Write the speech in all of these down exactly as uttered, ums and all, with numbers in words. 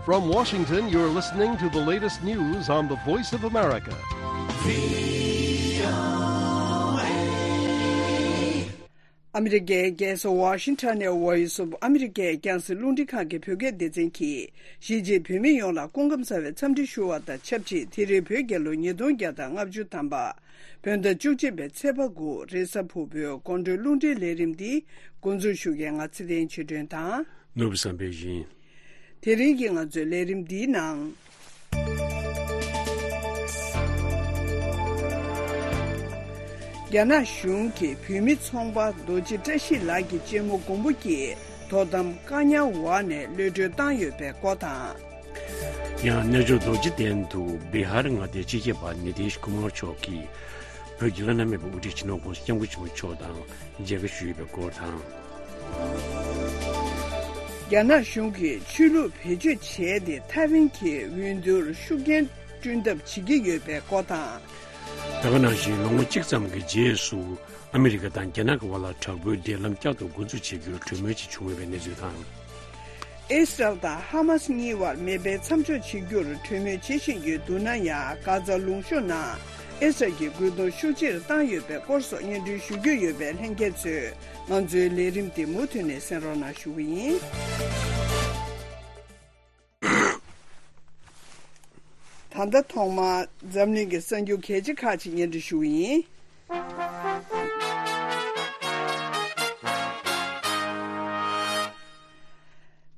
From Washington, you're listening to the latest news on the Voice of America. ཨ་མི་རི་ཀའི་རྒྱལ་ས་ཝ་ཤིང་ཊོན་ནས་Voice of America རྒྱང་སྲིང་རླུང་འཕྲིན་ཁང་གི་བོད་སྐད་སྡེ་ཚན་གྱིས། གཞིས་བྱེས་བོད་མི་ཡོངས་ལ་སྐུ་ཁམས་བཟང་བའི་འཚམས་འདྲི་ཞུ་བ་དང་ཆབས་ཅིག་དེ་རིང་བོད་རྒྱལ་ལོ་ཉིས་སྟོང་བརྒྱ་དང་ལྔ་བཅུ་ཐམ་པ། བོད་ཟླ་བཅུ་གཅིག་པའི་ཚེས་པ་དགུ། རེས་གཟའ་ཕུར་བུའི་དགོང་དྲོའི་རླུང་འཕྲིན་ལས་རིམ་འདི་འགོ་འཛུགས་ཞུ་མཁན་ང་ཚེ་བརྟན་ཆོས་སྒྲོན་དང་། ནོར་བུ་བསམ་འཕེལ་ཡིན། དེ་རིང་གི་ང་ཚོའི་ལས་རིམ་འདིའི་ནང་། རྒྱ་ནག་གཞུང་གིས་བོད་མི་ཚོང་པ་རྡོ་རྗེ་བཀྲ་ཤིས་ལགས་ཀྱི་གཅེན་མོ་མགོན་པོ་སྐྱིད་དོ་དམ་བཀག་ཉར་འོག་ནས་གློད་གྲོལ་བཏང་ཡོད་པའི་སྐོར་དང་། ཡང་རྣལ་འབྱོར་རྡོ་རྗེ་གདན་དུ་བི་ཧར་མངའ་སྡེའི་སྤྱི་ཁྱབ་པ་ནི་ཏིཤ་ཀུ་མར་མཆོག་གིས་བོད་ཀྱི་བླ་ན་མེད་པའི་དབུ་ཁྲིད་སྤྱི་ནོར་༸གོང་ས་༸སྐྱབས་མགོན་ཆེན་པོ་མཆོག་དང་མཇལ་ཁ་ཞུས་ཡོད་པའི་སྐོར་དང་། རྒྱ་ནག་གཞུང་གིས་ཆོས་ལུགས་བེད་སྤྱོད་བྱས་ཏེ་ཐའེ་ཝན་གྱི་འོས་བསྡུར་ཤུགས་རྐྱེན་བསྐྲུན་ཐབས་བྱེད་ཀྱི་ཡོད་པའི་སྐོར་དང་། ད་ག་ནང་བཞིན་ལོ་ངོ་གཅིག་ཙམ་གྱི་རྗེས་སུ། ཨ་མི་རི་ཀ་དང་རྒྱ་ནག་གི་དབར་ལ་དྲག་པོའི་འབྲེལ་ལམ་བསྐྱར་དུ་འགོ་འཛུགས་བྱེད་རྒྱུར་གྲོས་མོལ་ཅིག་བྱུང་ཡོད་པའི་གནས་ཚུལ་དང་། ཨིས་རལ་དང་ཧ་མཱས་གཉིས་བར་མེ་འཕེན་མཚམས་འཇོག་བྱེད་རྒྱུར་གྲོས་མོལ་བྱེད་བཞིན་ཡོད་འདུག་ན་ཡང་། གྷ་ཛ་ལུང་གཤོང་ནང་ཨིས་རལ་གྱི་རྒོལ་རྡུང་ཤུགས་ཆེར་བཏང་ཡོད་པའི་སྐོར་སོགས་སྙན་སྒྲོན་ཞུ་རྒྱུ་ཡོད་པས་ལྷན་རྒྱས་ཚོས་ང་ཚོའི་ལས་རིམ་དེ་མུ་མཐུད་ནས་གསན་རོགས་གནང་ཞུ་གི་ཡིན། ད་ལྟ་ཐོག་མར་འཛམ་གླིང་གི་གསར་འགྱུར་གལ་ཆེ་ཁག་ཅིག་སྙན་སྒྲོན་ཞུ་གི་ཡིན།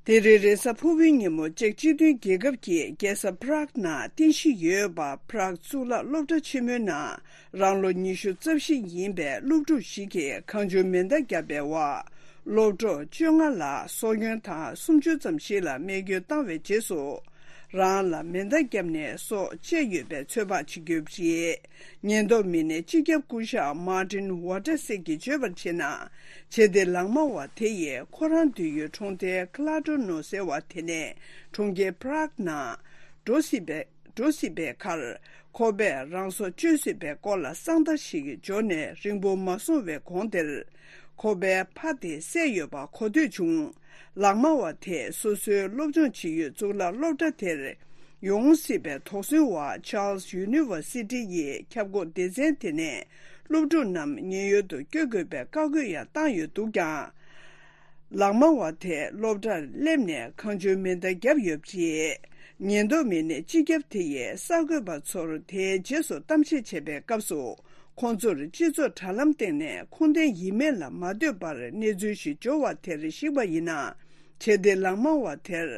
དེ་རིང་རེས་གཟའ་ཕུར་བུའི་ཉིན་མོ་ཅེཀ་སྤྱི་མཐུན་རྒྱལ་ཁབ་ཀྱི་རྒྱལ་ས་པ་རག་ནང་རྟེན་གཞི་ཡོད་པ་པ་རག་གཙུག་ལག་སློབ་གྲྭ་ཆེན་མོའི་ནང་རང་ལོ་ཉི་ཤུ་རྩ་བཞི་ཡིན་པའི་སློབ་ཕྲུག་ཞིག་གིས་གང་བྱུང་མེ་མདའ་བརྒྱབ་པའི་འོག་སློབ་གྲོགས་བཅོ་ལྔ་ལ་སྲོག་སྐྱོན་དང་སུམ་ཅུ་ཙམ་ཞིག་ལ་རྨས་སྐྱོན་བཏང་བའི་རྗེས་སུ། རང་ལ་མེ་མདའ་བརྒྱབ་ནས་སྲོག་བཅད་ཡོད་པའི་ཚོད་དཔག་བྱེད་ཀྱི་ཡོད་པ་རེད། ཉེན་རྟོག་མི་སྣས་སྤྱི་ཁྱབ་སྐུ་ཞབས་མར་ཏིན་ཝ་ཏར་སི་གིས་བརྗོད་པར་བྱས་ན། བྱེད་གཏེ་ལག་དམར་བ་དེ་ཡིས་ཁོ་རང་སྡོད་ཡུལ་གྲོང་རྡལ་ཁ་ལ་ཏྲོ་ནོ་ཟེར་བ་དེ་ནས་གྲོང་ཁྱེར་པ་རག་ནང་འགྲོ་སྲིད་པའི་འགྲོ་སྲིད་པའི་ཁར། ཁོ་པས་རང་སྲོག་གཅོད་སྲིད་པའི་སྐོར་ལ་གསང་བརྡ་ཞིག་འབྱོར་ནས་རིང་པོ་མ་སོང་བའི་གོང་དེར། ཁོ་པའི་ཕ་དེ་བསད་ཡོད་པ་གོ་ཐོས་བྱུང་། ལག་དམར་བ་དེས་སོ་སོའི་སློབ་སྦྱོང་བྱེད་ཡུལ་གཙུག་ལག་སློབ་གྲྭ་དེར་ཡོང་སྲིད་པའི་དོགས་ཟོན་འོག་Charles University ཡི་ཁྱབ་ཁོངས་སྡེ་ཚན་དེ་ནས་སློབ་ཕྲུག་རྣམས་ཉེན་གཡོལ་དུ་བསྐྱོད་དགོས་པའི་བཀའ་བཀོད་ཡང་བཏང་ཡོད་འདུག་ཀྱང་། ལག་དམར་བ་དེས་སློབ་གྲྭར་སླེབས་ནས་གང་བྱུང་མེ་མདའ་བརྒྱབ་ཡོད་པ་རེད། ཉེན་རྟོག་མི་སྣས་སྤྱི་ཁྱབ་དེ་ཡིས་གསར་འགོད་པ་ཚོར་དེའི་རྗེས་སུ་གཏམ་བཤད་བྱས་པའི་སྐབས་སུ། ཁོང་ཚོར་སྤྱི་ཚོགས་དྲ་ལམ་སྟེང་ནས་ཁུངས་ལྡན་ཡིན་མིན་ལ་མ་ལྟོས་པར་གནས་ཚུལ་ཞིག་འབྱོར་བ་དེར་གཞིགས་པ་ཡིན་ན། བྱེད་གཏེ་ལག་དམར་བ་དེར་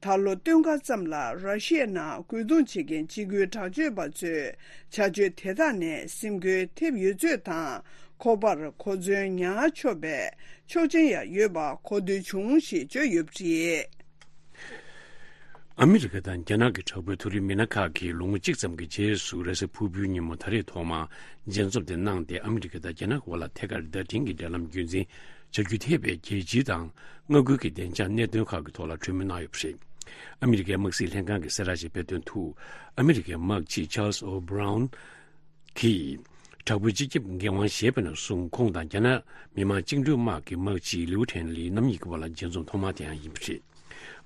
ད་ལོ་སྟོན་ཁ་ཙམ་ལ་ར་ཤི་ཡའི་ནང་རྒོལ་རྡུང་བྱེད་མཁན་འཇིགས་སྐུལ་དྲག་སྤྱོད་པ་ཚོས་བྱ་སྤྱོད་དེ་དག་ནས་སེམས་འགུལ་ཐེབས་ཡོད་ཚུལ་དང་། ཁོ་པར་གོ་མཚོན་ཉར་ཆོག་པའི་ཆོག་མཆན་ཡང་ཡོད་པ་གོ་ཐོས་བྱུང་ཞེས་བརྗོད་ཡོད་པ་རེད། ཨ་མི་རི་ཀ་དང་རྒྱ་ནག་གི་དྲག་པོའི་མཐོ་རིམ་མི་སྣ་ཁག་གིས་ལོ་ངོ་གཅིག་ཙམ་གྱི་རྗེས་སུ་རེས་གཟའ་ཕུར་བུའི་ཉིན་མོ་ད་རེས་ཐོག་མར་མཇལ་འཛོམས་དེ་གནང་སྟེ། ཨ་མི་རི་ཀ་དང་རྒྱ་ནག་གི་དབར་ལ་ཐད་ཀར་བརྡ་འཕྲིན་གྱི་འབྲེལ་ལམ་རྒྱུན་འཛིན་བྱ་རྒྱུ་ཐེ་བའི་རྒྱལ་སྤྱི་དང་མངའ་ཁུལ་གྱི་བདེ་འཇགས་གནད་དོན་ཁག་གི་ཐོག་ལ་གྲོས་མོལ་གནང་ཡོད་པ་རེད། ཨ་མི་རི་ཀའི་དམག་སྲིད་ལྷན་ཁང་གིས་གསལ་བསྒྲགས་ཤིག་སྤེལ་དོན་དུ། ཨ་མི་རི་ཀའི་དམག་སྤྱི་Charles O'Brien གིས་དྲག་པོའི་སྤྱི་ཁྱབ་འགན་དབང་བཞེས་པ་ནས་བཟུང་ཁོང་དང་རྒྱ་ནག་མི་དམངས་བཅིངས་འགྲོལ་དམག་གི་དམག་སྤྱི་ལིའུ་ཐན་ལི་རྣམ་གཉིས་ཀྱི་བར་ལ་མཇལ་འཛོམས་ཐོག་མ་དེའང་ཡིན་པ་རེད།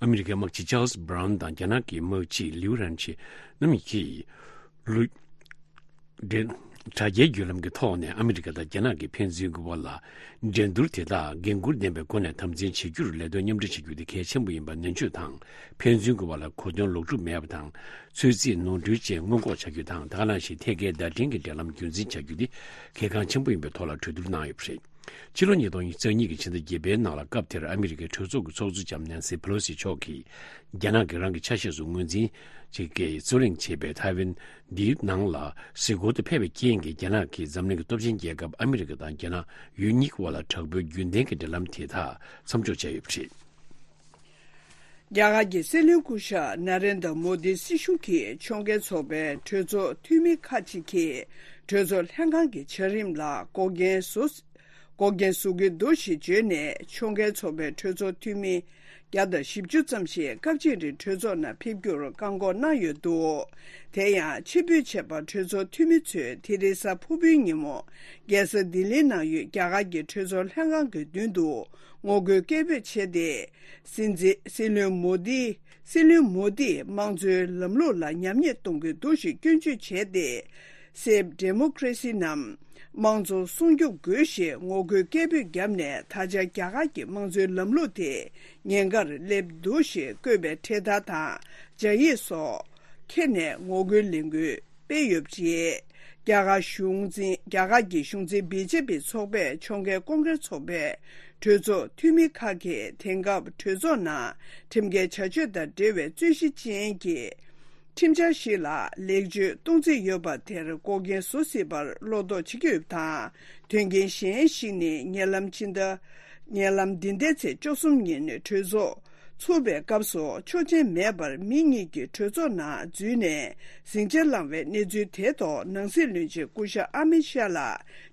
ཨ་མི་རི་ཀའི་དམག་སྤྱི་Charles Brown དང་རྒྱ་ནག་གི་དམག་སྤྱི་ལིའུ་རན་ཆི་རྣམ་གཉིས་ཀྱིས་ལུ། འདྲེ། དྲ་རྒྱའི་བརྒྱུད་ལམ་གྱི་ཐོག་ནས་ཨ་མི་རི་ཀ་དང་རྒྱ་ནག་གི་ཕན་ཚུན་གྱི་བར་ལ་འགྲན་བསྡུར་དེ་དག་འགན་འཁུར་ལྡན་པའི་སྒོ་ནས་དམ་འཛིན་བྱེད་རྒྱུར་ལས་དོན་མཉམ་འབྲེལ་བྱེད་རྒྱུ་དེ་གལ་ཆེན་པོ་ཡིན་པ་ནན་བརྗོད་དང་། ཕན་ཚུན་གྱི་བར་ལ་གོ་དོན་ལོག་སྒྲུབ་མེད་པ་དང་། ཚོད་རྩིས་ནོར་འཁྲུལ་བཅས་སྔོན་འགོག་བྱ་རྒྱུ་དང་། ད་ག་ནང་བཞིན་ཐད་ཀའི་བརྡ་འཕྲིན་གྱི་འབྲེལ་ལམ་རྒྱུན་འཛིན་བྱ་རྒྱུ་དེ་གལ་འགངས་ཆེན་པོ་ཡིན་པའི་ཐོག་ལ་གྲོས་བསྡུར་གནང་ཡོད་པ་རེད། ཕྱི་ལོ་ཉིས་སྟོང་ཉེར་གཉིས་ཀྱི་ཕྱི་ཟླ་བརྒྱད་པའི་ནང་ལ་སྐབས་དེར་ཨ་མི་རི་ཀའི་གྲོས་ཚོགས་ཀྱི་ཚོགས་གཙོ་ལྕམ་ནན་སི་པེ་ལོ་སི་མཆོག་གིས་རྒྱ་ནག་གིས་རང་གི་ཆ་ཤས་སུ་ངོས་འཛིན་བྱེད་ཀྱི་རྩོད་གླེང་བྱེད་པའི་ཐའེ་ཝན་འདིའི་ནང་ལ་གཟིགས་སྐོར་དུ་ཕེབས་པའི་རྐྱེན་གྱིས། རྒྱ་ནག་གིས་འཛམ་གླིང་གི་སྟོབས་ཆེན་རྒྱལ་ཁབ་ཨ་མི་རི་ཀ་དང་རྒྱ་ནག་ཡུལ་གཉིས་ཀྱི་དབར་ལ་དྲག་པོའི་རྒྱུན་ལྡན་གྱི་འབྲེལ་ལམ་དེ་དག་མཚམས་འཇོག་བྱས་ཡོད་པ་རེད། རྒྱ་གར་གྱི་སྲིད་བློན་སྐུ་ཞབས་ན་རེན་དྲ་མོ་དི་སྲིད་གཞུང་གིས་ཕྱོགས་འགལ་ཚོགས་པའི་གྲོས་ཚོགས་འཐུས་མི་ཁག་ཅིག་གིས་གྲོས་ཚོགས་ལྷན་ཁང་གི་བྱ་རིམ་ལ་འགོག་རྐྱེན་བཟོ། འགོག་རྐྱེན་བཟོ་གི་འདུག་ཞེས་བརྗོད་ནས། ཕྱོགས་འགལ་ཚོགས་པའི་གྲོས་ཚོགས་འཐུས་མི་བརྒྱ་དང་བཞི་བཅུ་ཙམ་ཞིག་སྐབས་གཅིག་རིང་གྲོས་ཚོགས་ནང་ཕེབས་རྒྱུར་བཀག་འགོག་གནང་ཡོད་འདུག་དེ་ཡང་ཕྱིར་འབུད་བྱས་པ། གྲོས་ཚོགས་འཐུས་མི་ཚོས་དེ་རིང་གཟའ་ཕུར་བུའི་ཉིན་མོ་རྒྱལ་ས་ལྡི་ལིའི་ནང་ཡོད་རྒྱ་གར་གྱི་གྲོས་ཚོགས་ལྷན་ཁང་གི་མདུན་དུ་ངོ་རྒོལ་སྐད་འབོད་བྱས་ཏེ། སྲིད་འཛིན། སྲིད་བློན་མོ་དི། སྲིད་བློན་མོ་དིས་དམངས་གཙོའི་ལམ་ལུགས་ལ་ཉམས་ཉེས་གཏོང་གི་འདུག་ཞེས་སྐྱོན་བརྗོད་བྱས་ཏེ། Save Democracy ནམ། དམངས་གཙོ་སྲུང་སྐྱོབ་དགོས་ཞེས་ངོ་རྒོལ་སྐད་འབོད་བརྒྱབ་ནས། ད་ཆ་རྒྱ་གར་གྱི་དམངས་གཙོའི་ལམ་ལུགས་དེ་ཉེན་ཁར་སླེབས་འདུག་ཞེས་བཀོད་པའི་འཕྲེད་དར་དང་སྦྱར་ཡིག་སོགས་ཁྱེར་ནས་ངོ་རྒོལ་ལས་འགུལ་སྤེལ་ཡོད་པ་རེད། རྒྱ་གར་གཞུང་འཛིན། རྒྱ་གར་གྱི་གཞུང་འཛིན་བི་ཇེ་པི་ཚོགས་པས་ཕྱོགས་འགལ་ཀོང་ཀེར་ཚོགས་པའི་གྲོས་ཚོགས་འཐུས་མི་ཁག་གིས་དེང་སྐབས་གྲོས་ཚོགས་ནང་ཁྲིམས་འགལ་བྱ་སྤྱོད་དང་འབྲེལ་བའི་རྩོད་གཞི་ཅན་གྱི་ཁྲིམས་འཆར་ཞིག་ལ་ལེགས་བཅོས་གཏོང་རྩིས་ཡོད་པ་དེར་འགོག་རྐྱེན་བཟོ་སྲིད་པར་བློ་དོགས་བྱེད་ཀྱི་ཡོད་པ་དང་། དོན་རྐྱེན་གཞན་ཞིག་ནི། ཉེ་ལམ་ཕྱི་ཟླ། ཉེ་ལམ་འདི་ཟླའི་ཚེས་བཅུ་གསུམ་ཉིན་གྲོས་ཚོགས་ཚུགས་པའི་སྐབས་སུ་ཆོག་མཆན་མེད་པར་མི་གཉིས་ཀྱིས་གྲོས་ཚོགས་ནང་འཛུལ་ནས་ཟིང་ཆ་བསླངས་པའི་གནས་ཚུལ་དེའི་ཐོག་ནང་སྲིད་བློན་ཆེན་སྐུ་ཞབས་ཨ་མིད་ཤཱ་ལ་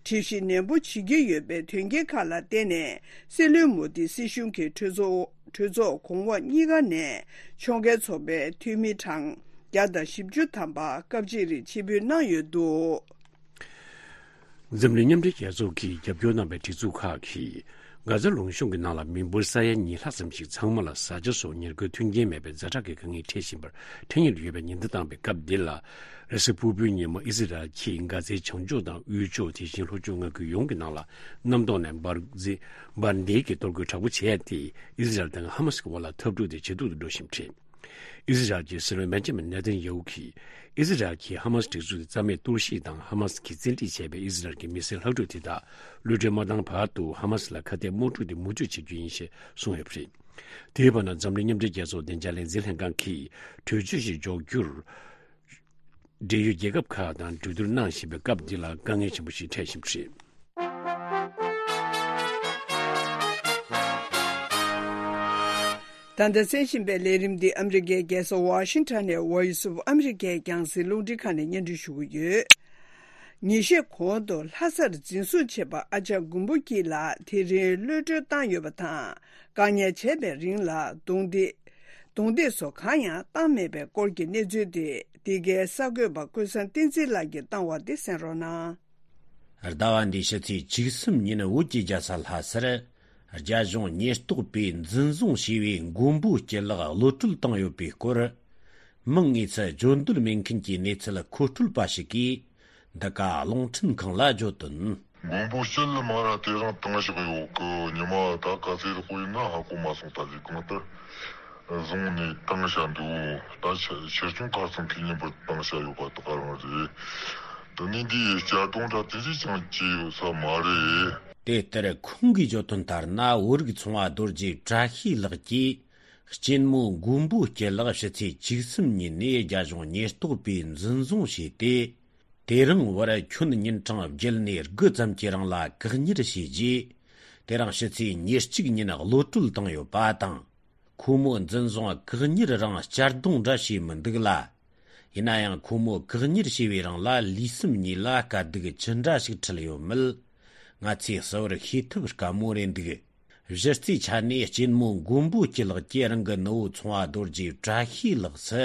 དྲི་ཞིབ་ནན་པོ་བྱེད་ཀྱི་ཡོད་པའི་དོན་རྐྱེན་ཁག་ལ་བརྟེན་ནས། སྲིད་བློན་མོ་དི་སྲིད་གཞུང་གི་གྲོས་ཚོགས། གྲོས་ཚོགས་གོང་འོག་གཉིས་ཀ་ནས་ཕྱོགས་འགལ་ཚོགས་པའི་འཐུས་མི་གྲངས་བརྒྱ་དང་བཞི་བཅུ་ཐམ་པ་སྐབས་གཅིག་རིང་ཕྱིར་འབུད་གནང་ཡོད་འདུག་འཛམ་གླིང་མཉམ་འབྲེལ་རྒྱལ་ཚོགས་ཀྱིས་རྒྱབ་སྐྱོར་གནང་བའི་སྒྲིག་འཛུགས་ཁག་གིས། གྷ་ཛ་ལུང་གཤོང་གི་ནང་ལ་མི་འབོར་ས་ཡ་ཉིས་ལྷག་ཙམ་ཞིག་ཚང་མ་ལ་བཟའ་བཅའ་སོགས་ཉེར་མཁོའི་མཐུན་རྐྱེན་མེད་པའི་ཛ་དྲག་གི་དཀའ་ངལ་འཕྲད་བཞིན་པར་ཐེངས་གཉིས་ལ་ཡོད་པའི་ཉེན་བརྡ་བཏང་བའི་སྐབས་འདི་ལ། རེས་གཟའ་ཕུར་བུའི་ཉིན་མོ་ཨི་ཟི་རལ་གྱིས་གྷ་ཛའི་བྱང་ཕྱོགས་དང་དབུས་ཕྱོགས། དེ་བཞིན་ལྷོ་ཕྱོགས་མངའ་ཁུལ་ཡོངས་ཀྱི་ནང་ལ་གནམ་ཐོག་ནས་འབར་འཛིང་འབར་མདེལ་གྱིས་གཏོར་རྒོལ་དྲག་པོ་བྱས་ཏེ། ཨི་ཟི་རལ་དང་ཧ་མ་སི་ཀྱི་དབར་ལ་འཐབ་འཁྲུག་དེ་ཇེ་སྡུག་ཏུ་འགྲོ་བཞིན་པ་རེད། ཨི་ཟི་རལ་གྱི་སྲིད་བློན་བེན་ཇ་མིན་ནེ་ཐན་ཡ་ཧུ་གིས། ཨི་ཟི་རལ་གྱིས་ཧ་མ་སི་སྒྲིག་འཛུགས་དེ་རྩ་མེད་གཏོར་བཤིག་དང་། ཧ་མ་སི་གིས་བཙན་ཁྲིད་བྱས་པའི་ཨི་ཟི་རལ་གྱི་མི་སེར་ལྷག་འཕྲུག་དེ་དག་གློད་གྲོལ་མ་བཏང་བར་དུ་ཧ་མ་སི་ལ་ཁ་གཏད་དམག་འཁྲུག་དེ་མུ་མཐུད་བྱེད་རྒྱུ་ཡིན་ཞེས་གསུངས་ཡོད་པ་རེད། དེའི་བར་ན། འཛམ་གླིང་མཉམ་འབྲེལ་རྒྱལ་ཚོགས་བདེ་འཇགས་ལས་འཛིན་ལྷན་ཁང་གིས་གྲོས་ཆོད་ཞིག་འཇོག་རྒྱུར། འབྲེལ་ཡོད་རྒྱལ་ཁབ་ཁག་དང་གྲོས་བསྡུར་གནང་བཞིན་པའི་སྐབས་འདི་ལ་དཀའ་ངལ་ཆེན་པོ་ཞིག་འཕྲད་བཞིན་པ་རེད། ད་ལྟ་གསན་བཞིན་པའི་ལས་རིམ་འདི་ཨ་མི་རི་ཀའི་རྒྱལ་ས་ཝ་ཤིང་ཊོན་ནས་Voice of America རྒྱང་སྲིང་རླུང་འཕྲིན་ཁང་ནས་སྙན་སྒྲོན་ཞུ་གི་ཡོད། ཉིན་ཤས་གོང་དུ་ལྷ་སར་འཛིན་བཟུང་བྱས་པ་ཨ་ཅག་མགོན་པོ་སྐྱིད་ལགས་དེ་རིང་གློད་གྲོལ་བཏང་ཡོད་པ་དང་། བཀག་ཉར་བྱས་པའི་རིང་ལ་རྡུང་རྡེག་རྡུང་རྡེག་སོགས་གང་ཡང་བཏང་མེད་པའི་སྐོར་གྱི་གནས་ཚུལ་དེ། འདི་གའི་གསར་འགོད་པ་ཀུན་བཟང་བསྟན་འཛིན་ལགས་ཀྱིས་བཏང་བ་དེ་གསན་རོགས་གནང་། ཟླ་བ་འདིའི་ཕྱི་ཚེས་བཅུ་གསུམ་ཉིན་བོད་ཀྱི་རྒྱལ་ས་ལྷ་སར། རྒྱ་གཞུང་ཉེན་རྟོག་པས་འཛིན་བཟུང་བྱས་པའི་མགོན་པོ་སྐྱིད་ལགས་གློད་གྲོལ་བཏང་ཡོད་པའི་སྐོར། མིང་དངོས་སུ་བརྗོད་འདོད་མེད་མཁན་གྱི་གནས་ཚུལ་མཁོ་སྤྲོད་པ་ཞིག་གིས། འདི་ག་རླུང་འཕྲིན་ཁང་ལ་བརྗོད་དོན། མགོན་པོ་སྐྱིད་ལགས་མ་ར་དེ་རིང་བཏང་བཞག་ཡོད་གི། ཉི་མ་ད་ག་ཚོད་དཔེ་ཡིན་ན་ཧ་གོ་མ་སོང་། ད་ལས་གང་ལྟར་བཟུང་ནས་བཏང་བཞག་འདུག་ད་ཆ་ཕྱིར་ཚོང་ཁ་སང་གི་ཉིན་པར་བཏང་བཞག་ཡོད་པ་དེ་ག་རང་རེད། དེ་ནས་འདིའི་གཅར་རྡུང་འདྲ་དེ་ཚོ་ཅང་བྱས་ཡོད་ས་མ་རེད། དེ་ལྟར་ཁོང་གིས་བརྗོད་དོན་ལྟར་ན། བོད་རིགས་ཚོང་བ་རྡོ་རྗེ་བཀྲ་ཤིས་ལགས་ཀྱིས། གཅེན་མོ་མགོན་པོ་སྐྱིད་ལགས་ཕྱི་ཚེས་བཅུ་གསུམ་ཉིན་ནས་རྒྱ་གཞུང་ཉེན་རྟོག་པས་འཛིན་བཟུང་བྱས་ཏེ། དེ་རིང་བར་ཁྱོན་ཉིན་གྲངས་བརྒྱད་ནས་དགུ་ཙམ་གྱི་རིང་ལ་བཀག་ཉར་བྱས་རྗེས། དེ་རིང་ཕྱི་ཚེས་ཉེར་གཅིག་ཉིན་གློད་གྲོལ་བཏང་ཡོད་པ་དང་། ཁོ་མོ་འཛིན་བཟུང་བཀག་ཉར་རིང་གཅར་རྡུང་འདྲ་བྱས་མི་འདུག་ལ། ཡིན་ན་ཡང་ཁོ་མོ་བཀག་ཉར་བྱས་པའི་རིང་ལ་ལུས་སེམས་གཉིས་ལ་དཀའ་སྡུག་ཅི་འདྲ་ཞིག་འཕྲད་ཡོད་མེད། ང་ཚོས་གསལ་བོར་ཤེས་ཐུབ་དཀའ་མོ་རེད་འདུག་གཞི་རྩའི་ཆ་ནས་གཅེན་མོ་མགོན་པོ་སྐྱིད་ལགས་ཀྱིས་རང་གི་ནུ་བོ་ཚོང་བ་རྡོ་རྗེ་བཀྲ་ཤིས་ལགས་སུ།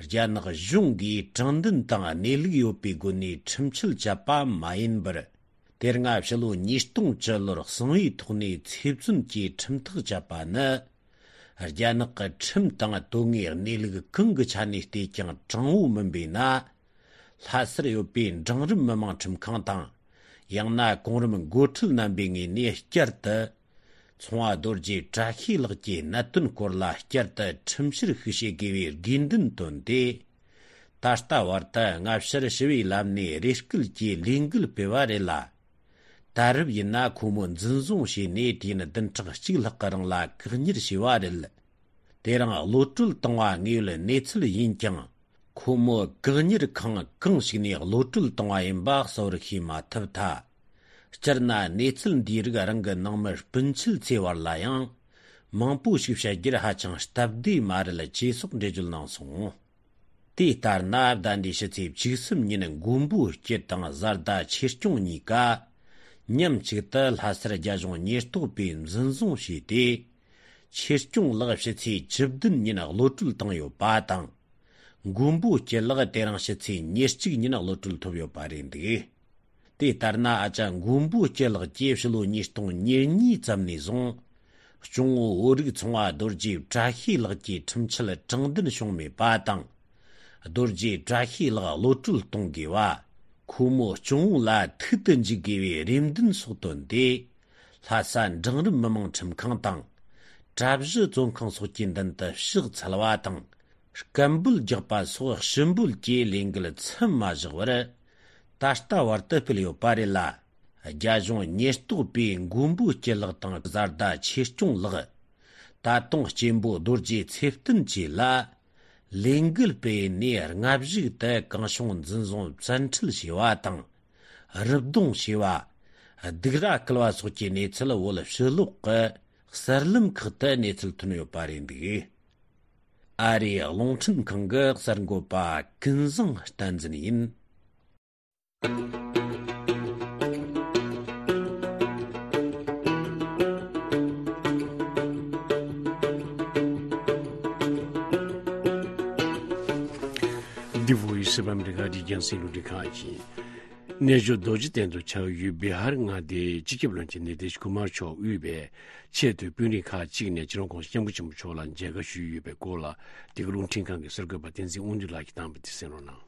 རྒྱ་ནག་གཞུང་གིས་དྲང་བདེན་དང་གནས་ལུགས་ཡོད་པའི་སྒོ་ནས་ཁྲིམས་ཆད་བཅད་པ་མ་ཡིན་པར། དེ་སྔ་ཕྱི་ལོ་ཉིས་སྟོང་བཅུ་ལོར་གསང་བའི་ཐོག་ནས་ཚེ་བཙོན་གྱི་ཁྲིམས་ཐག་བཅད་པ་ནི། རྒྱ་ནག་གི་ཁྲིམས་དང་དོན་དངོས་གནས་ལུགས་གང་གི་ཆ་ནས་བལྟས་ཀྱང་དྲང་བོ་མིན་པས་ན། ལྷ་སར་ཡོད་པའི་འབྲིང་རིམ་མི་དམངས་ཁྲིམས་ཁང་དང་། ཡང་ན་གོང་རིམ་འགོ་ཁྲིད་རྣམ་པའི་ངོས་ནས་བསྐྱར་དུ། ཚོང་བ་རྡོ་རྗེ་བཀྲ་ཤིས་ལགས་ཀྱི་གནད་དོན་སྐོར་ལ་བསྐྱར་དུ་ཁྲིམས་བཤེར་ཞིག་བྱེད་དགོས་པའི་དགོས་འདུན་བཏོན་ཏེ། ད་ལྟ་བར་དུ་སྔ་ཕྱིར་ཞི་བའི་ལམ་ནས་རེ་སྐུལ་གྱི་ལས་འགུལ་སྤེལ་བ་རེད་ལ། ད་རེབ་ཡིན་ན་ཁོ་མོ་འཛིན་བཟུང་བྱས་ནས་དུས་ཡུན་བདུན་ཕྲག་གཅིག་ལྷག་གི་རིང་ལ་བཀག་ཉར་བྱས་པ་རེད། དེ་རིང་གློད་གྲོལ་བཏང་བ་དངོས་ཡོད་གནས་ཚུལ་ཡིན་ཀྱང་། ཁོ་མོ་བཀག་ཉར་ཁང་གང་ཞིག་ནས་གློད་གྲོལ་བཏང་བ་ཡིན་པ་གསལ་བོར་ཤེས་མ་ཐུབ་ཐལ། སྤྱིར་ན་གནས་ཚུལ་འདིའི་རིགས་རང་གི་ནང་མི་སྤུན་མཆེད་ཚོའི་བར་ལ་ཡང་མང་པོ་ཞིག་བཤད་རྒྱུར་ཧ་ཅང་སྟབས་བདེ་མ་རེད་ཅེས་སོགས་འགྲེལ་བརྗོད་གནང་སོང་། དེ་ལྟར་ན་ཟླ་འདིའི་ཕྱི་ཚེས་བཅུ་གསུམ་ཉིན་མགོན་པོ་སྐྱིད་དང་བཟའ་ཟླ་ཆོས་སྐྱོང་གཉིས་ཀ་ མཉམ་གཅིག་ཏུ་ལྷ་སར་རྒྱ་གཞུང་ཉེན་རྟོག་པས་འཛིན་བཟུང་བྱས་ཏེ། ཆོས་སྐྱོང་ལགས་ཕྱི་ཚེས་བཅུ་བདུན་ཉིན་གློད་གྲོལ་བཏང་ཡོད་པ་དང་། མགོན་པོ་སྐྱིད་ལགས་དེ་རིང་ཕྱི་ཚེས་ཉེར་གཅིག་ཉིན་གློད་གྲོལ་ཐོབ་ཡོད་པ་རེད་འདུག་དེ་ལྟར་ན། ཨ་ཅག་མགོན་པོ་སྐྱིད་ལགས་ཀྱིས་ཕྱི་ལོ་ཉིས་སྟོང་ཉེར་གཉིས་ཙམ་ནས་བཟུང་། སྐྱོང་བོ་བོད་རིགས་ཚོང་པ་རྡོ་རྗེ་བཀྲ་ཤིས་ལགས་ཀྱི་ཁྲིམས་ཆད་དྲང་བདེན་བྱུང་མེད་པ་དང་། རྡོ་རྗེ་བཀྲ་ཤིས་ལགས་གློད་གྲོལ་གཏོང་དགོས་པ། ཁོ་མོ་སྐྱོང་བོ་ལ་ཐུག་ཏུ་འཇུག་དགོས་པའི་རེ་འདུན་སོགས་བཏོན་ཏེ། ལྷ་ས་འབྲིང་རིམ་མི་དམངས་ཁྲིམས་ཁང་དང་། གྲྭ་བཞི་བཙོན་ཁང་སོགས་ཀྱི་མདུན་དུ་ཕྱག་འཚལ་བ་དང་། སྐད་འབོད་རྒྱག་པ་སོགས་ཞུ་འབོད་ཀྱི་ལས་འགུལ་མཚམས་མ་བཞག་པར། ད་ལྟ་བར་དུ་སྤེལ་ཡོད་པ་རེད་ལ། རྒྱ་གཞུང་ཉེན་རྟོག་པས་མགོན་པོ་སྐྱིད་ལགས་དང་བཟའ་ཟླ་ཆོས་སྐྱོང་ལགས། ད་དུང་གཅེན་པོ་རྡོ་རྗེ་ཚེ་བརྟན་བཅས་ལ། ལས་འགུལ་སྤེལ་ནས་སྔ་གཞུག་ཏུ་གང་བྱུང་འཛིན་བཟུང་བཙན་ཁྲིད་བྱས་པ་དང་། རུབ་རྡུང་བྱས་པ། སྡིགས་ར་བསྐུལ་བ་སོགས་ཀྱི་གནས་ཚུལ་བོད་ཕྱི་ལོགས་ཀྱི་གསར་ལམ་ཁག་ཏུ་གནས་ཚུལ་ཐོན་ཡོད་པ་རེད་འདུག་ཨ་རིའི་རླུང་འཕྲིན་ཁང་གི་གསར་འགོད་པ་ཀུན་བཟང་བསྟན་འཛིན་ཡིན། འདི་བོ་ཡི་སི་བྷ་མི་རི་ཀ་གི་རྒྱང་སྲིང་རླུང་འཕྲིན་ཁང་ཡིན། གནས་མཆོག་རྡོ་རྗེ་གདན་དུ་ཆགས་ཡུལ་བི་ཧར་མངའ་སྡེའི་སྤྱི་ཁྱབ་བློན་ཆེན་ནི་ཏིཤ་ཀུ་མར་མཆོག་དབུས་པའི་ཆེས་མཐོའི་དཔོན་རིགས་ཁག་ཅིག་ནས་སྤྱི་ནོར་༸གོང་ས་༸སྐྱབས་མགོན་ཆེན་པོ་མཆོག་ལ་མཇལ་ཁ་ཞུས་ཡོད་པའི་སྐོར་ལ། འདི་ག་རླུང་འཕྲིན་ཁང་གི་གསར་འགོད་པ་བསྟན་འཛིན་དབང་འདུས་ལགས་ཀྱིས་བཏང་བ་དེ་གསན་རོགས་གནང་།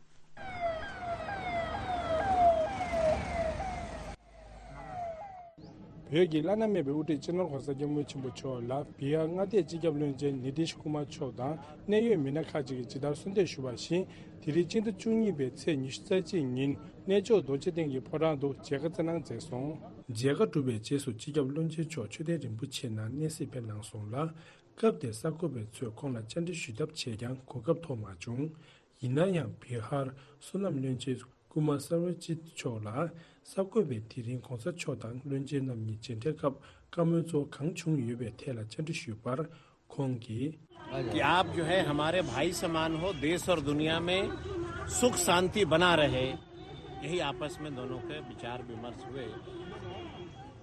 བོད་ཀྱི་བླ་ན་མེད་པའི་དབུ་ཁྲིད་སྤྱི་ནོར་༸གོང་ས་༸སྐྱབས་མགོན་ཆེན་པོ་མཆོག་ལ་བི་ཧར་མངའ་སྡེའི་སྤྱི་ཁྱབ་བློན་ཆེན་ནི་ཏིཤ་ཀུ་མར་མཆོག་དང་གནད་ཡོད་མི་སྣ་ཁག་ཅིག་གིས་ཇི་ལྟར་གསོལ་འདེབས་ཞུས་པ་བཞིན། དེ་རིང་སྤྱི་ཟླ་བཅུ་གཉིས་པའི་ཚེས་ཉི་ཤུ་རྩ་གཅིག་ཉིན་གནས་མཆོག་རྡོ་རྗེ་གདན་གྱི་ཕོ་བྲང་དུ་མཇལ་ཁ་བསྩལ་གནང་མཛད་སོང་། མཇལ་ཁ་གྲུབ་པའི་རྗེས་སུ་སྤྱི་ཁྱབ་བློན་ཆེན་མཆོག་མཆོད་རྟེན་རིན་པོ་ཆེ་ནང་གནས་གཟིགས་ཕེབས་གནང་སོང་ལ། སྐབས་དེར་གསར་འགོད་པ་ཚོས་ཁོང་ལ་བཅར་འདྲི་ཞུ་ཐབས་བྱས་ཀྱང་གོ་སྐབས་ཐོབ་མ་བྱུང་། ཡིན་ན་ཡང་བི་ཧར་བསོད་ནམས་བློན་ཆེན་ཀུ་མར་སར་བ་ཇིད་མཆོག་ལ་གསར་འགོད་པས་དེ་རིང་༸གོང་ས་མཆོག་དང་བློན་ཆེན་རྣམ་གཉིས་མཇལ་འཕྲད་སྐབས་བཀའ་མོལ་ཚོ་གང་བྱུང་ཡོད་པའི་ཐད་ལ་བཅར་འདྲི་ཞུས་པར། ཁོང་གིས། कि आप जो है हमारे भाई समान हो, देश और दुनिया में सुख शांति बना रहे, यही आपस में दोनों के विचार विमर्श हुए।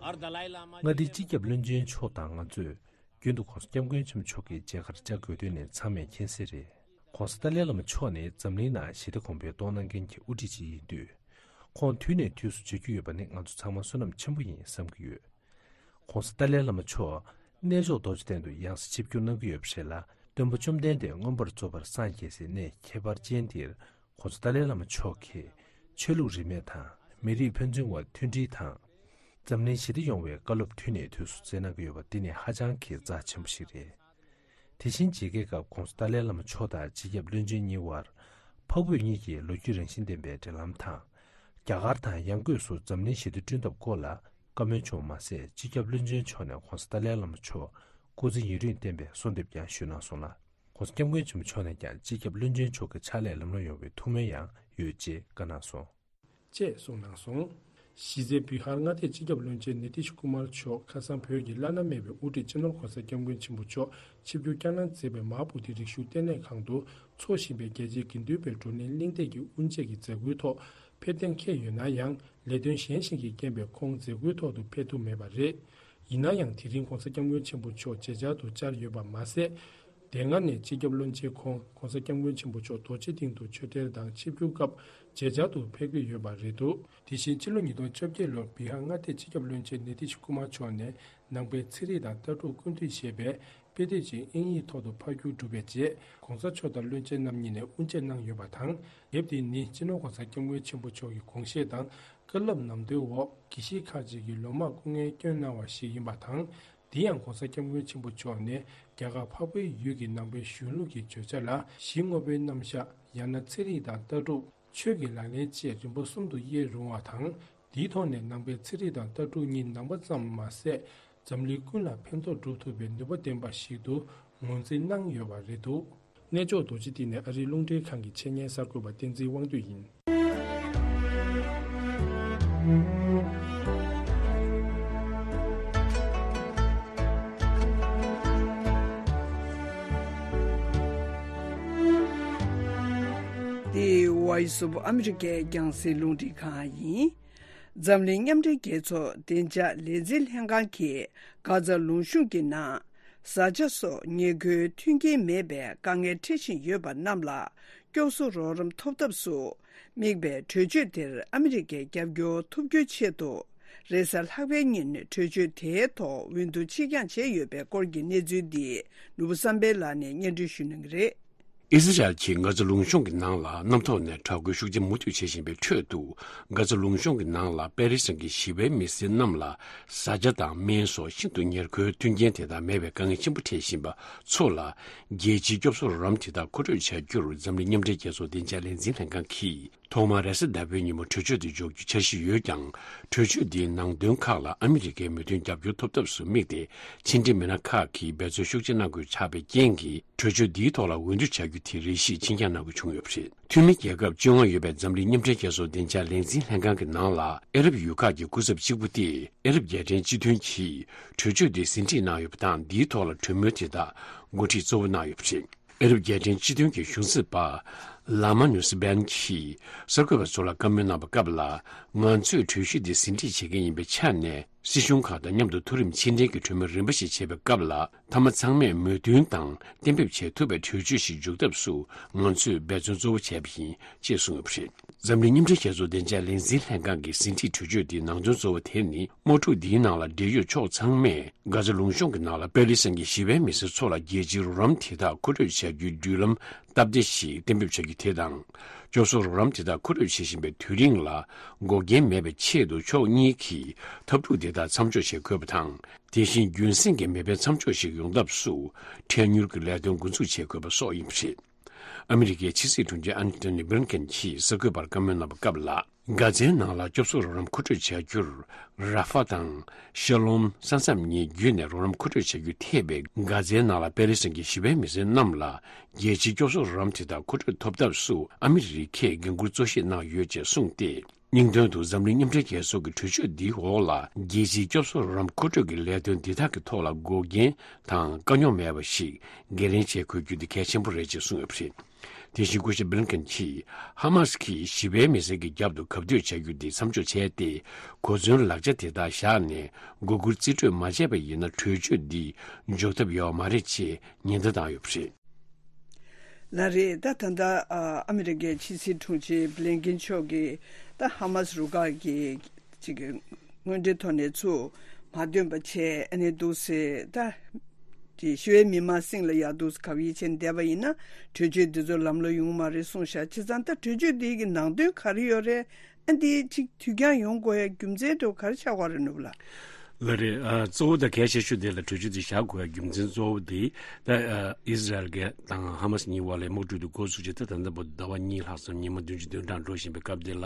और दलाई लामा མངའ་སྡེའི་སྤྱི་ཁྱབ་བློན་ཆེན་མཆོག་དང་ང་ཚོས་རྒྱུན་དུ་༸གོང་ས་༸སྐྱབས་མགོན་ཆེན་པོ་མཆོག་གི་མཇལ་ཁར་བཅར་དགོས་དོན་ནི་ཚང་མས་མཁྱེན་གསལ་རེད། ༸གོང་ས་ཏཱ་ལའི་བླ་མ་མཆོག་ནི་འཛམ་གླིང་ནང་ཞི་བདེ་གོང་འཕེལ་གཏོང་གནང་མཁན་གྱི་དབུ་ཁྲིད་ཅིག་ཡིན་དུས། ཁོང་དུས་ནས་དུས་སུ་མཇལ་རྒྱུ་ཡོད་པ་ནི་ང་ཚོ་ཚང་མ་བསོད་ནམས་ཆེན་པོ་ཡིན་བསམ་གྱི་ཡོད། ༸གོང་ས་ཏཱ་ལའི་བླ་མ་མཆོག་གནས་མཆོག་རྡོ་རྗེ་གདན་དུ་ཡང་སེ་ཆིབས་བསྒྱུར་གནང་གི་ཡོད་པ་རེད་ལ། སྟོན་པ་བཅོམ་ལྡན་འདས་མངོན་པར་རྫོགས་པར་སངས་རྒྱས་སའི་གནས་ཁྱད་པར་ཅན་འདིར་༸གོང་ས་ཏཱ་ལའི་བླ་མ་མཆོག་གིས་ཆོས་ལུགས་རིས་མེད་དང་མི་རིགས་ཕན་ཚུན་བར་མཐུན་སྒྲིལ་དང་། འཛམ་གླིང་ཞི་བདེ་ཡོང་བའི་བཀའ་སློབ་དུས་ནས་དུས་སུ་སྩལ་གནང་གི་ཡོད་པ་འདི་ནི་ཧ་ཅང་གི་རྩ་ཆེན་པོ་ཞིག་རེད། དེ་བཞིན་མཇལ་ཁའི་སྐབས་༸གོང་ས་ཏཱ་ལའི་བླ་མ་མཆོག་དང་སྤྱི་ཁྱབ་བློན་ཆེན་གཉིས་དབར་འཕགས་བོད་གཉིས་ཀྱི་ལོ་རྒྱུས་རང་བཞིན་ལྡན་པའི་འབྲེལ་ལམ་དང་། རྒྱ་གར་དང་ཡང་སྒོས་སུ་འཛམ་གླིང་ཞི་བདེ་བསྐྲུན་ཐབས་སྐོར་ལ་བཀའ་མོལ་བྱུང་བ་མ་ཟད། སྤྱི་ཁྱབ་བློན་ཆེན་མཆོག་ནས་༸གོང་ས་ཏཱ་ལའི་བླ་མ་མཆོག་སྐུ་ཚེ་ཡུན་རིང་བརྟན་པའི་གསོལ་འདེབས་ཀྱང་ཞུས་གནང་སོང་ལ། ༸གོང་ས་༸སྐྱབས་མགོན་ཆེན་པོ་མཆོག་ནས་ཀྱང་སྤྱི་ཁྱབ་བློན་ཆེན་མཆོག་གི་ཕྱག་ལས་ལམ་ལྷོང་ཡོང་བའི་ཐུགས་སྨོན་ཡང་ཡོད་ཅེས་བཀའ་གནང་སོང་། ཅེས་གསུངས་གནང་སོང་། གཞི་རྩའི་བི་ཧར་མངའ་སྡེའི་སྤྱི་ཁྱབ་བློན་ཆེན་ནི་ཏིཤ་ཀུ་མར་མཆོག་ཁ་སང་བོད་ཀྱི་བླ་ན་མེད་པའི་དབུ་ཁྲིད་སྤྱི་ནོར་༸གོང་ས་༸སྐྱབས་མགོན་ཆེན་པོ་མཆོག་ཆིབས་བསྒྱུར་བསྐྱངས་གནང་མཛད་པའི་མ་ཧཱ་བོ་དྷི་རིག་གཞུང་ལྟེ་གནས་ཁང་དུ་འཚོགས་བཞིན་པའི་རྒྱལ་སྤྱིའི་དགེ་འདུན་པའི་བགྲོ་གླེང་གླེང་སྟེགས་ཀྱི་དབུ་འབྱེད་ཀྱི་མཛད་སྒོའི་ཐོག་ཕེབས་གཏན་འཁེལ་ཡོད་ན་ཡང་། ལས་དོན་གཞན་ཞིག་གི་རྐྱེན་པས་ཁོང་མཛད་སྒོའི་ཐོག་ཏུ་ཕེབས་ཐུབ་མེད་པ་རེད། ཡིན་ན་ཡང་དེ་རིང་༸གོང་ས་༸སྐྱབས་མགོན་ཆེན་པོ་མཆོག་མཇལ་བཅར་དུ་བཅར་ཡོད་པ་མ་ཟད། དེ་སྔ་ནས་སྤྱི་ཁྱབ་བློན་ཆེན་ཁོང་༸གོང་ས་༸སྐྱབས་མགོན་ཆེན་པོ་མཆོག་རྡོ་རྗེ་གདན་དུ་ཆོས་འབྲེལ་དང་ཆིབས་བསྒྱུར་སྐབས་མཇལ་བཅར་དུ་ཕེབས་ཀྱི་ཡོད་པ་རེད་འདུག་དེ་བཞིན་ཕྱི་ལོ་ཉིས་སྟོང་བཅོ་བརྒྱད་ལོར་བི་ཧར་མངའ་སྡེའི་སྤྱི་ཁྱབ་བློན་ཆེན་ནི་ཏིཤ་ཀུ་མར་མཆོག་ནས་ནང་པའི་ཚན་རིག་དང་ལྟ་གྲུབ་ཀུན་བཏུས་ཞེས་པའི་དཔེ་དེབ་ཅིག་དབྱིན་ཡིག་ཐོག་ཏུ་ཕབ་བསྒྱུར་གྲུབ་པའི་རྗེས། ༸གོང་ས་མཆོག་དང་བློན་ཆེན་རྣམ་གཉིས་ནས་དབུ་འབྱེད་གནང་ཡོད་པ་དང་། དེབ་དེ་ནི་སྤྱི་ནོར་༸གོང་ས་༸སྐྱབས་མགོན་ཆེན་པོ་མཆོག་གི་དགོངས་བཞེད་དང་བཀའ་སློབ་ནམ་དུས་འོག་དགེ་བཤེས་ཁག་ཅིག་གིས་ལོ་མང་སྐུ་ངལ་བསྐྱོན་གནང་བ་ཞིག་ཡིན་པ་དང་། དེ་ཡང་༸གོང་ས་༸སྐྱབས་མགོན་ཆེན་པོ་མཆོག་ནས་རྒྱ་གར་འཕགས་པའི་ཡུལ་གྱི་ནང་པའི་གཞུང་ལུགས་ཀྱི་བརྗོད་བྱ་ལ་གཞི་དངོས་པོའི་རྣམ་གཞག་ཡང་ན་ཚན་རིག་དང་ལྟ་གྲུབ། ཆོས་ཀྱི་ལག་ལེན་བཅས་རིམ་པ་གསུམ་དུ་དབྱེ་རུང་བ་དང་། དེའི་ཐོག་ནས་ནང་པའི་ཚན་རིག་དང་ལྟ་གྲུབ་གཉིས་ནང་པ་ཙམ་མ་ཟད། འཛམ་གླིང་ཀུན་ལ་ཕན་ཐོགས་སྒྲུབ་ཐུབ་པའི་ནུས་པ་ལྡན་པ་ཞིག་ཏུ་ངོས་འཛིན་གནང་ཡོད་པ་རེད་འདུག་གནས་མཆོག་རྡོ་རྗེ་གདན་ནས་ཨ་རིའི་རླུང་འཕྲིན་ཁང་གི་ཆེད་གཉེར་གསར་འགོད་པ་བསྟན་འཛིན་དབང་འདུས་ཡིན། འདི་Voice of America རྒྱང་སྲིང་རླུང་འཕྲིན་ཁང་ཡིན། འཛམ་གླིང་མཉམ་འབྲེལ་རྒྱལ་ཚོགས་བདེ་འཇགས་ལས་འཛིན་ལྷན་ཁང་གིས་གྷ་ཛ་ལུང་གཤོང་གི་ནང་བཟའ་བཅའ་སོགས་ཉེར་མཁོའི་མཐུན་རྐྱེན་མེད་པའི་དཀའ་ངལ་འཕྲད་བཞིན་ཡོད་པ་རྣམས་ལ་སྐྱོབ་གསོ་རོགས་རམ་ཐོབ་ཐབས་སུ་དམིགས་པའི་གྲོས་ཆོད་དེར་ཨ་མི་རི་ཀས་རྒྱབ་སྐྱོར་ཐོབ་རྒྱུའི་ཆེད་དུ། རེས་གཟའ་ལྷག་པའི་ཉིན་གྲོས་ཆོད་དེའི་ཐོག་འོས་བསྡུ་ཕྱིར་འགྱངས་བྱས་ཡོད་པའི་སྐོར་གྱི་གནས་ཚུལ་འདི་ནོར་བུ་བསམ་འཕེལ་ལགས་ནས་སྙན་སྒྲོན་ཞུ་གནང་གི་རེད། ཨི་ཟི་རལ་གྱིས་གྷ་ཛ་ལུང་གཤོང་གི་ནང་ལ་གནམ་ཐོག་ནས་དྲག་རྒོལ་ཤུགས་ཆེ་མུ་མཐུད་བྱེད་བཞིན་པའི་ཁྲོད་དུ། གྷ་ཛ་ལུང་གཤོང་གི་ནང་ལ་པེ་ལི་སི་ཐན་གྱི་ཞི་བའི་མི་སེར་རྣམས་ལ་བཟའ་བཅའ་དང་སྨན་སོགས་ཤིན་ཏུ་ཉེར་མཁོའི་མཐུན་རྐྱེན་དེ་དག་མེད་པའི་དཀའ་ངལ་ཆེན་པོ་འཕྲད་བཞིན་པ་ཚོ་ལ། རྒྱལ་སྤྱིའི་སྐྱོབ་གསོ་རོགས་རམ་དེ་དག་མཁོ་སྤྲོད་བྱ་རྒྱུར་འཛམ་གླིང་མཉམ་འབྲེལ་རྒྱལ་ཚོགས་བདེ་འཇགས་ལས་འཛིན་ལྷན་ཁང་གིས། ཐོག་མར་རེས་གཟའ་ཟླ་བའི་ཉིན་མོ་གྲོས་ཆོད་དེ་འཇོག་རྒྱུའི་འཆར་གཞི་ཡོད་ཀྱང་། གྲོས་ཆོད་འདིའི་ནང་དོན་ཁག་ལ་ཨ་མི་རི་ཀའི་མོས་མཐུན་རྒྱབ་སྐྱོར་ཐོབ་ཐབས་སུ་དམིགས་ཏེ། ཕྱི་འབྲེལ་མི་སྣ་ཁག་གིས་འབད་བརྩོན་ཤུགས་ཆེ་གནང་དགོས་ཆགས་པའི་རྐྱེན་གྱིས། གྲོས་ཆོད་འདིའི་ཐོག་ལ་འོས་བསྡུ་བྱ་རྒྱུ་དེ་རེ་ཞིག་ཕྱིར་འགྱངས་གནང་དགོས་བྱུང་ཡོད་པ་རེད། འཐུས་མི་རྒྱལ་ཁབ་བཅོ་ལྔ་ཡོད་པའི་འཛམ་གླིང་མཉམ་འབྲེལ་རྒྱལ་ཚོགས་བདེ་འཇགས་ལས་འཛིན་ལྷན་ཁང་གི་ནང་ལ། ཨ་རབ་ཡུལ་ཁག་གི་སྐུ་ཚབ་གཅིག་པུ་སྟེ། ཨ་རབ་རྒྱལ་ཕྲན་སྤྱི་མཐུན་གྱིས་གྲོས་ཆོད་དེ་ཟིན་བྲིས་གནང་ཡོད་པ་དང་། འདིའི་ཐོག་ལ་གྲོས་མོལ་དེ་དག་འགོ་ཁྲིད་གཙོ་བོ་གནང་ཡོད་པ་རེད། ཨ་རབ་རྒྱལ་ཕྲན་སྤྱི་མཐུན་གྱི་གཞུང་འཛིན་པ་ལ་མ་ནུས་སི་བན་གྱིས་གསར་འགོད་པ་ཚོ་ལ་བཀའ་མོལ་གནང་བའི་སྐབས་ལ། ང་ཚོས་གྲོས་གཞི་འདི་ཟིན་བྲིས་བྱེད་མཁན་ཡིན་པའི་ཆ་ནས། སྲིད་གཞུང་ཁག་དང་མཉམ་དུ་མཐོ་རིམ་ཕྱི་འབྲེལ་གྱི་གྲོས་མོལ་རིམ་པ་ཞིག་བྱེད་པའི་སྐབས་ལ། མཐའ་མ་ཚང་མས་མོས་མཐུན་དང་གཏན་འབེབས་བྱེད་ཐུབ་པའི་གྲོས་ཆོད་ཞིག་འཇོག་ཐབས་སུ་ང་ཚོས་འབད་བརྩོན་གཙོ་བོ་བྱས་པ་ཡིན། ཅེས་གསུངས་ཡོད་པ་རེད། འཛམ་གླིང་མཉམ་འབྲེལ་རྒྱལ་ཚོགས་བདེ་འཇགས་ལས་འཛིན་ལྷན་ཁང་གི་ཟིན་བྲིས་གྲོས་ཆོད་འདིའི་ནང་དོན་གཙོ་བོ་དེ་ནི། དམག་འཁྲུག་འདིའི་ནང་ལ་འབྲེལ་ཡོད་ཕྱོགས་ཚང་མས་གྷ་ཛ་ལུང་གཤོང་གི་ནང་ལ་པེ་ལི་སི་ཐན་གྱི་ཞི་བའི་མི་སེར་ཚོ་ལ་རྒྱལ་སྤྱིའི་རོགས་རམ་དེ་དག་མཁོ་སྤྲོད་བྱ་རྒྱུའི་བརྒྱུད་ལམ་སྟབས་བདེ་ཞིག་གཏན་འབེབས་བྱ་རྒྱུ་དེ་དང་། སྐྱོབ་གསོ་རོགས་རམ་དེ་དག་མཁོ་སྤྲོད་བྱེད་བཞིན་པའི་དུས་རིང་ལ་འགོག་རྐྱེན་མེད་པའི་ཆེད་དུ་ཕྱོགས་གཉིས་ཀྱིས་འཐབ་འཁྲུག་དེ་དག་མཚམས་འཇོག་བྱེད་དགོས་པ་དང་། དེ་བཞིན་རྒྱུན་སྲིང་གི་མེ་འཕེན་མཚམས་འཇོག་ཞིག་ཡོང་ཐབས་སུ་འཕྲལ་མྱུར་གྱི་ལས་དོན་འགོ་འཛུགས་བྱེད་དགོས་པ་སོགས་ཡིན་པ་རེད། ཨ་མི་རི་ཀའི་ཕྱི་སྲིད་དྲུང་ཆེ་ཨན་ཐོ་ནི་བྷི་ལིན་ཀེན་གྱིས་གསར་འགོད་པར་བཀའ་མོལ་གནང་བའི་སྐབས་ལ། གྷ་ཛའི་ནང་ལ་སྐྱོབ་གསོ་རོགས་རམ་མཁོ་སྤྲོད་བྱ་རྒྱུར། ར་ཧྥ་དང་ཤ་ལོམ་ས་མཚམས་གཉིས་བརྒྱུད་ནས་རོགས་རམ་མཁོ་སྤྲོད་བྱ་རྒྱུ་ཐེ་བའི་གྷ་ཛའི་ནང་ལ་པེ་ལི་སི་ཐན་གྱི་ཞི་བའི་མི་སེར་རྣམས་ལ་རྒྱལ་སྤྱིའི་སྐྱོབ་གསོ་རོགས་རམ་དེ་དག་མཁོ་སྤྲོད་ཐོབ་ཐབས་སུ་ཨ་མི་རི་ཀས་འགན་འཁུར་གཙོ་བཞེས་གནང་ཡོད་ཅེས་གསུངས་ཏེ། སྙིང་དོན་དུ་འཛམ་གླིང་མཉམ་འབྲེལ་རྒྱལ་ཚོགས་ཀྱི་གྲོས་ཆོད་འདིའི་འོག་ལ་རྒྱལ་སྤྱིའི་སྐྱོབ་གསོ་རོགས་རམ་མཁོ་སྤྲོད་ཀྱི་ལས་དོན་འདི་དག་གི་ཐོག་ལ་འགོག་རྐྱེན་དང་དཀའ་རྙོག་མེད་པ་ཞིག་འགན་ལེན་བྱེད་དགོས་རྒྱུ་དེ་གལ་ཆེན་པོ་རེད་ཅེས་གསུངས་ཡོད་པ་རེད། དེ་བཞིན་སྐུ་ཞབས་བྷི་ལིན་ཀེན་གྱིས་ཧ་མ་སི་ཀྱིས་ཞི་བའི་མི་སེར་གྱི་རྒྱབ་ཏུ་གབ་གཏོད་བྱ་རྒྱུ་དེ་མཚམས་འཇོག་བྱས་ཏེ། གོ་མཚོན་ལག་ཆ་དེ་དག་བཞག་ནས་མགོ་སྒུར་རྩིས་སྤྲོད་མ་བྱས་པ་ཡིན་ན་གྲོས་ཆོད་འདི་འཇོག་ཐབས་ཡོད་མ་རེད་ཅེས་ཉེན་བརྡ་བཏང་ཡོད་པ་རེད། ལགས་རེད། ད་ད་ལྟ་ཨ་ཨ་མི་རི་ཀའི་ཕྱི་སྲིད་དྲུང་ཆེ་བྷི་ལིན་ཀེན་མཆོག་གིས་ད་ཧ་མ་སི་རུ་ཁག་གི་ཅིག་གི་དངོས་འབྲེལ་ཐོག་ནས་ཚུར་མ་འདོན་པ་བྱས། ཨ་ནི་འདུག་སེ་ད་ཅིག་ཞི་བའི་མི་མང་སྲིད་ལ་ཡར་འདུག་སེ་གབ་ཡིད་ཆེན་བསྡད་པ་ཡིན་ན་གྲོས་ཆོད་འདི་ཚོ་ལམ་ལྷོང་ཡོང་མ་རེད་གསུངས་ཤག་བྱས་ཙང་ད་གྲོས་ཆོད་འདི་གི་ནང་དོན་ག་རེ་ཡོད་རེད། ཨ་འདི་ཅིག་དུས་འགྱངས་ཡོང་དགོས་ཡ་རྒྱུ་མཚན་དེ་ག་རེ་ཆགས་ཀྱི་ཡོད་རེད་ནོར་བུ་ལགས། ལགས་རེད། ཨ་གཙོ་བོ་དང་གལ་ཆེ་ཤོས་དེ་ལ་གྲོས་ཆོད་དེ་བཞག་དགོས་ཡ་རྒྱུ་མཚན་གཙོ་བོ་དེ་ད་ཨ་ཨི་ཟི་རལ་གྱི་དང་ཧ་མ་སི་གཉིས་བར་ལ་དམག་འཁྲུག་དེ་འགོ་བཙུགས་བྱས་ད་ད་ལྟ་བར་དུ་ཟླ་བ་གཉིས་ལྷག་སོང་། ཉི་མ་བདུན་ཅུ་དོན་གྲངས་འགྲོ་བཞིན་པའི་སྐབས་དེ་ལ་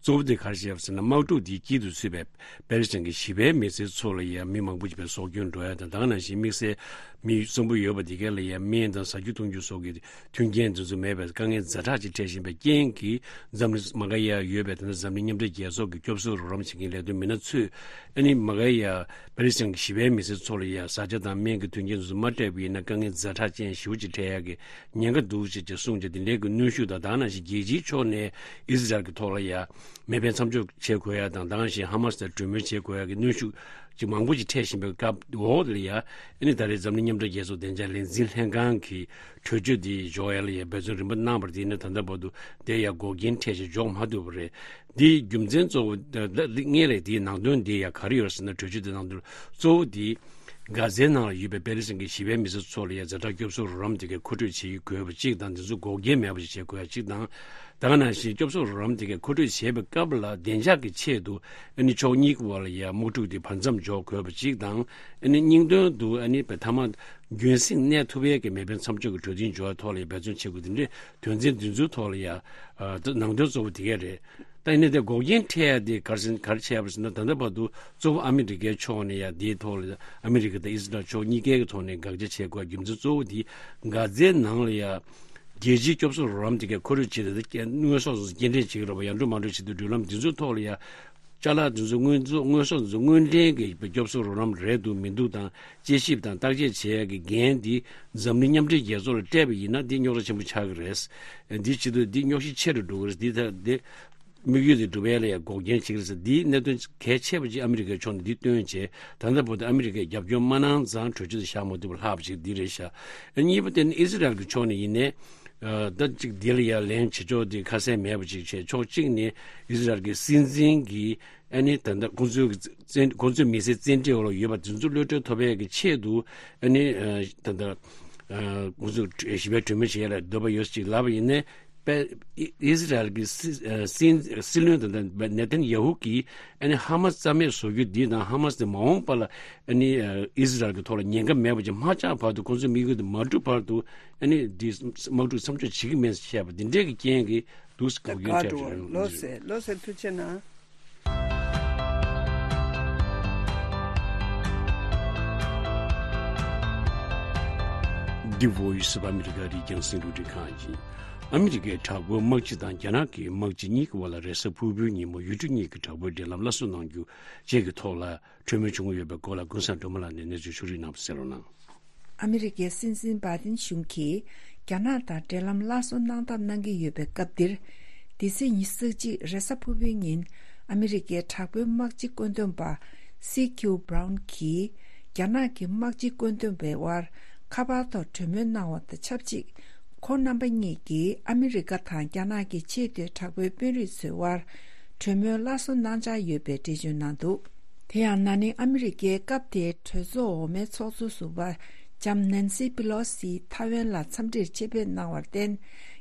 གཙོ་བོ་དེ་ག་རེ་བྱས་པ་ཟེར་ན། དམག་འཁྲུག་དེའི་དཀྱིལ་དུ་ཚུད་པའི་པེ་ལི་སི་ཐན་གྱི་ཞི་བའི་མི་སེར་ཚོ་ལ་ཡ་མི་མང་པོ་ཞིག་པའི་སྲོག་སྐྱོན་འགྲོ་ཡ་དང་། ད་ག་ནང་བཞིན་དམིགས་བསལ་མི་གསོན་པོ་ཡོད་པ་དེ་ག་ལ་ཡ་སྨན་དང་ཟ་རྒྱུ་འཐུང་རྒྱུ་སོགས་ཀྱི་མཐུན་རྐྱེན་དེ་ཚོ་མེད་པའི་དཀའ་ངལ་ཛ་དྲག་ཅིག་འཕྲད་བཞིན་པའི་རྐྱེན་གྱིས། འཛམ་གླིང་མ་ག་ཡ་ཡོད་པའི་ད་ལྟ་འཛམ་གླིང་མཉམ་འབྲེལ་རྒྱལ་ཚོགས་ཀྱི་སྐྱོབ་གསོ་རོགས་རམ་བྱེད་མཁན་ལས་དོན་མི་སྣ་ཚོས། ཨ་ནི་མ་ག་ཡ་པེ་ལི་སི་ཐན་གྱི་ཞི་བའི་མི་སེར་ཚོ་ལ་ཡ་བཟའ་བཅའ་དང་སྨན་གྱི་མཐུན་རྐྱེན་དེ་ཚོ་མ་སྤྲད་པ་ཡིན་ན་དཀའ་ངལ་ཛ་དྲག་ཅན་ཞེ་པོ་ཅིག་འཕྲད་ཡ་གི་ཉེན་ཁ་འདུག་ཅེས་ཀྱི་གསུངས་བྱས། དེ་འདྲའི་གི་གནོན་ཤུགས་དང་། ད་ག་ནང་བཞིན་རྒྱལ་སྤྱིའི་ཕྱོགས་ནས་ཨི་ཟི་རལ་གྱི་ཐོག་ལ་ཡ་མེ་འཕེན་མཚམས་འཇོག་བྱེད་དགོས་ཡ་དང་། ད་ག་ནང་བཞིན་ཧ་མ་སི་དང་གྲོས་མོལ་བྱེད་དགོས་ཡ་གི་གནོན་ཤུགས་ཅིག་མང་པོ་ཅིག་འཕྲད་བཞིན་པའི་སྐབས་འོག་ལ་ཡ། ཨ་ནི་ད་རེས་འཛམ་གླིང་མཉམ་འབྲེལ་རྒྱལ་ཚོགས་བདེ་འཇགས་ལས་འཛིན་ལྷན་ཁང་གིས་གྲོས་ཆོད་འདི་འཇོག་ཡ་ལ་ཡ་འབད་བརྩོན་རིམ་པ་གནང་བར་དེ་ནི་ད་ལྟ་བར་དུ་དེ་ཡ་འགོག་རྐྱེན་འཕྲད་བྱས་འཇོག་མ་ཐུབ་པ་རེད། འདིའི་རྒྱུ་མཚན་གཙོ་བོ་ད་ད་སྔོན་ལ་དེའི་ནང་དོན་འདི་ཡ་ག་རེ་ཡོད་ཟེར་ན། གྲོས་ཆོད་དེ་ནང་དོན་གཙོ་བོ་འདི་གྷ་ཛའི་ནང་ལ་ཡོད་པའི་པེ་ལི་སི་ཐན་གྱི་ཞི་བའི་མི་སེར་ཚོ་ལ་ཡ་ཛ་དྲག་སྐྱོབ་གསོ་རོགས་རམ་དེ་གའི་མཁོ་སྤྲོད་བྱེད་ཀྱི་དགོས་པ་གཅིག་དང་། དེ་ཚོ་འགོག་རྐྱེན་མེད་པ་ཞིག་བྱེད་དགོས་ཡ་གཅིག་དང་། ད་ག་ནང་བཞིན་སྐྱོབ་གསོ་རོགས་རམ་དེ་གའི་མཁོ་སྤྲོད་བྱེད་པའི་སྐབས་ལ་བདེ་འཇགས་ཀྱི་ཆེད་དུ་ཨ་ནི་ཕྱོགས་གཉིས་ཀྱི་བར་ལ་ཡ་དམག་འཁྲུག་དེ་བར་མཚམས་འཇོག་དགོས་པ་གཅིག་དང་། ཨ་ནི་སྙིང་དོན་དུ་ཨ་ནི་མཐའ་མ་རྒྱུན་སྲིང་གནས་ཐུབ་ཡས་ཀྱི་མེ་འཕེན་མཚམས་འཇོག་གི་གྲོས་མཐུན་འཇོག་ཡ་ཐོག་ལ་ཡ་འབད་བརྩོན་བྱེད་དགོས། དེ་འདྲའི་དོན་ཚན་འདི་ཚོའི་ཐོག་ལ་ཡ་ཨ་ད་ནང་དོན་གཙོ་བོ་དེ་ག་རེད། ད་ཡིན་ན་དེ་འགོག་རྐྱེན་འཕྲད་ཡ་དེ་ག་རེ་ཟེར་ག་རེ་བྱས་པ་ཟེར་ན། ད་ལྟ་བར་དུ་གཙོ་བོ་ཨ་མི་རི་ཀའི་ཕྱོགས་ནས་ཡ་དེའི་ཐོག་ལ་ཨ་མི་རི་ཀ་དང་ཨི་ཟི་རལ་ཕྱོགས་གཉིས་ཀའི་གི་ཐོག་ནས་དགག་བྱ་བྱེད་དགོས་རྒྱུ་མཚན་གཙོ་བོ་དེ་གྷ་ཛའི་ནང་ལ་ཡ་རྒྱལ་སྤྱིའི་སྐྱོབ་གསོ་རོགས་རམ་དེ་གའི་མཁོ་སྤྲོད་བྱེད་དེ་དངོས་ཟོག་སོགས་སྐྱེལ་འདྲེན་བྱེད་ཀྱི་རེད་པ། ཡར་འགྲོ་མར་འགྲོ་བྱེད་དུས་འགྲུལ་ལམ་འདི་ཚོའི་ཐོག་ལ་ཡ་ཅ་ལག་འདི་ཚོ་དངོས་ཟོག་དངོས་ཟོག་འདི་ཚོ་དངོས་འདྲེན་གྱི་སྐྱོབ་གསོ་རོགས་རམ་རེད་འདུག་མི་འདུག་དང་། དཔྱད་ཞིབ་དང་བརྟག་དཔྱད་བྱེད་ཡ་གི་འགན་འདི་འཛམ་གླིང་མཉམ་འབྲེལ་རྒྱལ་ཚོགས་ལ་སྤྲད་པ་ཡིན་ན་འདི་རྙོག་དྲ་ཆེན་པོ་ཆགས་ཀྱི་རེད། འདི་བྱེད་དུས་འདི་རྙོག་གཞི་ཆེ་རུ་འགྲོ་གི་རེད། འདི་ད་འདི་ དམིགས་ཡུལ་དེ་འགྲུབ་ཡས་ལ་ཡང་འགོག་རྐྱེན་བྱེད་ཀྱི་རེད་ཟེར། འདིའི་གནད་དོན་གལ་ཆེ་བ་ཅིག་ཨ་མི་རི་ཀའི་ཕྱོགས་ནས་འདི་བཏོན་བྱས། ད་ལྟ་བར་དུ་ཨ་མི་རི་ཀས་རྒྱབ་སྐྱོར་མ་གནང་ཙང་གྲོས་ཆོད་དེ་བཞག་མ་ཐུབ་པ་ལྷག་པ་ཞིག་འདི་རེད་ཤག། གཉིས་པ་དེ་ནི་ཨི་ཟི་རལ་གྱི་ཕྱོགས་ནས་ཡིན་ནའི། ཨ། ད་ཅིག་འདི་ལ་ཡང་ལན་བྱེད་ཕྱོགས་དེ་ཁ་གསལ་མེད་པ་ཅིག་བྱས། ཕྱོགས་གཅིག་ནས་ཨི་ཟི་རལ་གྱི་སྲིད་འཛིན་གྱིས་ཨ་ནི་ད་ལྟ་ཁོང་ཚོའི་གི་བཙན། ཁོང་ཚོའི་མི་སེར་བཙན་ཁྲིད་འོག་ལ་ཡོད་པ་དེ་ཚོ་གློད་གྲོལ་ཐོབ་པའི་གི་ཆེད་དུ། ཨ་ནི་ཨ་ད་ལྟ་ཨ་ཁོང་ཚོ་ཞི་བའི་གྲོས་མོལ་བྱེད་ཡ་ལ་འདོད་པ་ཡོད་ཅིག་ལབ་པ་ཡིན་ནའི། པེ། ཨི་ཨི་ཟི་རལ་གྱི་སྲིད། ཨ། སྲིད། སྲིད་བློན་དང་ནེ་ཐན་ཡ་ཧུ་གིས་ཨ་ནི་ཧ་མ་སི་རྩ་མེད་བཟོ་རྒྱུ་འདི་དང་། ཧ་མ་སི་དེ་མ་འོངས་པ་ལ་ཨ་ནི་ཨ་ཨི་ཟི་རལ་གྱི་ཐོག་ལ་ཉེན་ཁ་མེད་པ་ཅིག་མ་ཆགས་བར་དུ། ཁོང་ཚོའི་དམིགས་ཡུལ་དེ་མ་འགྲུབ་བར་དུ། ཨ་ནི་འདི་དམག་འཁྲུག་མཚམས་འཇོག་བྱེད་ཀྱི་མེད་ཟེར་བཤད་པ་འདི་འདྲའི་གི་རྐྱེན་གྱིས་འདུག་ཟེར་འགོག་རྐྱེན་འཕྲད་བཞིན་ཡོད། ལགས་སེ། ལགས་སེ། ཐུགས་རྗེ་གནང་། འདི་Voice of America རྒྱང་སྲིང་རླུང་འཕྲིན་ཁང་ཡིན། ཨ་མི་རི་ཀའི་དྲག་པོའི་དམག་སྤྱི་དང་རྒྱ་ནག་གི་དམག་སྤྱི་གཉིས་ཀྱི་དབར་ལ་རེས་གཟའ་ཕུར་བུའི་ཉིན་མོ་ཡུལ་གྲུ་གཉིས་ཀྱི་དྲག་པོའི་འབྲེལ་ལམ་སླར་གསོ་གནང་རྒྱུ་བཅས་ཀྱི་ཐོག་ལ་གྲོས་མོལ་བྱུང་ཡོད་པའི་སྐོར་ལ་ཀུན་བཟང་སྒྲོལ་མ་ལགས་ནས་གནས་ཚུལ་ཕྱོགས་སྒྲིག་གནང་བ་གསན་རོགས་གནང་། ཨ་མི་རི་ཀའི་སྲིད་འཛིན་བྷའི་ཏིན་གཞུང་གིས་རྒྱ་ནག་དང་འབྲེལ་ལམ་སླར་གསོ་གནང་ཐབས་གནང་གི་ཡོད་པའི་སྐབས་འདིར། འདི་ཚེས་ཉི་ཤུ་རྩ་གཅིག་རེས་གཟའ་ཕུར་བུའི་ཉིན། ཨ་མི་རི་ཀའི་དྲག་པོའི་དམག་སྤྱི་བཀོད་འདོམས་པ་སི་ཁིའུ་བྷ་རའུན་གྱིས་རྒྱ་ནག་གི་དམག་སྤྱི་བཀོད་འདོམས་པའི་དབར་ཁ་པར་ཐོག་གྲོས་མོལ་གནང་བ་དང་ཆབས་ཅིག། ཁོང་རྣམ་པ་གཉིས་ཀྱིས་ཨ་མི་རི་ཀ་དང་རྒྱ་ནག་གི་ཆེས་མཐོའི་དྲག་པོའི་དཔོན་རིགས་ཚོའི་དབར་གྲོས་མོལ་སླར་གསོ་གནང་འཆར་ཡོད་པའི་འགྲེལ་བརྗོད་གནང་འདུག། དེ་ཡང་ན་ནིང་ཨ་མི་རི་ཀའི་སྐབས་དེའི་གྲོས་ཚོགས་འོག་མའི་ཚོགས་གཙོ་ཟུར་པ་ལྕམ་ནན་སི་པི་ལོ་སི་ཐའེ་ཝན་ལ་འཚམས་འདྲིར་ཆེད་ཕེབས་གནང་བར་བརྟེན།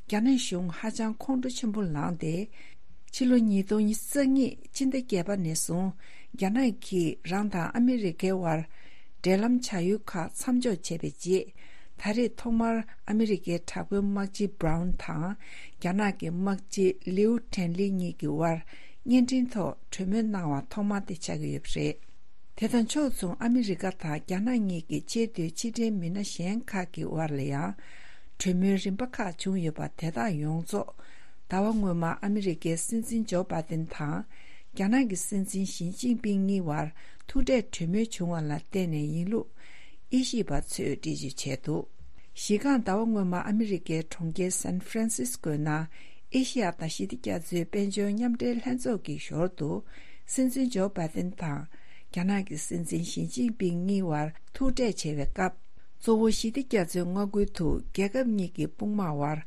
རྒྱ་ནག་གཞུང་ཧ་ཅང་ཁོང་ཁྲོ་ཆེན་པོ་ལངས་ཏེ། ཕྱི་ལོ་ཉིས་སྟོང་ཉི་ཤུ་རྩ་གཉིས་སྤྱི་ཟླ་བརྒྱད་པ་ནས་བཟུང་རྒྱ་ནག་གིས་རང་དང་ཨ་མི་རི་ཀའི་དབར་འབྲེལ་ལམ་བྱ་ཡུལ་ཁག་མཚམས་འཇོག་བྱས་པའི་རྗེས། ད་རེས་ཐོག་མར་ཨ་མི་རི་ཀའི་དྲག་པོའི་དམག་སྤྱི་བྷ་རའུན་དང་རྒྱ་ནག་གི་དམག་སྤྱི་ལིའུ་ཁྲེན་ལི་གཉིས་ཀྱི་དབར་བརྙན་འཕྲིན་ཐོག་གྲོས་མོལ་གནང་བ་ཐོག་མ་དེ་ཆགས་ཀྱི་ཡོད་པ་རེད། དེ་དང་ཕྱོགས་མཚུངས་ཨ་མི་རི་ཀ་དང་རྒྱ་ནག་གཉིས་ཀྱི་ཆེས་མཐོའི་ཕྱི་འབྲེལ་མི་སྣ་གཞན་ཁག་གི་དབར་ལ་ཡང་གྲོས་མོལ་རིམ་པ་ཁག་བྱུང་ཡོད་པ་དེ་དག་ཡོངས་རྫོགས་ཟླ་བ་སྔོན་མ་ཨ་མི་རི་ཀའི་སྲིད་འཛིན་ཇོ་བྷའི་ཏིན་དང་རྒྱ་ནག་གི་སྲིད་འཛིན་ཞི་ཅིན་ཕིང་གཉིས་དབར་ཐུག་འཕྲད་གྲོས་མོལ་བྱུང་བ་ལ་བརྟེན་ནས་ཡིན་ལུགས་དབྱེ་ཞིབ་པ་ཚོས་འགྲེལ་བརྗོད་བྱས་འདུག། གཞི་རྐང་ཟླ་བ་སྔོན་མ་ཨ་མི་རི་ཀའི་གྲོང་ཁྱེར་སན་ཧྥ་རན་སིས་ཀོའི་ནང་ཨེ་ཤི་ཡ་དང་ཞི་བདེ་རྒྱ་མཚོའི་དཔལ་འབྱོར་མཉམ་འབྲེལ་ལྷན་ཚོགས་ཀྱི་ཞོར་དུ་སྲིད་འཛིན་ཇོ་བྷའི་ཏིན་དང་རྒྱ་ནག་གི་སྲིད་འཛིན་ཞི་ཅིན་ཕིང་གཉིས་དབར་ཐུག་འཕྲད་བྱས་པའི་སྐབས། གཙོ་བོ་ཞི་བདེ་རྒྱ་མཚོའི་མངའ་ཁུལ་དུ་རྒྱལ་ཁབ་གཉིས་ཀྱི་དཔུང་དམག་དབར་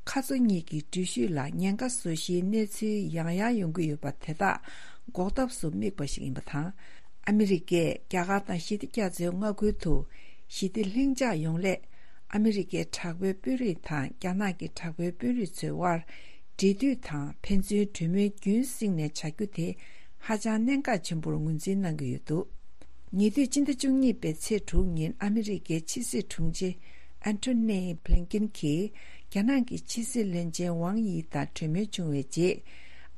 ཁ་མཚོ་གཉིས་ཀྱི་འགྲུལ་བཞུད་ལ་ཉེན་ཁ་བཟོ་གཞིའི་གནས་ཚུལ་ཡང་ཡང་ཡོང་གི་ཡོད་པ་དེ་དག་འགོག་ཐབས་སུ་དམིགས་པ་ཞིག་ཡིན་པ་དང་། ཨ་མི་རི་ཀས་རྒྱ་གར་དང་ཞི་བདེ་རྒྱ་མཚོའི་མངའ་ཁུལ་དུ་ཞི་བདེ་ལྷིང་འཇགས་ཡོང་སླད། ཨ་མི་རི་ཀའི་དྲག་པོའི་དཔོན་རིགས་དང་རྒྱ་ནག་གི་དྲག་པོའི་དཔོན་རིགས་ཚོའི་དབར་འབྲེལ་མཐུད་དང་ཕན་ཚུན་གྲོས་མོལ་རྒྱུན་བསྲིངས་ནས་བྱ་རྒྱུ་དེ་ཧ་ཅང་གནད་འགག་ཆེན་པོར་ངོས་འཛིན་གནང་གི་ཡོད་འདུག། ཉེ་དུས་སྤྱི་ཟླ་བཅུ་གཉིས་པའི་ཚེས་དྲུག་ཉིན་ཨ་མི་རི་ཀའི་ཕྱི་སྲིད་དྲུང་ཆེ་ཨན་ཐོ་ནི་བྷི་ལིན་ཀིན་གྱིས་རྒྱ་ནག་གི་ཕྱི་སྲིད་བློན་ཆེན་ཝང་ཡི་དང་གྲོས་མོལ་བྱུང་བའི་རྗེས།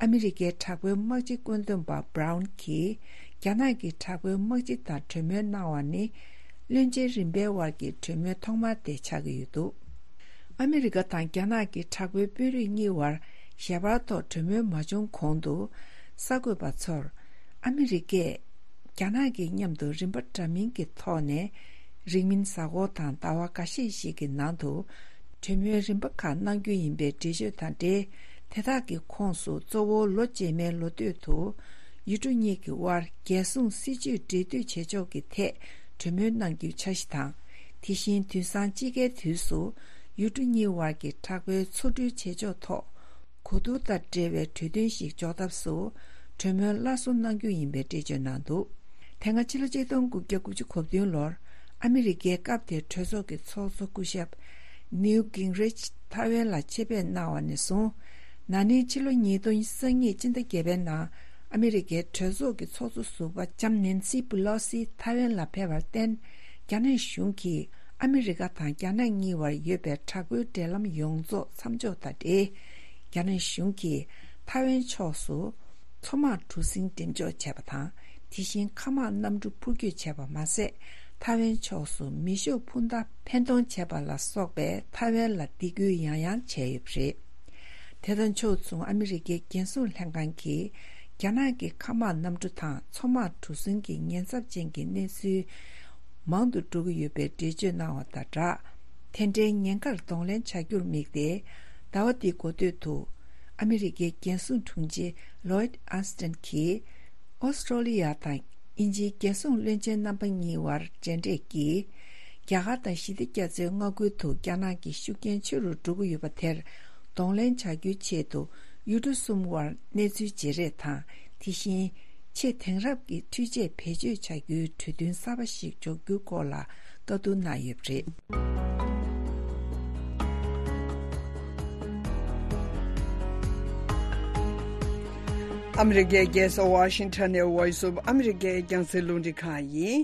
ཨ་མི་རི་ཀའི་དྲག་པོའི་དམག་སྤྱི་བཀོད་འདོམས་པ་བྷ་རའུན་གྱིས་རྒྱ་ནག་གི་དྲག་པོའི་དམག་སྤྱི་དང་གྲོས་མོལ་གནང་བ་ནི། བློན་ཆེན་རིམ་པའི་དབར་གྱི་གྲོས་མོལ་ཐོག་མ་དེ་ཆགས་ཀྱི་ཡོད་འདུག། ཨ་མི་རི་ཀ་དང་རྒྱ་ནག་གི་དྲག་པོའི་དཔོན་རིགས་གཉིས་དབར་ཞལ་པར་ཐོག་གྲོས་མོལ་མ་བྱུང་གོང་དུ། གསར་འགོད་པ་ཚོར། ཨ་མི་རི་ཀས་རྒྱ་ནག་གི་མཉམ་དུ་རིམ་པ་འདྲ་མིན་གྱི་ཐོག་ནས། རིང་མིན་གཟའ་འཁོར་དང་ཟླ་བ་འགའ་ཤས་ཤིག་གི་ནང་དུ། གྲོས་མོལ་རིམ་པ་ཁག་གནང་རྒྱུ་ཡིན་པའི་འགྲེལ་བརྗོད་དང་འབྲེལ། དེ་དག་གི་ཁོངས་སུ་གཙོ་བོ་ལོ་རྗེས་མའི་ལོ་སྟོད་དུ། ཡུལ་གྲུ་གཉིས་ཀྱི་དབར་རྒྱལ་སྲུང་སྲིད་ཇུས་འབྲེལ་མཐུད་བྱེད་ཕྱོགས་ཀྱི་ཐད་གྲོས་མོལ་གནང་རྒྱུའི་འཆར་གཞི་དང་། དེ་བཞིན་དུས་སང་དཔྱིད་ཀའི་དུས་སུ་ཡུལ་གྲུ་གཉིས་དབར་གྱི་དྲག་པོའི་མཚོ་འགྲུལ་བྱེད་ཕྱོགས་ཐོག་གོ་བསྡུར་དང་འབྲེལ་བའི་གྲོས་མཐུན་ཞིག་འཇོག་ཐབས་སུ་གྲོས་མོལ་སླར་གསོ་གནང་རྒྱུ་ཡིན་པའི་འགྲེལ་བརྗོད་གནང་འདུག། དེ་སྔ་ཕྱི་ལོ་ཆིག་སྟོང་དགུ་བརྒྱ་དགུ་བཅུ་གོ་བདུན་ལོར་ཨ་མི་རི་ཀའི་སྐབས་དེའི་གྲོས་ཚོགས་ཀྱི་ཚོགས་གཙོ་སྐུ་ཞབས་ནིའུ་གིང་རིཆ་ཐའེ་ཝན་ལ་ཆེད་ཕེབས་གནང་བ་ནས་བཟུང་། ན་ནིང་ཕྱི་ལོ་ཉིས་སྟོང་ཉི་ཤུ་རྩ་གཉིས་སྤྱི་ཟླ་བརྒྱད་པའི་ནང་ཨ་མི་རི་ཀའི་གྲོས་ཚོགས་ཀྱི་ཚོགས་གཙོ་ཟུར་པ་ལྕམ་ནན་སི་པི་ལོ་སི་ཐའེ་ཝན་ལ་ཕེབས་པར་བརྟེན། རྒྱ་ནག་གཞུང་གིས་ཨ་མི་རི་ཀ་དང་རྒྱ་ནག་གཉིས་བར་ཡོད་པའི་དྲག་པོའི་འབྲེལ་ལམ་ཡོངས་རྫོགས་མཚམས་འཇོག་དང་འབྲེལ། རྒྱ་ནག་གཞུང་གིས་ཐའེ་ཝན་ཕྱོགས་སུ་མཚོ་དམག་གྲུ་གཟིངས་འགྲེམས་འཇོག་བྱས་པ་དང་། དེ་བཞིན་མཁའ་དམག་གནམ་གྲུ་འཕུར་སྐྱོད་བྱས་པ་མ་ཟད། ཐའེ་ཝན་ཕྱོགས་སུ་མེ་ཤུགས་འཕུར་མདའ་འཕེན་གཏོང་བྱས་པ་ལ་སོགས་པའི་ཐའེ་ཝན་ལ་སྡིགས་སྐུལ་ཡང་ཡང་བྱས་ཡོད་པ་རེད། དེ་དང་ཕྱོགས་མཚུངས་ཨ་མི་རི་ཀའི་རྒྱལ་སྲུང་ལྷན་ཁང་གིས་རྒྱ་ནག་གི་མཁའ་དམག་གནམ་གྲུ་དང་མཚོ་དམག་གྲུ་གཟིངས་ཀྱི་ཉེན་ཚབས་ཅན་གྱི་གནས་ཚུལ་མང་དུ་འགྲོ་གི་ཡོད་པའི་འགྲེལ་བརྗོད་གནང་བ་དང་སྦྲགས། དེ་འདྲའི་ཉེན་ཁར་གདོང་ལེན་བྱ་རྒྱུར་དམིགས་ཏེ། ཟླ་བ་འདིའི་འགོ་སྟོད་དུ། ཨ་མི་རི་ཀའི་རྒྱལ་སྲུང་དྲུང་ཆེ་ལོའིད་ཨན་སི་ཏན་གྱིས། ཨོ་སི་ཀྲོ་ལི་ཡ་དང་དབྱིན་ཇིའི་རྒྱལ་སྲུང་བློན་ཆེན་རྣམ་པ་གཉིས་དབར་མཇལ་འཕྲད་ཀྱིས། རྒྱ་གར་དང་ཞི་བདེ་རྒྱ་མཚོའི་མངའ་ཁུལ་དུ་རྒྱ་ནག་གི་ཤུགས་རྐྱེན་ཆེ་རུ་འགྲོ་གི་ཡོད་པ་དེར་གདོང་ལེན་བྱ་རྒྱུའི་ཆེད་དུ། ཡུལ་གྲུ་གསུམ་དབར་གནས་ཚུལ་བརྗེ་རེས་དང་། དེ་བཞིན་ཆེས་དེང་རབས་ཀྱི་འཕྲུལ་ཆས་བེད་སྤྱོད་བྱ་རྒྱུའི་གྲོས་མཐུན་གསར་པ་ཞིག་འཇོག་རྒྱུའི་སྐོར་ལ་བཀའ་བསྡུར་གནང་ཡོད་པ་རེད། ཨ་མི་རི་ཀའི་རྒྱལ་ས་ཝ་ཤིང་ཊོན་ནས་Voice of America རྒྱང་སྲིང་རླུང་འཕྲིན་ཁང་ཡིན།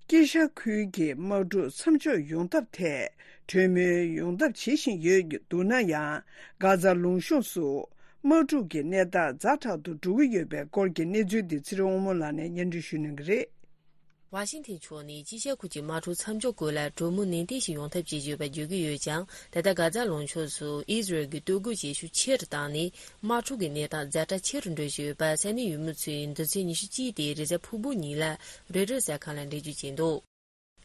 དཀྱིལ་ཤར་ཁུལ་གྱི་དམག་འཁྲུག་མཚམས་འཇོག་ཡོང་ཐབས་ཐད་གྲོས་མོལ་ཡོང་ཐབས་བྱེད་བཞིན་ཡོད་འདུག་ན་ཡང་། གྷ་ཛ་ལུང་གཤོང་སུ་དམག་འཁྲུག་གི་གནས་སྟངས་ཛ་དྲག་ཏུ་འགྲོ་གི་ཡོད་པའི་སྐོར་གྱི་གནས་ཚུལ་འདི་ཚེ་རིང་དབང་མོ་ལགས་ནས་སྙན་སྒྲོན་ཞུ་གནང་གི་རེད། ཝ་ཤིང་ཐན་ཕྱོགས་ནས་དཀྱིལ་ཤར་ཁུལ་གྱི་དམག་འཁྲུག་མཚམས་འཇོག་སྐོར་ལ་གྲོས་མོལ་ནན་ཏན་ཞིག་ཡོང་ཐབས་བྱེད་བཞིན་ཡོད་པ་བརྗོད་ཀྱི་ཡོད་ཀྱང་། ད་ལྟ་གྷ་ཛ་ལུང་ཕྱོགས་སུ་ཨི་ཟི་རལ་གྱི་གཏོར་རྒོལ་བྱེད་ཤུགས་ཆེ་རུ་བཏང་ནས། དམག་འཁྲུག་གི་གནས་སྟངས་ཛ་དྲག་ཆེ་རུ་འགྲོ་བཞིན་ཡོད་པ་ས་གནས་ཡུལ་མི་ཚོས་འདི་ཚེས་ཉི་ཤུ་གཅིག་སྟེ་རེས་གཟའ་ཕུར་བུ་ཉིན་ལ་རོའི་ཊར་གསར་ཁང་ལ་འགྲེལ་བརྗོད་བྱས་འདུག་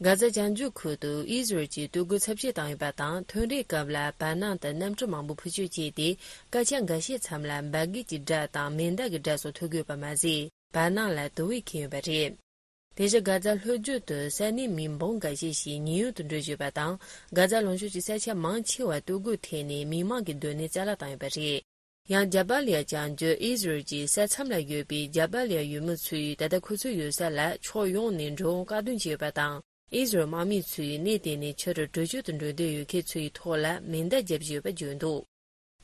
གྷ་ཛ་བྱང་རྒྱུད་ཁུལ་དུ་ཨི་ཟི་རལ་གྱིས་གཏོར་རྒོལ་ཚབས་ཆེ་བཏང་ཡོད་པ་དང་། ཐོན་རེས་སྐབས་ལ་བར་སྣང་དུ་གནམ་གྲུ་མང་པོ་འཕུར་སྐྱོད་བྱས་ཏེ། སྐར་ཆ་འགའ་ཤས་མཚམས་ལ་འབར་གས་ཀྱི་སྒྲ་དང་མེ་མདའ་གྱི་སྒྲ་སོགས་ཐོས་ཀྱི་ཡོད་པ་མ་ཟད། བར་སྣང་ལ་དུ་བས་ཁེངས་ཡོད་པ་རེད། དེ་བཞིན་གྷ་ཛ་ལྷོ་རྒྱུད་དུ་ས་གནས་མི་འབུམ་འགའ་ཤས་ཤིག་ཉེན་གཡོལ་དུ་འགྲོ་བཞིན་ཡོད་པ་དང་། གྷ་ཛ་ལུང་ཕྱོགས་ཀྱི་ས་ཆ་མང་ཆེ་བར་གཏོར་རྒོལ་ཐེབས་ནས་མི་མང་གི་སྡོད་གནས་རྩ་བརླག་བཏང་ཡོད་པ་རེད། ཡང་ཇ་བལ་ཡ་བྱང་རྒྱུད་ཨི་ཟི་རལ་གྱི་ས་མཚམས་ལ་ཡོད་པའི་ཇ་བལ་ཡ་ཡུལ་མི་ཚོས་ད་ལྟ་ཁོ་ཚོའི་ཡོད་ས་ལ་ཕྱོགས་ཡོངས་ནས་འགྲོ་འོང་བཀག་སྡོམ་བྱས་ཡོད་པ་དང་། ཨི་ཟི་རལ་དམག་མི་ཚོས་གནས་དེ་ནས་ཕྱི་རུ་བྲོས་བྱོལ་དུ་འགྲོ་འདོད་ཡོད་མཁན་ཚོའི་ཐོག་ལ་མེ་མདའ་བརྒྱབ་བཞིན་ཡོད་པ་བརྗོད་འདུག་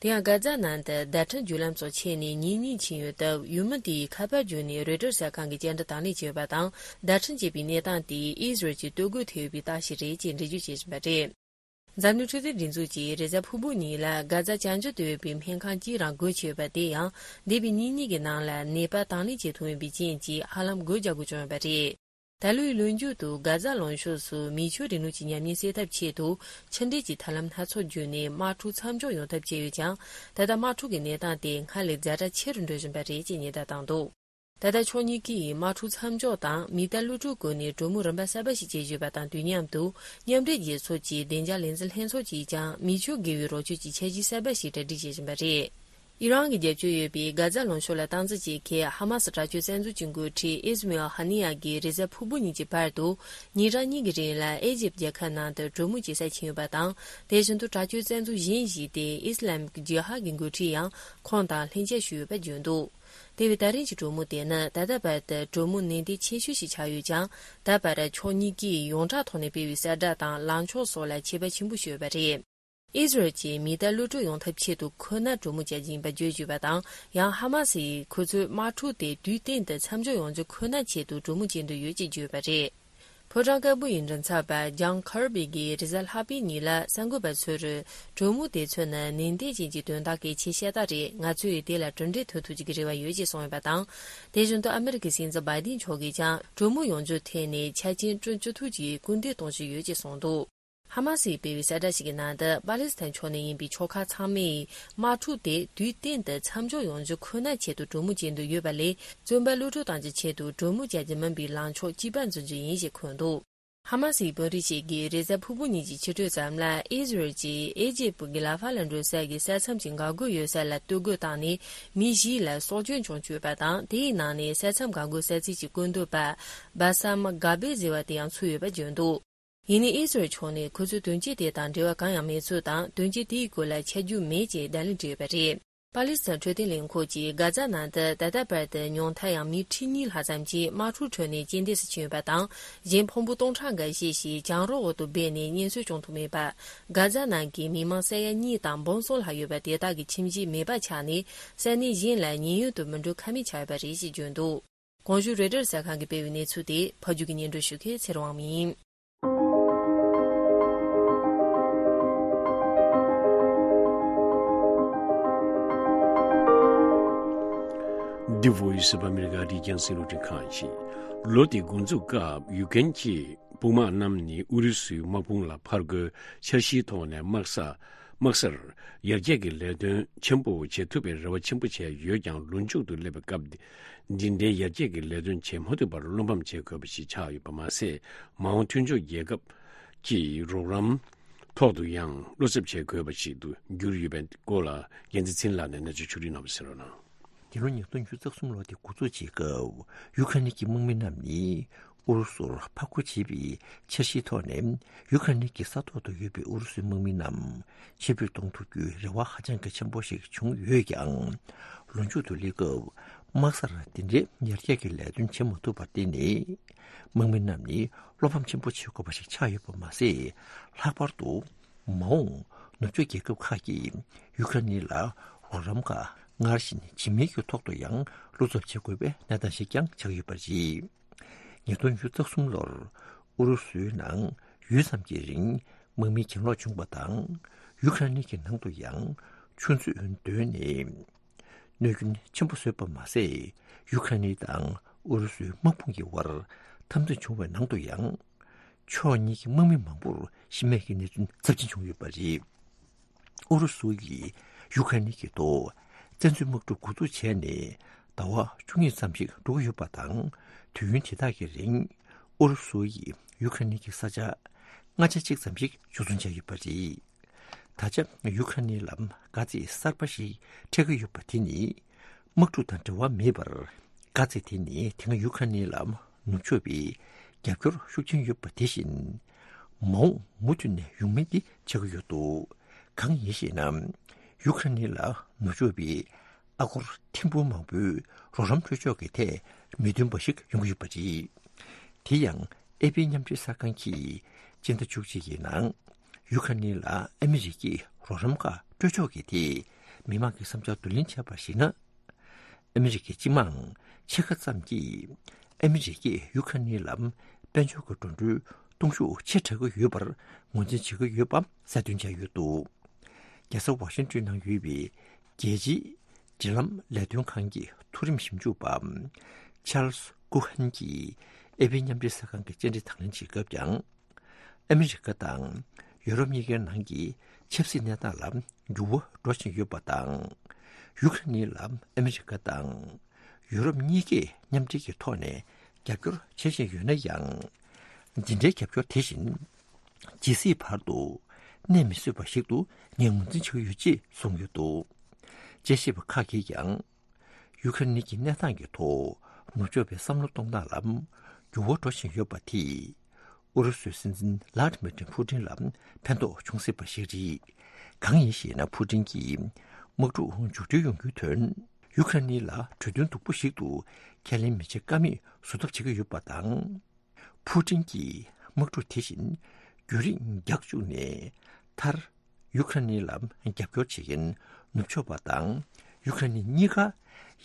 དེ་ཡང་གྷ་ཛ་ནང་དུ་བརྡ་འཕྲིན་བརྒྱུད་ལམ་སོགས་ཆད་ནས་ཉིན་གཉིས་ཕྱིན་ཡོད་སྟབས། ཡུལ་མི་དེས་ཁ་པར་བརྒྱུད་ནས་རོའི་ཊར་གསར་ཁང་གི་བཅར་འདྲི་དང་ལེན་བྱས་ཡོད་པ་དང་། བརྡ་འཕྲིན་བཅད་པའི་གནས་སྟངས་དེ་ཨི་ཟི་རལ་གྱི་གཏོར་རྒོལ་ཐེབས་ཡོད་པའི་རྟགས་ཤིག་རེད་ཅེས་འགྲེལ་བརྗོད་བྱེད་བཞིན་པ་རེད། འཛམ་གླིང་འཕྲོད་བསྟེན་སྒྲིག་འཛུགས་ཀྱིས་རེས་གཟའ་ཕུར་བུ་ཉིན་ལ་གྷ་ཛ་བྱང་རྒྱུད་དུ་ཡོད་པའི་སྨན་ཁང་གཅིག་རང་སྒོ་ཕྱེ་ཡོད་པ་དེ་ཡང་། འདས་པའི་ཉིན་གཉིས་ཀྱི་ནང་ལ་ནད་པ་དང་ལེན་བྱེད་ཐུབ་མེད་པའི་རྐྱེན་གྱིས་ཧ་ལམ་སྒོ་རྒྱག་དགོས་བྱུང་ཡོད་པ་རེད། ད་ལོའི་ལོ་མཇུག་ཏུ་གྷ་ཛ་ལུང་ཕྱོགས་སུ་མེ་མཆོད་རིང་ལུགས་ཀྱི་ཉམས་ཉེན་སེལ་ཐབས་ཆེད་དུ་ཕྱི་འབྲེལ་གྱི་ཐབས་ལམ་སྣ་ཚོགས་བརྒྱུད་ནས་དམག་འཁྲུག་མཚམས་འཇོག་ཡོང་ཐབས་བྱས་ཡོད་ཀྱང་། ད་ལྟ་དམག་འཁྲུག་གི་གནས་སྟངས་དེ་སྔར་ལས་ཛ་དྲག་ཆེ་རུ་འགྲོ་བཞིན་པ་རེད་ཅེས་ཉེན་བརྡ་བཏང་འདུག་ད་ལྟ་ཕྱོགས་གཉིས་ཀས་དམག་འཁྲུག་མཚམས་འཇོག་དང་མེ་མདའ་གློད་གྲོལ་སྐོར་ནས་གྲོས་མོལ་རིམ་པ་གསར་པ་ཞིག་བྱེད་བཞིན་པ་དང་དུས་མཉམ་དུ། མཉམ་འབྲེལ་རྒྱལ་ཚོགས་ཀྱི་བདེ་འཇགས་ལས་འཛིན་ལྷན་ཚོགས་ཀྱིས་ཀྱང་མེ་མཆོད་དགེ་བའི་རོགས་སྐྱོར་གྱི་འཆར་གཞི་གསར་པ་ཞིག་གྲ་སྒྲིག་བྱེད་བཞིན་པ་རེད། ཨི་རན་གྱི་རྒྱབ་སྐྱོར་ཡོད་པའི་གྷ་ཛ་ལུང་ཕྱོགས་ལ་སྟངས་འཛིན་བྱེད་མཁན་ཧ་མ་སི་དྲག་སྤྱོད་བཙན་འཛུལ་གྱི་འགོ་ཁྲིད་ཨིས་མེལ་ཧ་ནི་ཡ་གིས་རེས་གཟའ་ཕུར་བུ་ཉིན་གྱི་བར་དུ་ཉིན་གྲངས་གཉིས་ཀྱི་རིང་ལ་ཨེ་ཇིབ་རྒྱལ་ཁབ་ནང་དུ་གྲོས་མོལ་བྱེད་སར་ཕྱིན་ཡོད་པ་དང་། དེ་བཞིན་དུ་དྲག་སྤྱོད་བཙན་འཛུལ་གཞན་ཞིག་སྟེ་ཨི་སི་ལམ་གྱི་ཇི་ཧཱ་གི་འགོ་ཁྲིད་ཡང་ཁོང་དང་ལྷན་མཇལ་ཞུས་ཡོད་པ་བརྗོད་འདུག་དེ་བས་ད་རིང་གྱི་གྲོས་མོལ་དེ་ནི་ད་ལྟ་བར་དུ་གྲོས་མོལ་ནན་ཏན་ཆེ་ཤོས་ཤིག་ཆགས་ཡོད་ཀྱང་། ད་བར་ཕྱོགས་གཉིས་ཀས་ཡོངས་གྲགས་ཐོག་ནས་སྤེལ་བའི་གསལ་བསྒྲགས་དང་ལངས་ཕྱོགས་སོགས་ལ་ཁྱད་པར་ཆེན་པོ་ཞིག་ཡོད་པ་རེད། ཨི་ཟི་རལ་གྱིས་མེ་མདའ་གློད་གྲོལ་ཡོང་ཐབས་ཆེད་དུ་ཁོ་ན་གྲོས་མོལ་བྱ་རྒྱུ་ཡིན་པ་བརྗོད་ཡོད་པ་དང་། ཡང་ཧ་མ་སིས་ཁོ་ཚོས་དམག་འཁྲུག་དེ་དུས་གཏན་དུ་མཚམས་འཇོག་ཡོང་རྒྱུ་ཁོ་ན་ཆེད་དུ་གྲོས་མོལ་བྱེད་འདོད་ཡོད་ཅེས་བརྗོད་པ་རེད། ཕོ་བྲང་དཀར་པོ་ཡི་མགྲིན་ཚབ་པ་ཇོན་ཁར་བི་གིས་རེས་གཟའ་ལྷག་པའི་ཉིན་ལ་གསར་འགོད་པ་ཚོར། གྲོས་མོལ་དེ་ཚོ་ནི་ནན་ཏན་ཅན་གྱི་དོན་དག་གི་ཆེས་ཤ་སྟག་རེད། ང་ཚོས་དེ་ལ་གྲུབ་འབྲས་ཐོན་ཐུབ་ཀྱི་རེ་བ་ཡོད་ཅེས་གསུངས་ཡོད་པ་དང་། དེ་བཞིན་དུ་ཨ་མི་རི་ཀའི་སྲིད་འཛིན་བྷའི་ཌེན་མཆོག་གིས་ཀྱང་གྲོས་མོལ་ཡོང་རྒྱུའི་ཐད་ནས་ཆ་རྐྱེན་བསྐྲུན་ཅི་ཐུབ་ཀྱིས་སྐུལ་འདེད་གཏོང་བཞིན་ཡོད་ཅེས་གསུངས་འདུག་ཧ་མ་སིས་སྤེལ་བའི་གསལ་བསྒྲགས་ཤིག་གི་ནང་དུ། པ་ལི་སི་ཐན་ཕྱོགས་ནས་ཡིན་པའི་ཕྱོགས་ཁག་ཚང་མས་དམག་འཁྲུག་དེ་དུས་གཏན་དུ་མཚམས་འཇོག་ཡོང་རྒྱུ་ཁོ་ན་ཆེད་དུ་གྲོས་མོལ་བྱེད་འདོད་ཡོད་པ་ལས། བཙོན་པ་གློད་གྲོལ་གཏང་རྒྱུའི་ཆེད་དུ་གྲོས་མོལ་བྱ་རྒྱུ་མིན་པའི་ལངས་ཕྱོགས་གཅིག་པ་འཛིན་རྒྱུ་ཡིན་ཞེས་འཁོད་འདུག་ཧ་མ་སིའི་དཔོན་རིགས་ཤིག་གིས་རེས་གཟའ་ཕུར་བུ་ཉིན་གྱི་ཕྱི་དྲོའི་མཚམས་ལ། ཨི་ཟི་རལ་གྱིས་ཨེ་ཇིབ་ཀྱི་ལ་ཧྥ་ལ་འགྲོ་ས་གི་ས་མཚམས་ཀྱི་འགག་སྒོ་ཡོད་ས་ལ་གཏོར་རྒོལ་བཏང་ནས། མི་བཞི་ལ་སྲོག་སྐྱོན་བྱུང་ཡོད་པ་དང་། དེའི་ནང་ནས་ས་མཚམས་འགག་སྒོ་གསར་རྩིས་ཀྱི་བཀོད་འདོམས་པ་བྷ་སམ་གྷ་བེ་ཟེར་བ་དེ་ཡང་ཚུད་ཡོད་པ་བརྗོད་འདུག་ཡིན་ནའི་ཨི་ཟི་རལ་ཕྱོགས་ནས་ཁོ་ཚོས་དོན་རྐྱེན་དེ་དང་འབྲེལ་བ་གང་ཡང་མེད་ཚུལ་དང་། དོན་རྐྱེན་དེའི་སྐོར་ལ་ཆ་རྒྱུས་མེད་ཅེས་བརྡ་ལན་སྤྲད་ཡོད་པ་རེད། པ་ལི་སི་ཐན་འཕྲོད་བསྟེན་ལས་ཁུངས་ཀྱིས་གྷ་ཛ་ནང་དུ་ད་ལྟ་བར་དུ་ཉུང་མཐའ་ཡང་མི་ཁྲི་གཉིས་ལྷག་ཙམ་ཞིག་དམག་འཁྲུག་ཁྲོད་ནས་རྐྱེན་འདས་སུ་ཕྱིན་ཡོད་པ་དང་། གཞན་ཕུང་པོ་སྟོང་ཕྲག་འགའ་ཤས་ཤིག་གྱང་རོ་འོག་ཏུ་སྦས་ནས་གཉེན་སྲོལ་བྱུང་ཐུབ་མེད་པ། གྷ་ཛ་ནང་གི་མི་མང་ས་ཡ་གཉིས་དང་འབུམ་གསུམ་ལྷག་ཡོད་པ་དེ་དག་གི་ཁྱིམ་གཞིས་མེད་པ་ཆགས་ནས། ས་གནས་གཞན་ལ་ཉེན་གཡོལ་དུ་མི་འགྲོ་ཁ་མེད་ཆགས་ཡོད་པ་རེད་ཅེས་བརྗོད་འདུག་གོང་ཞུས་རོའི་ཊར་གསར་ཁང་གིས་སྤེལ་བའི་གནས་ཚུལ་དེ་ཕབ་སྒྱུར་གྱིས་སྙན་སྒྲོན་ཞུ་མཁན་ཚེ་རིང་དབང་མོ་ཡིན། འདི་Voice of America རི་རྒྱང་སྲིད་རླུང་འཕྲིན་ཁང་ཡིན། ལོ་འདིའི་འགོ་འཛུགས་སྐབས་ཡུ་ཀེན་གྱི་དཔུང་དམག་རྣམས་ནི་ཨུ་རུ་སུའི་དམག་དཔུང་ལ་ཕར་རྒོལ་འཆར་གཞིའི་ཐོག་ནས་དམག་ས། དམག་སར་ཡར་རྒྱས་ཀྱི་ལས་དོན་ཆེན་པོ་བྱེད་ཐུབ་པའི་རེ་བ་ཆེན་པོ་བྱས་ཡོད་ཀྱང་། ལོ་མཇུག་ཏུ་སླེབས་པའི་སྐབས། འདི་འདྲའི་ཡར་རྒྱས་ཀྱི་ལས་དོན་བྱེད་མ་ཐུབ་པར་བློ་ཕམ་བྱེད་དགོས་པ་ཞིག་ཆགས་ཡོད་པ་མ་ཟད། མ་འོངས་མཐུན་ཕྱོགས་རྒྱལ་ཁབ་ཀྱི་རོགས་རམ་ ཐོག་ཏུ་ཡང་བློ་འཚབ་བྱེད་དགོས་པ་ཞིག་ཏུ་གྱུར་ཡོད་པའི་སྐོར་ལ་རྒྱལ་མཚན་ཚེ་རིང་ལགས་ནས་གནས་ཚུལ་ཕྱོགས་སྒྲིག་གནང་བ་གསན་རོགས་གནང་། འདི་ལོ་ཉིས་སྟོང་ཉི་ཤུ་རྩ་གསུམ་ལོ་དེ་འགོ་འཛུགས་བྱེད་སྐབས་ཡུ་ཁ་རེན་གྱི་དམག་མི་རྣམས་ནི་ཨུ་རུ་སུར་ཕར་རྒོལ་བྱེད་པའི་འཆར་གཞིའི་ཐོག་ནས་ཡུ་ཁ་རེན་གྱི་ས་ཐོག་ཏུ་ཡོད་པའི་ཨུ་རུ་སུའི་དམག་མི་རྣམས་ཕྱིར་འབུད་གཏོང་ཐུབ་རྒྱུའི་རེ་བ་ཧ་ཅང་གི་ཆེན་པོ་ཞིག་བྱུང་ཡོད་ཀྱང་། ལོ་མཇུག་ཏུ་སླེབས་སྐབས་དམག་སར་དེ་འདྲའི་ཡར་རྒྱས་ཀྱི་ལས་དོན་བྱེད་མ་ཐུབ་པར་བརྟེན་ནས་དམག་མི་རྣམས་ནི་བློ་ཕམ་ཆེན་པོ་བྱེད་དགོས་པ་ཞིག་ཆགས་ཡོད་པ་མ་ཟད། ལྷག་པར་དུ་མ་འོངས་ནུབ་ཕྱོགས་རྒྱལ་ཁབ་ཁག་གིས་ཡུ་ཁ་རེན་ལ་རོགས་རམ་ཁག་སྔར་བཞིན་བྱེད་མིན་གྱི་ཐོག་ཏུ་ཡང་བློ་འཚབ་བྱེད་དགོས་པའི་གནས་སྟངས་ཤིག་ཀྱང་ཆགས་ཡོད་པ་རེད། ཉིས་སྟོང་ཉི་ཤུ་རྩ་གསུམ་ལོར་ཨུ་རུ་སུའི་ནང་ཡུད་ཙམ་གྱི་རིང་དམག་མི་གྱེན་ལོག་བྱུང་བ་དང་། ཡུ་ཁ་རེན་གྱི་ནང་དུ་ཡང་ཆུ་མཛོད་བརྡོལ་ནས་གནོད་སྐྱོན་ཆེན་པོ་བཟོས་པ་མ་ཟད། ཡུ་ཁ་རེན་དང་ཨུ་རུ་སུའི་དམག་དཔུང་གི་དབར་འཐབ་འཛིང་བྱུང་བའི་ནང་དུ་ཡང་ཕྱོགས་གཉིས་ཀྱི་དམག་མི་མང་པོར་ཤི་རྨས་ཀྱི་གནས་ཚུལ་ཚབས་ཆེན་བྱུང་ཡོད་པ་རེད། ཨུ་རུ་སུ་ཡིས་ཡུ་ཁ་རེན་གྱི་ཐོག་བཙན་འཛུལ་དམག་འཁྲུག་འགོ་འཛུགས་བྱས་ནས་ཟླ་བ་བཅུ་གཉིས་ཙམ་ཞིག་འགྲོ་གི་ཡོད་པ་དང་། དུས་ཡུན་དེ་དག་གི་རིང་ཨུ་རུ་སུ་ཡིས་ཡུ་ཁ་རེན་གྱི་ས་ཆ་ལྔ་ཆ་གཅིག་ཙམ་ཞིག་འཇུ་བཟུང་བྱས་ཡོད་པ་རེད། ད་ཆ་ཡུ་ཁ་རེན་ལ་དཀའ་ཚེགས་གསར་པ་ཞིག་འཕྲད་ཀྱི་ཡོད་པ་དེ་ནི་དམག་འཁྲུག་དང་འབྲེལ་བ་མེད་པར། དཀའ་ཚེགས་དེ་ནི་དེ་སྔ་ཡུ་ཁ་རེན་ལ་ནུབ་ཕྱོགས་པའི་རྒྱབ་སྐྱོར་ཤུགས་ཆེན་ཡོད་པ་དེ་བཞིན། མ་འོངས་མུ་མཐུད་ནས་ཡོང་མིན་དེ་ཆགས་ཀྱི་ཡོད་འདུག་གང་ཡིན་ཞེ་ན། ཡུ་ཁ་རེན་ལ་ནུབ་ཕྱོགས་པའི་ཨ་སྒོར་ཐེར་འབུམ་མང་པོའི་རོགས་རམ་སྤྲོད་ཕྱོགས་ཀྱི་ཐད་མི་མཐུན་པ་ཞིག་ཡོང་གི་ཡོད་པ་རེད། དེ་ཡང་ཨེ་པི་མཉམ་འབྲེལ་གསར་ཁང་གིས་སྤྱི་ཟླ་བཅུ་གཅིག་གི་ནང་ཡུ་ཁ་རེན་ལ་ཨ་མི་རི་ཀས་རོགས་རམ་ཁག་སྤྲོད་ཕྱོགས་ཀྱི་ཐད་མི་མང་གི་བསམ་འཆར་བསྡུ་ལེན་བྱས་པར་གཞིགས་ན། ཨ་མི་རི་ཀའི་སྤྱི་དམངས་ཕྱེད་ཀ་ཙམ་གྱིས་ཨ་མི་རི་ཀས་ཡུ་ཁ་རེན་ལ་དཔལ་འབྱོར་གྱི་འགྲོ་གྲོན་གཏོང་ཤུགས་ཆེ་དྲགས་ཀྱི་ཡོད་པར་ངོས་འཛིན་བྱེད་ཀྱི་ཡོད་པ་གསལ་སྟོན་བྱས་ཡོད་འདུག་རྒྱལ་ས་ཝ་ཤིང་ཏོན་ནང་ཡོད་པའི་རྒྱལ་སྤྱིའི་འབྲེལ་ལམ་ལས་དོན་ཁང་གི་མཐོ་རིམ་ཞིབ་འཇུག་པ་ཆཱལ་སི་ཀུ་ཧན་གྱིས་ཨེ་པི་མཉམ་འབྲེལ་གསར་ཁང་གི་བཅར་འདྲི་དང་ལེན་བྱེད་སྐབས་ཀྱང་། ཨ་མི་རི་ཀ་དང་ཡུ་རོབ་གཉིས་ཀའི་ནང་གི་ཆབ་སྲིད་གནས་སྟངས་ལ་འགྱུར་བ་འགྲོ་བཞིན་ཡོད་པ་དང་། ཡུ་ཁ་རེན་ལ་ཨ་མི་རི་ཀ་དང་ཡུ་རོབ་གཉིས་ཀས་མཉམ་འབྲེལ་གྱི་ཐོག་ནས་རྒྱབ་སྐྱོར་བྱེད་བཞིན་ཡོད་ན་ཡང་། འདི་འདྲའི་རྒྱབ་སྐྱོར་དེ་བཞིན་ཇི་སྲིད་བར་དུ་གནས་མི་སྲིད་པ་ཞིག་ཏུ་ངས་ངོས་འཛིན་བྱེད་ཀྱི་ཡོད་ཅེས་གསུངས་ཡོད་འདུག་དཔྱད་ཞིབ་པ་ཁག་གིས་ཀྱང་། ཡུ་ཁ་རེན་གྱི་གནས་སྟངས་ཀྱི་ཐོག་ནུབ་ཕྱོགས་པའི་བསམ་བློ་གཏོང་སྟངས་ལ་འགྱུར་བ་འགྲོ་བཞིན་ཡོད་པ་དེས། ཨུ་རུ་སུའི་སྲིད་འཛིན་ལྷ་ཌི་མི་ཏྲི་ཕུ་ཏིན་ལ་ཕན་ཐོགས་འབྱུང་སྲིད་པ་ཞིག་རེད། གང་ཡིན་ཞེ་ན། ཕུ་ཏིན་གྱིས་དམག་འཁྲུག་མཇུག་སྒྲིལ་ཡོང་རྒྱུའི་དོན། ཡུ་ཁ་རེན་ལ་གྲོས་མཐུན་སྡུག་པོ་ཞིག་ཏུ་ཁས་ལེན་མི་བྱེད་ཀ་མེད་བཟོ་ཐབས་བྱེད་ཀྱི་ཡོད་པ་དང་། ཕུ་ཀྲིན་གྱིས་དམག་འཁྲུག་དེ་བཞིན་རྒྱུན་རིང་རྒྱག་བཅུག་ནས། མཐར་ཡུ་ཁ་རེན་ལ་རྒྱབ་སྐྱོར་བྱེད་མཁན་ནུབ་ཕྱོགས་པ་དང་ཡུ་ཁ་རེན་གཉིས་ཀ་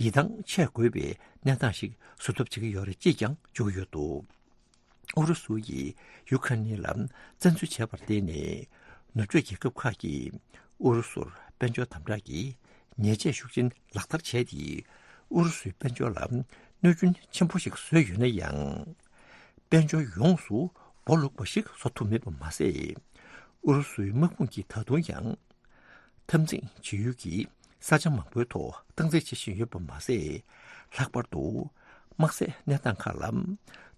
ཡིད་ཐང་ཆད་དགོས་པའི་གནས་སྟངས་ཤིག་བཟོ་ཐབས་བྱེད་ཀྱི་ཡོད་རེད་ཅེས་ཀྱང་བརྗོད་ཡོད་འདུག་ཨུ་རུ་སུ་ཡིས་ཡུ་ཁ་རེན་ལ་བཙན་འཛུལ་བྱས་པར་བརྟེན་ནས། ནུབ་ཕྱོགས་རྒྱལ་ཁབ་ཁག་གིས་ཨུ་རུ་སུར་དཔལ་འབྱོར་དམ་དྲག་གི་ཉེས་ཆད་ཤུགས་ཆེན་ལག་བསྟར་བྱས་ཏེ། ཨུ་རུ་སུའི་དཔལ་འབྱོར་ལ་གནོད་སྐྱོན་ཆེན་པོ་ཞིག་བཟོས་ཡོད་ན་ཡང་། དཔལ་འབྱོར་ཡོངས་སུ་སྦོ་ལུག་པ་ཞིག་བཟོ་ཐུབ་མེད་པ་མ་ཟད། ཨུ་རུ་སུའི་དམག་དཔུང་གིས་ད་དུང་ཡང་། འཐབ་འཛིང་བྱེད་ཡུལ་གྱི་ས་ཆ་མང་པོའི་ཐོག་སྟངས་འཛིན་བྱེད་བཞིན་ཡོད་པ་མ་ཟད། ལྷག་པར་དུ་དམག་སའི་གནས་སྟངས་ཁག་ལ་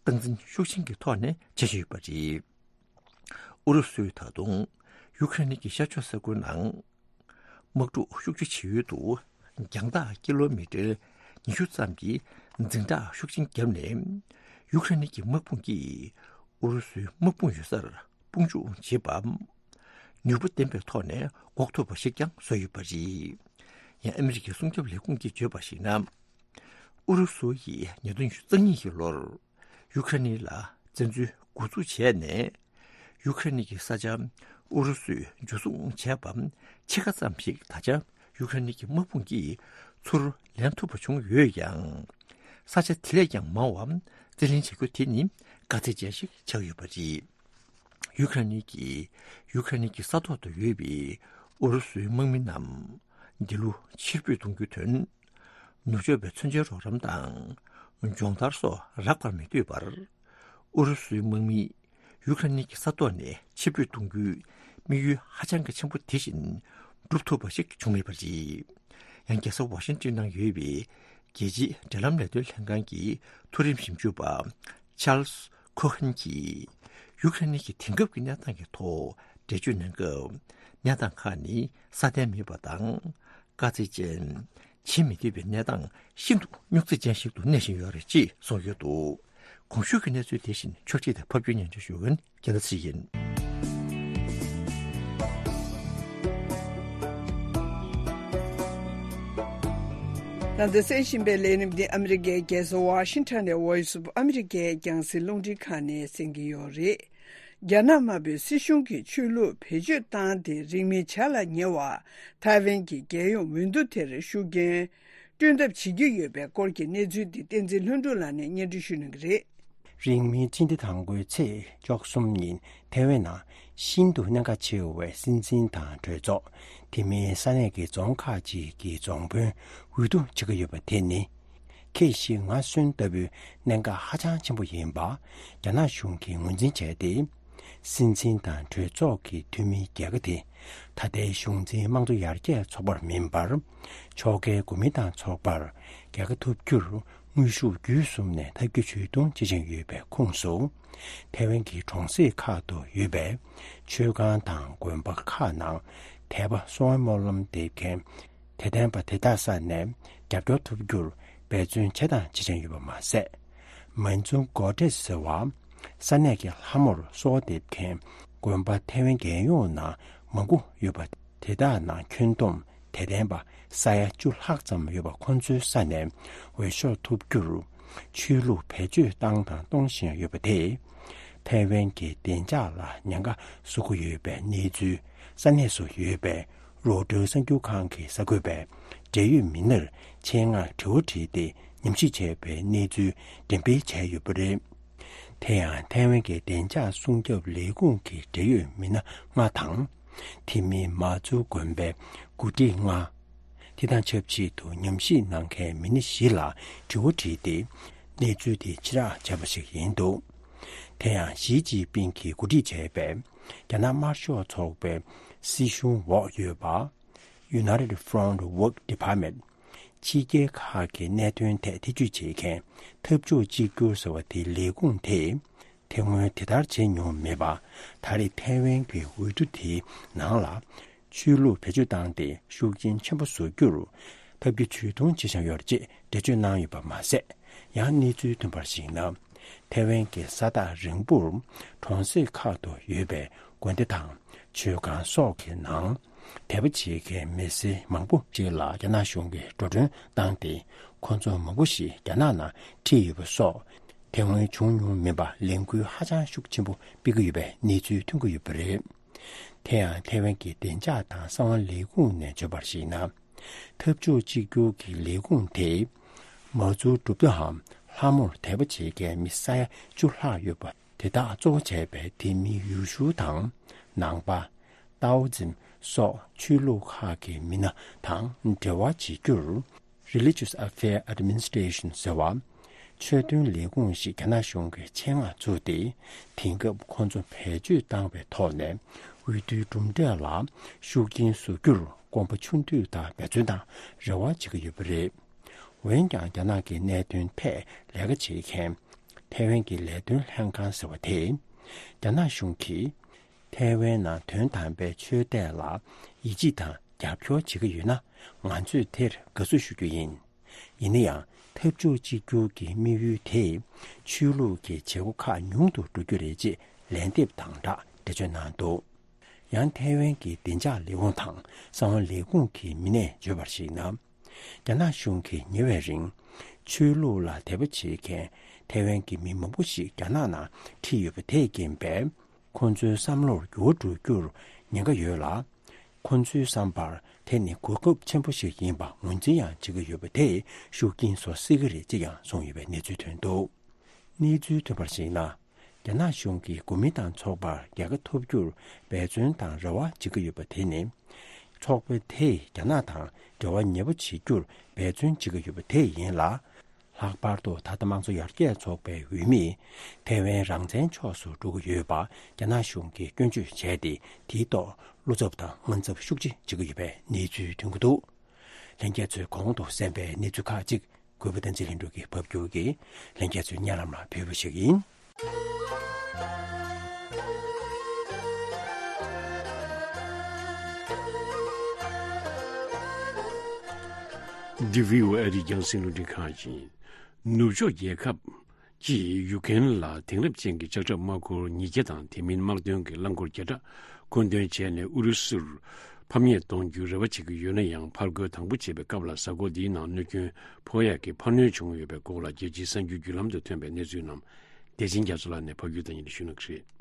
སྟངས་འཛིན་ཤུགས་ཆེན་གྱི་ཐོག་ནས་བྱེད་བཞིན་ཡོད་པ་རེད། ཨུ་རུ་སུས་ད་དུང་ཡུ་ཁ་རེན་གྱི་ཤར་ཕྱོགས་ས་ཁུལ་ནང་དམག་འཁྲུག་ཤུགས་ཆེ་བྱེད་ཡུལ་དུ་རྒྱང་ཐག་ཀི་ལོ་མི་ཊར་ཉི་ཤུ་ཙམ་གྱི་འཛིང་ཐག་ཤུགས་ཆེན་བརྒྱབ་ནས། ཡུ་ཁ་རེན་གྱི་དམག་དཔུང་གིས་ཨུ་རུ་སུའི་དམག་དཔུང་ཡོད་སར་དཔུང་འཇུག་བྱེད་པ། ནུས་པ་ལྡན་པའི་ཐོག་ནས་འགོག་ཐུབ་པ་ཞིག་ཀྱང་བཟོས་ཡོད་པ་རེད། ཡང་ཨ་མི་རི་ཀའི་སྲུང་སྐྱོབ་ལས་ཁུངས་ཀྱིས་བརྗོད་པར་གཞིགས་ན། ཨུ་རུ་སུ་ཡིས་ཉིས་སྟོང་ཉི་ཤུ་རྩ་གཉིས་ཀྱི་ལོར་ཡུ་ཁ་རེན་ལ་བཙན་འཛུལ་འགོ་འཛུགས་བྱས་ནས། ཡུ་ཁ་རེན་གྱི་ས་ཆ་ཨུ་རུ་སུས་འཇུ་བཟུང་བྱས་པ་ཕྱེད་ཀ་ཙམ་ཞིག་ད་ཆ་ཡུ་ཁ་རེན་གྱི་དམག་དཔུང་གིས་ཚུར་ལེན་ཐུབ་པ་བྱུང་ཡོད་ཀྱང་། ས་ཆ་དེ་ལས་ཀྱང་མང་བ་རྩིས་ལེན་བྱ་རྒྱུ་དེ་ནི་དཀའ་ཚེགས་ཅན་ཞིག་ཆགས་ཡོད་པ་རེད། ཡུ་ཁ་རེན་གྱིས་ཡུ་ཁ་རེན་གྱི་ས་ཐོག་ཏུ་ཡོད་པའི་ཨུ་རུ་སུའི་དམག་མི་རྣམས་འདི་ལོ་ཕྱིར་འབུད་གཏོང་རྒྱུའི་དོན། ནུབ་ཕྱོགས་པའི་མཚོན་ཆའི་རོགས་རམ་དང་སྦྱོང་བརྡར་སོགས་རག་པར་མི་འདོད་པར། ཨུ་རུ་སུའི་དམག་མིས་ཡུ་ཁ་རེན་གྱི་ས་ཐོག་ནས་ཕྱིར་འབུད་གཏོང་རྒྱུའི་དམིགས་ཡུལ་ཧ་ཅང་གི་ཆེན་པོ་དེ་བཞིན་འགྲུབ་ཐུབ་པ་ཞིག་བྱུང་མེད་པ་རེད། ཡང་རྒྱལ་ས་ཝ་ཤིང་ཏོན་ནང་ཡོད་པའི་རྒྱལ་སྤྱིའི་འབྲེལ་ལམ་ལས་དོན་ལྷན་ཁང་གི་མཐོ་རིམ་ཞིབ་འཇུག་པ་ཆཱལ་སི་ཁོ་ཧན་གྱིས། ཡུ་ཁ་རེན་གྱི་དེང་སྐབས་ཀྱི་གནས་སྟངས་ཀྱི་ཐོག་ འགྲེལ་བརྗོད་གནང་སྐབས། གནས་སྟངས་ཁག་ནི་སྲ་བརྟན་མེད་པ་དང་། དཀའ་ཚེགས་ཅན། བྱེད་མི་ཐུབ་པའི་གནས་སྟངས་ཤིན་ཏུ་རྙོག་འཛིང་ཅན་ཞིག་ཏུ་གནས་བཞིན་ཡོད་རེད་ཅེས་གསུངས་ཡོད་འདུག། གོང་ཞུས་ཀྱི་གནས་ཚུལ་དེ་བཞིན་ཕྱོགས་སྒྲིག་དང་ཕབ་སྒྱུར་སྙན་སྒྲོན་ཞུ་མཁན་རྒྱལ་ལ་ཚེ་རིང་ཡིན། ད་ལྟ་གསན་བཞིན་པའི་ལས་རིམ་འདི་ཨ་མི་རི་ཀའི་རྒྱལ་ས་ཝ་ཤིང་ཊོན་ནས་Voice of America རྒྱང་སྲིང་རླུང་འཕྲིན་ཁང་ནས་གསན་གྱི་ཡོད་རེད། རྒྱ་ནག་དམར་པོའི་སྲིད་གཞུང་གིས་ཆོས་ལུགས་བེད་སྤྱོད་བཏང་སྟེ་རིང་མིན་བྱ་ལ་ཉེ་བར་ཐའེ་ཝན་གྱི་རྒྱལ་ཡོངས་འོས་བསྡུ་དེར་ཤུགས་རྐྱེན་སྤྲོད་ཐབས་བྱེད་ཀྱི་ཡོད་པའི་སྐོར་གྱི་གནས་ཚུལ་འདི་བསྟན་འཛིན་ལྷུན་གྲུབ་ལགས་ནས་སྙན་སྒྲོན་ཞུ་གནང་གི་རེད། རིང་མིན་སྤྱི་ཟླ་དང་པོའི་ཚེས་བཅུ་གསུམ་ཉིན་ཐའེ་ཝན་ནང་ཤིན་ཏུ་གནད་འགག་ཆེ་བའི་སྲིད་འཛིན་དང་གྲོས་ཚོགས། དེ་མིན་ས་གནས་ཀྱི་རྫོང་ཁག་ཅིག་གི་རྫོང་དཔོན་འོས་བསྡུ་བྱེད་ཀྱི་ཡོད་པ་དེ་ནི། ཁེ་ཞི་ང་གསོན་ལྟ་བུའི་གནད་འགག་ཧ་ཅང་ཆེན་པོ་ཡིན་པ་རྒྱ་ནག་གཞུང་གིས་ངོས་འཛིན་བྱས་ཏེ། སྲིད་འཛིན་དང་གྲོས་ཚོགས་ཀྱི་འཐུས་མི་རྒྱལ་ཁ་དེ་ད་ལྟའི་གཞུང་འཛིན་དམངས་གཙོ་ཡར་རྒྱས་ཚོགས་པར་མིན་པར། ཕྱོགས་འགལ་གོ་མིན་ཏང་ཚོགས་པར་རྒྱལ་ཁ་ཐོབ་རྒྱུར་དངོས་ཤུགས་བརྒྱུད་གསུམ་ནས་ཐབས་བརྒྱ་ཇུས་གཏོང་བྱེད་བཞིན་ཡོད་པའི་ཁོངས་སུ། ཐའེ་ཝན་གྱི་གྲོང་གསེབ་ཁག་ཏུ་ཡོད་པའི་ཆོས་ཁང་དང་དགོན་པ་ཁག་ནང་དད་པ་གསོལ་བ་སྨོན་ལམ་འདེབས་མཁན་དད་ལྡན་པ་དེ་དག་ས་ནས་རྒྱབ་སྐྱོར་ཐོབ་རྒྱུར་འབད་བརྩོན་བྱས་དང་བྱེད་བཞིན་ཡོད་པ་མ་ཟད། མན་ཙུང་གོ་ཏྲེས་ཟེར་བ། ས་གནས་ཀྱི་ལྷ་མོར་གསོལ་བ་འདེབས་མཁན་དགོན་པ་ཐའེ་ཝན་རྒྱལ་ཡོངས་ནང་མང་པོ་ཡོད་པ། དེ་དག་ནང་ཁྱོན་བསྡོམས་དད་ལྡན་པ་ས་ཡ་བཅུ་ལྷག་ཙམ་ཡོད་པ་ཁོ་ཚོའི་ས་ནས་འོས་ཤོག་ཐོབ་རྒྱུར་ཆོས་ལུགས་བེད་སྤྱོད་བཏང་དང་གཏོང་བཞིན་ཡོད་པ་དེས། ཐའེ་ཝན་གྱི་བདེ་འཇགས་ལ་ཉེན་ཁ་བཟོ་གི་ཡོད་པའི་གནས་ཚུལ་ས་གནས་སུ་ཡོད་པའི་རོའི་ཊར་གསར་འགྱུར་ཁང་གི་གསར་འགོད་པས་འབྲེལ་ཡོད་མི་སྣར་ཆེད་མངགས་དྲི་བ་དྲིས་ཏེ་ཉམས་ཞིབ་བྱས་པའི་གནས་ཚུལ་འགྲེམས་སྤེལ་བྱས་ཡོད་པ་རེད། དེ་ཡང་ཐའེ་ཝན་གྱི་བདེ་འཇགས་སྲུང་སྐྱོབ་ལས་ཁུངས་ཀྱི་འབྲེལ་ཡོད་མི་སྣ་ལྔ་དང་། དེ་མིན་མ་ཙུའུ་དགོན་པའི་འགོ་ཁྲིད་ལྔ། དེ་དང་ཆབས་ཅིག་ཏུ་ཉམས་ཞིབ་གནང་མཁན་མི་སྣ་བཞི་ལ་དྲི་བ་དྲིས་ཏེ། གནས་ཚུལ་དེ་ཕྱི་བསྒྲགས་བྱས་པ་ཞིག་ཡིན་འདུག། དེ་ཡང་ཞི་ཅིན་ཕིང་གིས་འགོ་ཁྲིད་བྱས་པའི་རྒྱ་ནག་དམར་ཤོག་ཚོགས་པའི་སྲིད་གཞུང་འོག་ཡོད་པ། United Front Work Department། ཕྱི་རྒྱལ་ཁག་གི་གནད་དོན་ཐད་ཐེ་ཇུས་བྱེད་མཁན་འཐབ་ཕྱོགས་གཅིག་གྱུར་ཟེར་བ་དེའི་ལས་ཁུངས་དེས། དེ་སྔོན་དེ་ལྟར་བྱེད་མྱོང་མེད་པ། ད་རེས་ཐའེ་ཝན་གྱི་འོས་བསྡུ་དེའི་ནང་ལ། ཆོས་ལུགས་བེད་སྤྱོད་བཏང་སྟེ་ཤུགས་རྐྱེན་ཆེན་པོ་བཟོ་རྒྱུར་ཐབས་བརྒྱ་ཇུས་གཏོང་བྱེད་བཞིན་ཡོད་ཅེས་འགྲེལ་བརྗོད་གནང་ཡོད་པ་མ་ཟད། ཡང་གནས་ཚུལ་ཐོན་པར་གཞིགས་ན། ཐའེ་ཝན་གྱི་ས་ཐག་རིང་པོར་གྲོང་གསེབ་ཁག་ཏུ་ཡོད་པའི་དགོན་སྡེ་དང་ཆོས་ཁང་སོགས་ཀྱི་ནང་དད་པ་བྱེད་མཁན་མི་སེར་མང་པོ་ཅིག་ལ་རྒྱ་ནག་གཞུང་གིས་འགྲོ་གྲོན་བཏང་སྟེ་ཁོ་ཚོ་མང་པོ་ཞིག་རྒྱ་ནག་ནང་ཁྲིད་ཡོད་པ་སོགས་དེ་སྔོན་བྱུང་མྱོང་མེད་པ་ལས་འགུལ་ཧ་ཅང་ཤུགས་ཆེན་པོ་སྤེལ་གྱི་ཡོད་པའི་གནས་ཚུལ་ཐོན་གྱི་ཡོད་པ་རེད། དེ་ཡང་ཐའེ་ཝན་གྱི་བདེ་འཇགས་དང་གསང་བ་ལས་ཁུངས་ནས་བརྗོད་པར་གཞིགས་ན། འཐབ་ཕྱོགས་གཅིག་གྱུར་གྱི་ལས་ཁུངས་དེས་མ་ཙུའུ་གྲུབ་མཐའམ་ལྷ་མོར་དད་པ་བྱེད་མཁན་མི་ས་ཡ་བཅུ་ལྷག་ཡོད་པ་དེ་དག་གཙོ་བོ་བྱས་པའི་དེ་མིན་ཡུལ་ཤུལ་དང་ནང་པ། ཏའོ་ཛིམ་སོགས་ཆོས་ལུགས་ཁག་གི་མི་སྣ་དང་འབྲེལ་བ་བྱེད་རྒྱུར། Religious Affairs Administration ཟེར་བ། ཆོས་དོན་ལས་ཁུངས་ཤིག་རྒྱ་ནག་གཞུང་གིས་ཆེད་མངགས་བཙུགས་ཏེ། དེང་སྐབས་ཁོང་ཚོ་བེད་སྤྱོད་བཏང་བའི་ཐོག་ནས་འོས་བསྡུའི་གྲུབ་འབྲས་ལ་ཤུགས་རྐྱེན་བཟོ་རྒྱུར་དགོངས་པ་ཆུང་དུས་དང་འབད་བརྩོན་དང་རེ་བ་བྱེད་ཀྱི་ཡོད་པ་རེད། འོན་ཀྱང་རྒྱ་ནག་གི་གནད་དོན་ཐད་ལས་ཀ་བྱེད་མཁན་ཐའེ་ཝན་གྱི་ལས་དོན་ལྷན་ཁང་ཟེར་བ་དེས། རྒྱ་ནག་གཞུང་གིས། ཐའེ་ཝན་ནང་དོན་དམ་པའི་ཆོས་དད་ལ་ཡིད་ཆེས་དང་རྒྱབ་སྐྱོར་བྱེད་ཀྱི་ཡོད་ན། ང་ཚོས་དེར་དགའ་བསུ་ཞུ་རྒྱུ་ཡིན། ཡིན་ན་ཡང་འཐབ་ཕྱོགས་གཅིག་གྱུར་གྱི་དམིགས་ཡུལ་དེས་ཆོས་ལུགས་ཀྱི་བྱེད་སྒོ་ཁག་ཉུང་དུ་འགྲོ་རྒྱུ་རེད་ཅེས་ལན་འདེབས་དང་སྦྲགས་འགྲེལ་བརྗོད་གནང་འདུག། ཡང་ཐའེ་ཝན་གྱི་བདེ་འཇགས་ལས་ཁུངས་དང་གསང་བ་ལས་ཁུངས་ཀྱི་མི་སྣས་བརྗོད་པར་གཞིགས་ན། རྒྱ་ནག་གཞུང་གིས་ཉེ་བའི་རིང་ཆོས་ལུགས་ལ་དད་པ་བྱེད་མཁན་ཐའེ་ཝན་གྱི་མི་མང་པོ་ཞིག་རྒྱ་ནག་ནང་ཁྲིད་ཡོད་པ་དེས་རྐྱེན་པས། ཁོང་ཚོའི་བསམ་བློར་འགྱུར་བ་འགྲོ་རྒྱུར་ཉེན་ཁ་ཡོད་ལ། ཁོང་ཚོའི་བསམ་པར་དེ་ནི་གོ་སྐབས་ཆེན་པོ་ཞིག་ཡིན་པ་ངོས་འཛིན་ཡང་བྱེད་ཀྱི་ཡོད་པ་དེས་ཤུགས་རྐྱེན་བཟོ་སྲིད་ཀྱི་རེད་ཅེས་ཡང་གསུངས་ཡོད་པའི་གནས་ཚུལ་ཐོན་འདུག། གནས་ཚུལ་ཐོན་པར་གཞིགས་ན། རྒྱ་ནག་གཞུང་གིས་གོ་མིན་ཏང་ཚོགས་པར་རྒྱལ་ཁ་ཐོབ་རྒྱུར་འབད་བརྩོན་དང་རེ་བ་བྱེད་ཀྱི་ཡོད་པ་དེ་ནི། ཚོགས་པ་དེས་རྒྱ་ནག་དང་འབྲེལ་བ་ཉེ་པོ་བྱེད་རྒྱུར་འབད་བརྩོན་བྱེད་ཀྱི་ཡོད་པ་དེ་ཡིན་ལ། ལྷག་པར་དུ་ད་ལྟ་དམངས་གཙོ་ཡར་རྒྱས་ཚོགས་པའི་འོས་མིས་ཐའེ་ཝན་རང་བཙན་ཕྱོགས་སུ་འགྲོ་གི་ཡོད་པ་རྒྱ་ནག་གཞུང་གིས་སྐྱོན་བརྗོད་བྱས་ཏེ། དེའི་ཐོག་བློ་འཚབ་དང་དངངས་འཚབ་ཤུགས་ཆེ་བྱེད་ཀྱི་ཡོད་པའི་གནས་ཚུལ་ཐོན་གྱི་འདུག། ལྷན་རྒྱས་ཚོས་གོང་དུ་གསན་པའི་གནས་ཚུལ་ཁག་ཅིག་གུས་པ་བསྟན་འཛིན་ལྷུན་གྲུབ་ཀྱིས་ཕབ་སྒྱུར་གྱིས་ལྷན་རྒྱས་ཚོའི་སྙན་ལམ་ལ་ཕུལ་བ་ཞིག་ཡིན། འདི་བྷི་ཨོ་ཨེ་རིགས་རྒྱང་སྲིང་རླུང་འཕྲིན་ཁང་ཡིན། ནུབ་ཕྱོགས་རྒྱལ་ཁབ་ཀྱིས་ཡུཀ་རེན་ལ་དེང་རབས་ཅན་གྱི་ལྕགས་ཁྲབ་དམག་འཁོར་ཉིས་བརྒྱ་དང་དེ་མིན་དམག་དོན་གྱི་རླངས་འཁོར་བརྒྱ་ཕྲག་མཁོ་འདོན་བྱས་ནས་ཨུ་རུ་སུར་ཕམ་ཉེས་གཏོང་རྒྱུའི་རེ་བ་བྱེད་ཀྱི་ཡོད་ན་ཡང་། ཕར་རྒོལ་དང་པོ་བྱེད་པའི་སྐབས་ལ་གཟའ་འཁོར་འདིའི་ནང་གནོད་སྐྱོན་ཕོག་ཡག་གི་འཕར་སྣོན་བྱུང་ཡོད་པའི་སྐོར་ལ་རྒྱལ་སྤྱིའི་གསར་འགྱུར་བརྒྱུད་ལམ་དུ་ཐོན་པའི་གནས་ཚུལ་རྣམས་བདེ་ཆེན་རྒྱ་མཚོ་ལགས་ནས་ཕབ་སྒྱུར་དང་ཉན་ཞུ་གནང་གི་རེད།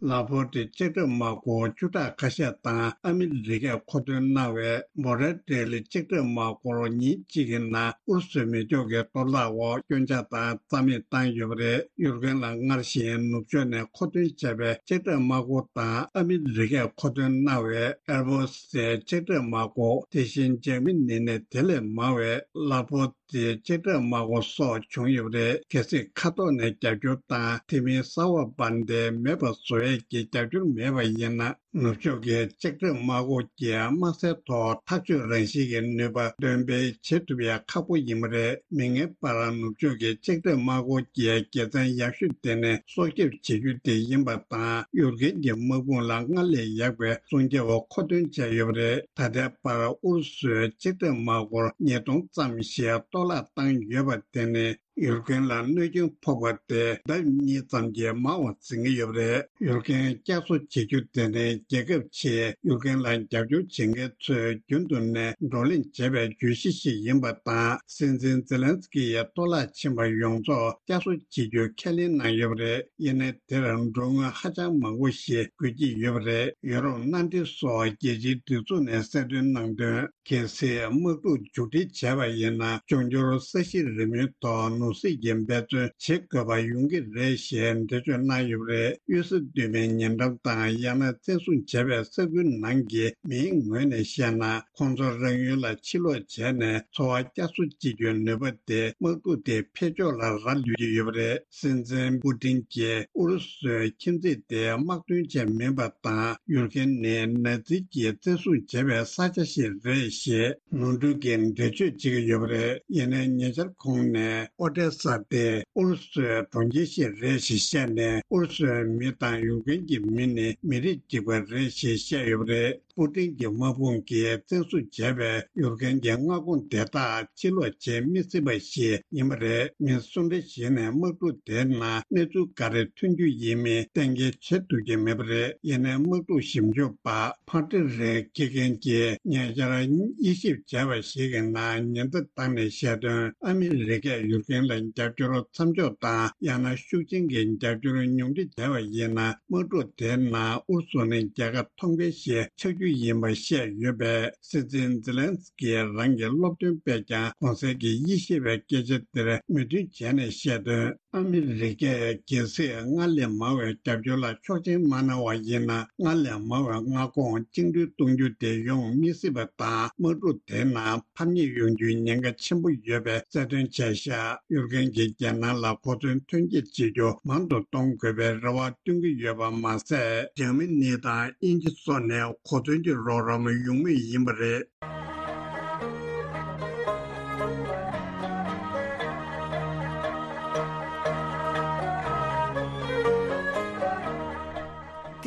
ལ་ཕོར་ཏི་ལྕགས་ཁྲབ་དམག་འཁོར་བཅུ་ཕྲག་ཁ་ཤས་དང་ཨ་མི་རི་ཀས་མཁོ་འདོན་གནང་བའི་བྷོ་ར་ཏྲེ་ལི་ལྕགས་ཁྲབ་དམག་འཁོར་ཉིན་གཅིག་གི་ནང་ཨུ་རུ་སུའི་མེ་སྒྱོགས་ཀྱི་གཏོར་བརླག་འོག་སྐྱོན་ཆ་དང་རྩ་མེད་བཏང་ཡོད་པ་རེད། ཡུཀ་རེན་ལ་སྔར་བཞིན་ནུབ་ཕྱོགས་ནས་མཁོ་འདོན་བྱས་པའི་ལྕགས་ཁྲབ་དམག་འཁོར་དང་ཨ་མི་རི་ཀས་མཁོ་འདོན་གནང་བའི་ཨེར་བྷོ་སི་ལྕགས་ཁྲབ་དམག་འཁོར། དེ་བཞིན་འཇར་མ་ནི་ནས་དེ་ལས་མང་བའི་ལ་ཕོར་ཏི་ལྕགས་ཁྲབ་དམག་འཁོར་སོགས་བྱུང་ཡོད་པ་རེད། གལ་སྲིད་མཁའ་ཐོག་ནས་རྒྱབ་སྐྱོར་དང་དེ་མིན་གསར་པ་འབར་མདེལ་མེད་པ་བཟོ་ཡས་ཀྱི་རྒྱབ་སྐྱོར་མེད་པ་ཡིན་ན། ནུབ་ཕྱོགས་ཀྱི་ལྕགས་ཁྲབ་དམག་འཁོར་གྱིས་དམག་སའི་ཐོག་ཐག་གཅོད་རང་བཞིན་གྱི་ནུས་པ་འདོན་སྤེལ་བྱེད་ཐུབ་ཡ་ཁག་པོ་ཡིན་པ་རེད། མིག་སྔའི་བར་ནུབ་ཕྱོགས་ཀྱི་ལྕགས་ཁྲབ་དམག་འཁོར་གྱི་དགེ་མཚན་ཡག་ཤོས་དེ་ནི་སྲོག་སྐྱོབ་བྱེད་རྒྱུ་དེ་ཡིན་པ་དང་། ཡུཀ་རེན་གྱི་དམག་དཔུང་ལ་སྔར་ལས་ཡག་པའི་སྲུང་སྐྱོབ་མཁོ་འདོན་བྱས་ཡོད་པ་རེད། ད་ལྟའི་བར་ཨུ་རུ་སུའི་ལྕགས་ཁྲབ་དམག་འཁོར་ཉིས་སྟོང་ཙམ་ཞིག་གཏོར་བརླག་བཏང་ཡོད་པ་དེ་ནི། ཡུཀ་རེན་ལ་གནོད་སྐྱོན་ཕོག་པ་དེ་ཟླ་གཉིས་ཙམ་གྱིས་མང་བ་འཛིན་གྱི་ཡོད་པ་རེད། ཡུཀ་རེན་བསྐྱར་གསོ་བྱེད་རྒྱུ་དེ་ནི་རྒྱལ་ཁབ་ཆེས་ཡུཀ་རེན་ལ་རྒྱབ་སྐྱོར་བྱེད་མཁན་ཚོས་རྒྱུན་དུ་ནས་བགྲོ་གླེང་བྱས་པའི་བརྗོད་གཞི་ཞིག་ཡིན་པ་དང་། སྲིད་འཛིན་ཛེ་ལན་སི་ཀི་ཡིས་གཏོར་བརླག་ཕྱིན་པ་ཡོངས་རྫོགས་བསྐྱར་གསོ་བྱེད་རྒྱུ་ཁས་ལེན་གནང་ཡོད་པ་རེད། ཡིན་ནའི་དེར་མགྲོན་དངུལ་ཧ་ཅང་མང་པོ་ཞིག་དགོས་ཀྱི་ཡོད་པ་རེད། ཡུ་རོབ་མནའ་འབྲེལ་སོགས་རྒྱལ་སྤྱིའི་སྒྲིག་འཛུགས་ནས་གསལ་སྟོན་གནང་དོན། གལ་སྲིད་དམག་འཁྲུག་མཇུག་སྒྲིལ་བྱས་པ་ཡིན་ན། འབྱུང་འགྱུར་ས་གཞི་རིམ་མེའི་ཐོག་ནོར་སྲིད་ཀྱི་འབད་བརྩོན་བྱེད་དགོས་པ་ཡོང་གི་རེད་ཞེས་འགྲེལ་བརྗོད་གནང་ཡོད་པ་རེད། གཡུལ་ས་བསྡུས་མའི་ཉེ་འགྲམ་དང་། ཡང་ན་བཙན་བཟུང་བྱས་པའི་ས་ཁུལ་ནང་གི་མིའི་ངོས་ནས་བཤད་ན། ཁོང་ཚོ་རང་ཡུལ་ལ་ཕྱིར་ལོག་བྱས་ནས་འཚོ་བ་བསྐྱར་གསོ་བྱེད་རྒྱུའི་ནུས་པ་དེ་དམག་འཁྲུག་དེ་འཕེལ་ཕྱོགས་ལ་རག་ལུས་ཀྱི་ཡོད་པ་རེད། སྲིད་འཛིན་པུ་ཏིན་གྱིས་ཨུ་རུ་སུའི་ཁྱིམ་མཚེས་དེ་དམག་དོན་ཆེད་མིན་པ་དང་། ཡུཀ་རེན་ནི་ནཱ་ཛི་གྱིས་བཙན་བཟུང་བྱས་པའི་ས་ཆ་ཞིག་རེད་ཞེས་ནོར་འཁྲུལ་གྱི་འགྲེལ་བརྗོད་བྱེད་ཀྱི་ཡོད་པ་རེད། ཡིན་ནའི་ཉེ་ཆར་ཁོང་ནས་ཨོ་ཏེ་ས་དེ་ཨུ་རུ་སུའི་གྲོང་ཁྱེར་ཞིག་རེད་ཞེས་བཤད་ནས། ཨུ་རུ་སུའི་མི་དང་ཡུཀ་རེན་གྱི་མི་ནི་མི་རིགས་གཅིག་པ་རེད་ཞེས་བཤད་ཡོད་པ་རེད། པུ་ཏིན་གྱི་དམག་དཔུང་གིས་བཙན་བཟུང་བྱས་པའི་ཡུཀ་རེན་གྱི་མངའ་ཁོངས་དེ་དག་ཕྱིར་ལོག་བྱེད་མི་སྲིད་པ་ཞིག་ཡིན་པ་རེད། མི་སུ་འདྲ་ཞིག་ནས་དམག་འཁྲུག་དེའི་ནང་གནས་ཚུལ་ག་རེ་ཐོན་རྒྱུ་ཡིན་མིན་གཏན་འཁེལ་བྱེད་ཐུབ་ཀྱི་མེད་པ་རེད། ཡིན་ནའི་དམག་འཁྲུག་ཞིབ་འཇུག་པ་ཕ་ཏི་རེ་ཁི་ཁེན་གྱིས་ཉེ་ཆར་དབྱེ་ཞིབ་བྱས་པ་ཞིག་གི་ནང་ཉེན་བརྡ་བཏང་ནས་བཤད་དོན། ཨ་མི་རི་ཀས་ཡུཀ་རེན་ལ་རྒྱབ་སྐྱོར་མཚམས་འཇོག་དང་། ཡང་ན་ཤུགས་ཆེན་གྱི་རྒྱབ་སྐྱོར་ཉུང་འཕྲི་བྱས་པ་ཡིན་ན། དམག་འཁྲུག་དེའི་ནང་ཨུ་རུ་སུ་ནི་རྒྱལ་ཁ་ཐོབ་མཁན་ཞིག་ཆགས་རྒྱུ་ཡིན་པ་བཤད་ཡོད་པས། སྲིད་འཛིན་ཛེ་ལན་སི་ཀིས་རང་གི་སློབ་སྟོན་སྤེལ་ཀྱང་གོང་གསལ་གྱི་དབྱེ་ཞིབ་པའི་སྐད་ཆ་དེར་མོས་མཐུན་བྱས་ནས་བཤད་དོན། ཨ་མི་རི་ཀས་གལ་སྲིད་སྔར་ལས་མང་བའི་རྒྱབ་སྐྱོར་ལ་ཆོག་མཆན་མ་གནང་བ་ཡིན་ན། སྔར་ལས་མང་བའི་མངའ་ཁོངས་བཅིངས་འགྲོལ་གཏོང་རྒྱུ་དེ་ཡོང་མི་སྲིད་པ་དང་། དམག་འཁྲུག་དེའི་ནང་ཕམ་ཉེས་ཡོང་རྒྱུའི་ཉེན་ཁ་ཆེན་པོ་ཡོད་པའི་གསལ་སྟོན་བྱས་བཞག་ཡུཀ་རེན་གྱིས་རྒྱལ་ནང་ལ་གོ་མཚོན་ཐོན་སྐྱེད་བྱེད་རྒྱུ་མང་དུ་གཏོང་དགོས་པའི་རེ་བ་བཏོན་གྱི་ཡོད་པ་མ་ཟད། འཇར་མ་ནི་དང་དབྱིན་ཇི་སོགས་ནས་གོ་མཚོན་གྱི་རོགས་རམ་ཡོང་མུས་ཡིན་པ་རེད།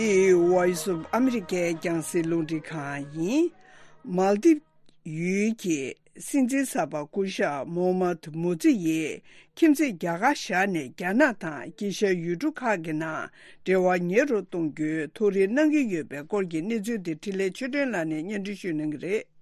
འདི་Voice of America རྒྱང་སྲིང་རླུང་འཕྲིན་ཁང་ཡིན། མཱལ་དིབ་ཡུལ་གྱི་སྲིད་འཛིན་གསར་པ་སྐུ་ཞབས་མོ་ཧམ་མུ་ཛི་ཡིས་ཁྱིམ་མཚེས་རྒྱ་གར་བཞག་ནས། རྒྱ་ནག་དང་དཀྱིལ་ཤར་ཡུལ་གྲུ་ཁག་གི་ནང་འབྲེལ་བ་ཉེ་རུ་གཏོང་རྒྱུའི་ཐུགས་རེ་གནང་གི་ཡོད་པའི་སྐོར་གྱི་གནས་ཚུལ་དེ་འཕྲིན་ལས་ཆོས་སྒྲོན་ལགས་ནས་སྙན་སྒྲོན་ཞུ་གནང་གི་རེད།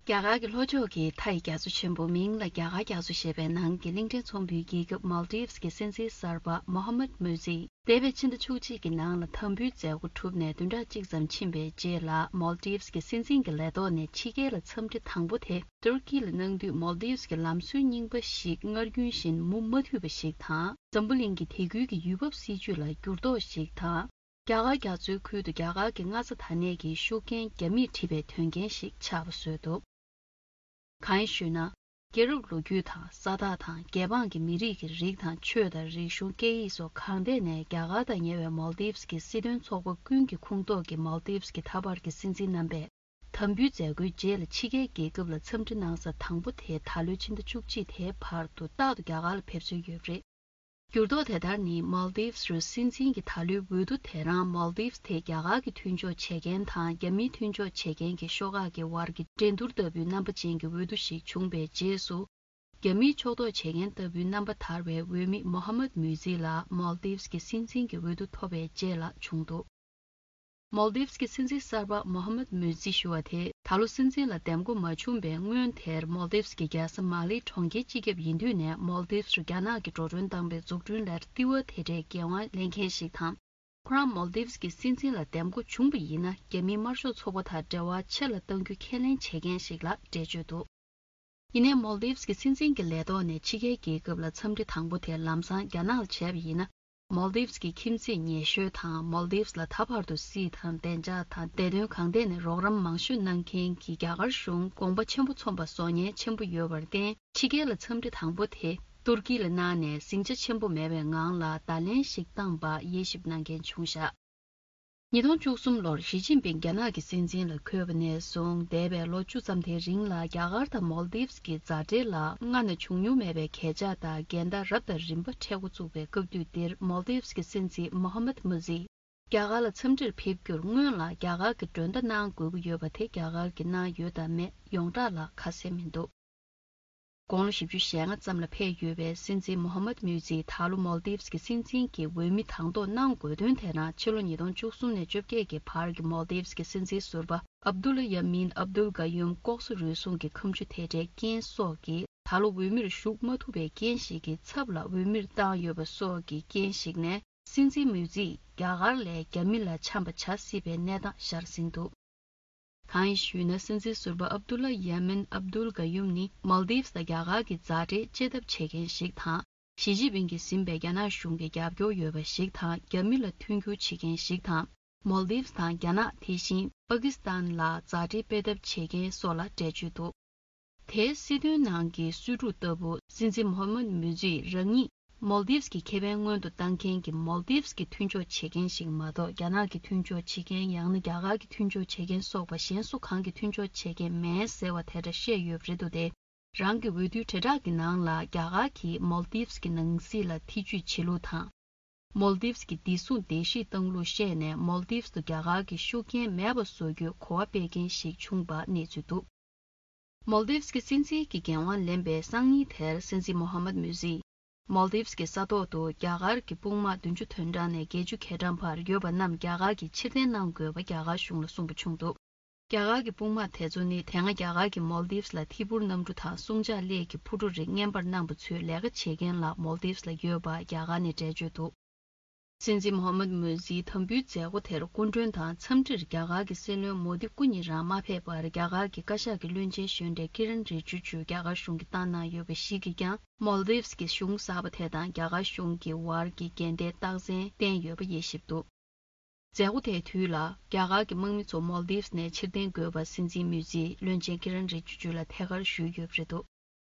རྒྱ་གར་གྱི་ལྷོ་ཕྱོགས་ཀྱི་མཐའ་ཡི་རྒྱ་མཚོ་ཆེན་པོ་མིང་ལ་རྒྱ་གར་རྒྱ་མཚོ་ཞེས་པའི་ནང་གི་གླིང་ཕྲན་ཚོང་དཔོན་རྒྱལ་ཁབ་མཱལ་དིབ་ཀྱི་སྲིད་འཛིན་གསར་པ་མོ་ཧམ་མུ་ཛི། འདས་པའི་ཕྱི་ཟླ་བཅུ་གཅིག་གི་ནང་ལ་དམ་འབུལ་མཛད་སྒོ་གྲུབ་ནས་བདུན་ཕྲག་གཅིག་ཙམ་ཕྱིན་པའི་རྗེས་ལ། མཱལ་དིབ་ཀྱི་སྲིད་འཛིན་གྱི་ལས་ཐོག་ནས་ཕྱི་རྒྱལ་ལ་འཚམས་འདྲི་དང་པོ་དེ་ཏུར་ཀི་ལ་གནང་དུས། མཱལ་དིབ་ཀྱི་ལམ་སྲོལ་རྙིང་པ་ཞིག་སྔར་རྒྱུན་བཞིན་མུ་མ་མཐུད་པ་ཞིག་དང་། འཛམ་བུ་གླིང་གི་དེ་ཁུལ་གྱི་ཡུལ་བབ་སྲིད་ཇུས་ལ་འགྱུར་ལྡོག་ཞིག་དང་། རྒྱ་གར་རྒྱ་མཚོའི་ཁུལ་དུ་རྒྱ་གར་གྱི་མངའ་ས་དར་ནས་ཀྱི་ཤུགས་རྐྱེན་རྒྱ་མིས་བྲིས་པའི་དོན་རྐྱེན་ཞིག་ཆགས་པ་བཟོས་འདུག་གང་ཡིན་ཞུས་ན། རྒྱལ་རབས་ལོ་རྒྱུས་དང་། ས་ཐག་དང་། རྒྱལ་འབངས་ཀྱི་མི་རིགས་ཀྱི་རིགས་དང་ཆོས་དང་། རིག་གཞུང་། སྐད་ཡིག་སོགས་གང་ཐད་ནས་རྒྱ་གར་དང་ཉེ་བའི་མཱལ་དིབ་ཀྱི་སྲིད་དོན་ཚོགས་པ་ཀུན་གྱི་ཁོངས་གཏོགས་ཀྱི་མཱལ་དིབ་ཀྱི་ད་བར་གྱི་སྲིད་འཛིན་རྣམ་པས། དམ་འབུལ་མཛད་སྒོའི་རྗེས་ལ་ཕྱི་རྒྱལ་རྒྱལ་ཁབ་ལ་འཚམས་འདྲི་གནང་ས་དང་པོ་དེ་ད་ལོའི་ཕྱི་ཟླ་བཅུ་གཅིག་དེའི་བར་དུ་རྟག་ཏུ་རྒྱ་གར་ལ་ཕེབས་སྲོལ་ཡོད་པ་རེད། འགྱུར་ལྡོག་དེ་ལྟར་ནི། མཱལ་དིབས་རུ་སྲིད་འཛིན་གྱི་ད་ལོའི་འོས་བསྡུ་དེ་རང་མཱལ་དིབས་དེ་རྒྱ་གར་གྱི་མཐུན་ཕྱོགས་བྱེད་མཁན་དང་རྒྱ་མིའི་མཐུན་ཕྱོགས་བྱེད་མཁན་གྱི་ཤོག་ཁག་གི་བར་གྱི་འགྲན་བསྡུར་ལྟ་བུའི་རྣམ་པ་ཅན་གྱི་འོས་བསྡུ་ཞིག་བྱུང་བའི་རྗེས་སུ། རྒྱ་མིའི་ཕྱོགས་གཏོགས་བྱེད་མཁན་ལྟ་བུའི་རྣམ་པ་དར་བའི་འོས་མི་མོ་ཧ་མད་མུ་ཛི་ལགས་མཱལ་དིབས་ཀྱི་སྲིད་འཛིན་གྱི་འོས་བསྡུ་ཐོབ་པའི་རྗེས་ལ་བྱུང་འདུག་མཱལ་དིབས་ཀྱི་སྲིད་འཛིན་གསར་པ་མོ་ཧ་མད་མུ་ཛི་ཞུ་བ་དེ། ད་ལོ་སྲིད་འཛིན་ལ་འདེམས་བསྐོ་མ་བྱུང་བའི་སྔོན་དེར་མཱལ་དིབས་ཀྱི་རྒྱལ་ས་མ་ལེ་གྲོང་ཁྱེར་སྤྱི་ཁྱབ་ཡིན་དུས་ནས་མཱལ་དིབས་རུ་རྒྱ་ནག་གིས་འགྲོ་གྲོན་བཏང་བའི་འཛུགས་སྐྲུན་ལ་ལྟེ་བ་དེ་འདྲའི་འགན་དབང་ལེན་མཁན་ཞིག་དང་། ཁོ་རང་མཱལ་དིབས་ཀྱི་སྲིད་འཛིན་ལ་འདེམས་བསྐོ་བྱུང་བ་ཡིན་ན། རྒྱ་མིའི་དམར་ཤོག་ཚོགས་པ་དང་འབྲེལ་བ་ཆེ་ལ་གཏང་རྒྱུ་ཁས་ལེན་བྱེད་མཁན་ཞིག་ལ་འགྲེལ་བརྗོད་འདུག་ཡིན་ནའི་མཱལ་དིབས་ཀྱི་སྲིད་འཛིན་གྱི་ལས་ཐོག་ནས་ཕྱི་རྒྱལ་རྒྱལ་ཁབ་ལ་འཚམས་འདྲི་དང་པོ་དེ་ལམ་སང་རྒྱ་ནག་ལ་བྱས་པ་ཡིན་ན། མཱལ་དིབས་ཀྱི་ཁྱིམ་མཚེས་ཉེ་ཤོས་དང་མཱལ་དིབས་ལ་ད་བར་དུ་སྲིད་དང་བདེ་འཇགས་དང་བདེ་དོན་གང་ཐད་ནས་རོགས་རམ་མང་ཤོས་གནང་མཁན་གྱི་རྒྱ་གར་གཞུང་དགོངས་པ་ཆེན་པོ་ཚོམ་པ་བཟོ་ཉེན་ཆེན་པོ་ཡོད་པར་བརྟེན། ཕྱི་རྒྱལ་ལ་འཚམས་འདྲི་དང་པོ་དེ་ཏུར་ཀི་ལ་གནང་ནས་ཟིང་ཆ་ཆེན་པོ་མེད་པའི་ངང་ལ་བརྡ་ལན་ཞིག་བཏང་པ་དབྱེ་ཞིབ་གནང་མཁན་བྱུང་བཞག་ཉིས་སྟོང་བཅུ་གསུམ་ལོར་ཞི་ཅིན་ཕིང་རྒྱ་ནག་གི་སྲིད་འཛིན་ལ་འཁོད་པ་ནས་བཟུང་འདས་པའི་ལོ་བཅུ་ཙམ་དེའི་རིང་ལ་རྒྱ་གར་དང་མོལ་དིབས་ཀྱི་མཛའ་འབྲེལ་ལ་སྔ་ན་བྱུང་མྱོང་མེད་པའི་གས་ཆག་དང་འགལ་ཟླ་རབ་དང་རིམ་པ་འཕྲད་འགོ་བཙུགས་པའི་སྐབས་དུས་འདིར་མོལ་དིབས་ཀྱི་སྲིད་འཛིན་མོ་ཧ་མད་མུ་ཛི་རྒྱ་གར་ལ་འཚམས་འདྲིར་ཕེབས་རྒྱུར་སྔོན་ལ་རྒྱ་གར་གྱི་མགྲོན་བརྡ་གནང་དགོས་ཀྱི་ཡོད་པ་དེ་རྒྱ་གར་གྱིས་གནང་ཡོད་དམ་མེད་ཡོངས་གྲགས་ལ་ཁ་གསལ་མི་འདུག་དགུང་ལོ་བཞི་བཅུ་ཞེ་ལྔ་ཙམ་ལ་ཕེབས་ཡོད་པའི་སྲིད་འཛིན་མོ་ཧ་མད་མུ་ཛིས་ད་ལོ་མོལ་དིབས་ཀྱི་སྲིད་འཛིན་གྱི་འོས་མི་དང་ཐོག་གནང་དགོས་དོན་དེ་ནི་ཕྱི་ལོ་ཉིས་སྟོང་བཅུ་གསུམ་ནས་བཅོ་བརྒྱད་ཀྱི་བར་གྱི་མོལ་དིབས་ཀྱི་སྲིད་འཛིན་ཟུར་པ་ཨབ་དུལ་ཡ་མིན་ཨབ་དུལ་ག་ཡུམ་ལྐོག་ཟ་རུལ་སུངས་ཀྱི་ཁ་མཆུ་དེ་འདྲའི་རྐྱེན་སོགས་ཀྱིས་ད་ལོ་འོས་མིར་ཞུགས་མ་ཐུབ་པའི་རྐྱེན་ཞིག་གི་ཚབ་ལ་འོས་མིར་བཏང་ཡོད་པ་སོགས་ཀྱི་རྐྱེན་ཞིག་ནས། སྲིད་འཛིན་མུ་ཛིས་རྒྱ་གར་ལས་རྒྱ་མི་ལ་འཆམ་པ་བྱ་སྲིད་པའི་གནས་སྟངས་ཤར་ཟིན་འདུག་གང་ཡིན་ཞུས་ན། སྲིད་འཛིན་ཟུར་པ་ཨབ་དུ་ལ་ཡ་མིན་ཨབ་དུལ་ག་ཡུམ་ནི་མཱལ་དིབས་དང་རྒྱ་གར་གྱི་མཛའ་འབྲེལ་བཅད་ཐབས་བྱེད་མཁན་ཞིག་དང་། ཞི་ཅིན་ཕིང་གིས་ཟིན་པའི་རྒྱ་ནག་གཞུང་གི་རྒྱབ་སྐྱོར་ཡོད་པ་ཞིག་དང་། རྒྱ་མི་ལ་མཐུན་འགྱུར་བྱེད་མཁན་ཞིག་དང་། མཱལ་དིབས་དང་རྒྱ་ནག་དེ་བཞིན་པ་ཀི་སི་ཐན་ལ་མཛའ་འབྲེལ་སྤེལ་ཐབས་བྱེད་མཁན་སོགས་ལ་འགྲེལ་བརྗོད་འདུག་དེའི་སྲིད་དོན་ནང་གི་གསོས་ཕྲུག་ལྟ་བུ། སྲིད་འཛིན་མོ་ཧ་མད་མུ་ཛིས་རང་ཉིད་མོལ་དིབས་ཀྱི་ཁེ་ཕན་སྔོན་དུ་བཏང་མཁན་གྱི་མོལ་དིབས་ཀྱི་མཐུན་ཕྱོགས་བྱེད་མཁན་ཞིག་མ་གཏོགས། རྒྱ་ནག་གི་མཐུན་ཕྱོགས་བྱེད་མཁན། ཡང་ན་རྒྱ་གར་གྱི་མཐུན་ཕྱོགས་བྱེད་མཁན་སོགས་པ་གཞན་སུ་གང་གི་མཐུན་ཕྱོགས་བྱེད་མཁན་མེད་ཟེར་བ་དེ་འདྲ་བཤད་ཡོད་པ་རེད་འདུག་སྟེ། རང་གི་འོས་བསྡུའི་དྲིལ་བསྒྲགས་ཀྱི་ནང་ལ་རྒྱ་གར་གྱིས་མོལ་དིབས་ཀྱི་ནང་སྲིད་ལ་ཐེ་ཇུས་བྱེད་ལུགས་དང་། མོལ་དིབས་ཀྱི་བདེ་སྲུང་སྡེ་བཞིའི་བཏང་ལུགས་བཤད་ནས། མོལ་དིབས་སུ་རྒྱ་གར་གྱི་ཤུགས་རྐྱེན་མེད་པ་བཟོ་རྒྱུའི་གོ་བ་སྤེལ་མཁན་ཞིག་བྱུང་བ་གནས་ཚུལ་འདུག་མོལ་དིབས་ཀྱི་སྲིད་འཛིན་གྱི་འགན་དབང་ལེན་པའི་སང་ཉིན་དེར། སྲིད་འཛིན་མོ་ཧ་མད་མུ་ཛིས་མོལ་དིབས་ཀྱི་ས་ཐོག་ཏུ་རྒྱ་གར་གྱི་དཔུང་དམག་བདུན་ཅུ་དོན་གྲངས་ནས་བརྒྱད་ཅུ་གྱ་གྲངས་བར་ཡོད་པ་རྣམས་རྒྱ་གར་གྱིས་ཕྱིར་འཐེན་གནང་དགོས་པ་རྒྱ་གར་གཞུང་ལ་གསུངས་པ་བྱུང་འདུག་རྒྱ་གར་གྱི་དཔུང་དམག་དེ་ཚོ་ནི་དེ་སྔ་རྒྱ་གར་གྱིས་མོལ་དིབས་ལ་ཐད་འཕུར་གནམ་གྲུ་དང་སྲུང་བྱ་སླས་ཀྱི་འཕུར་གྲུ་རིགས་རྔན་པར་གནང་པ་ཚོའི་ལས་ཀ་བྱེད་མཁན་ལ་མོལ་དིབས་ལ་ཡོད་པ་རྒྱ་གར་ནས་འགྲེལ་བརྗོད་འདུག་སྲིད་འཛིན་མོ་ཧ་མད་མུ་ཛིའི་དམ་འབུལ་མཛད་སྒོ་དེར་སྐུ་མགྲོན་དང་འཚམས་འདྲིར་རྒྱ་གར་གྱི་སྲིད་བློན་མོ་དི་སྐུ་ཉིད་རང་མ་ཕེབས་པར། རྒྱ་གར་གྱི་བཀའ་ཤག་གི་བློན་ཆེན་གཞོན་གྲས་ཀི་རན་རི་ཇི་ཇུ་རྒྱ་གར་གཞུང་གིས་བཏང་གནང་ཡོད་པ་ཞིག་གིས་ཀྱང་མོལ་དིབས་ཀྱི་གཞུང་གསར་པ་དེ་དང་རྒྱ་གར་གཞུང་གི་བར་གྱི་འགལ་ཟླའི་རྟགས་མཚན་བསྟན་ཡོད་པ་དབྱེ་ཞིབ་འདུག་མཛད་སྒོ་དེའི་དུས་ལ་རྒྱ་གར་གྱི་དམག་མི་ཚོ་མོལ་དིབས་ནས་ཕྱིར་འཐེན་དགོས་པ་སྲིད་འཛིན་མུ་ཛིས་བློན་ཆེན་ཀི་རན་རི་ཇི་ཇུ་ལ་ཐད་ཀར་ཞུས་ཡོད་པ་རེད་འདུག་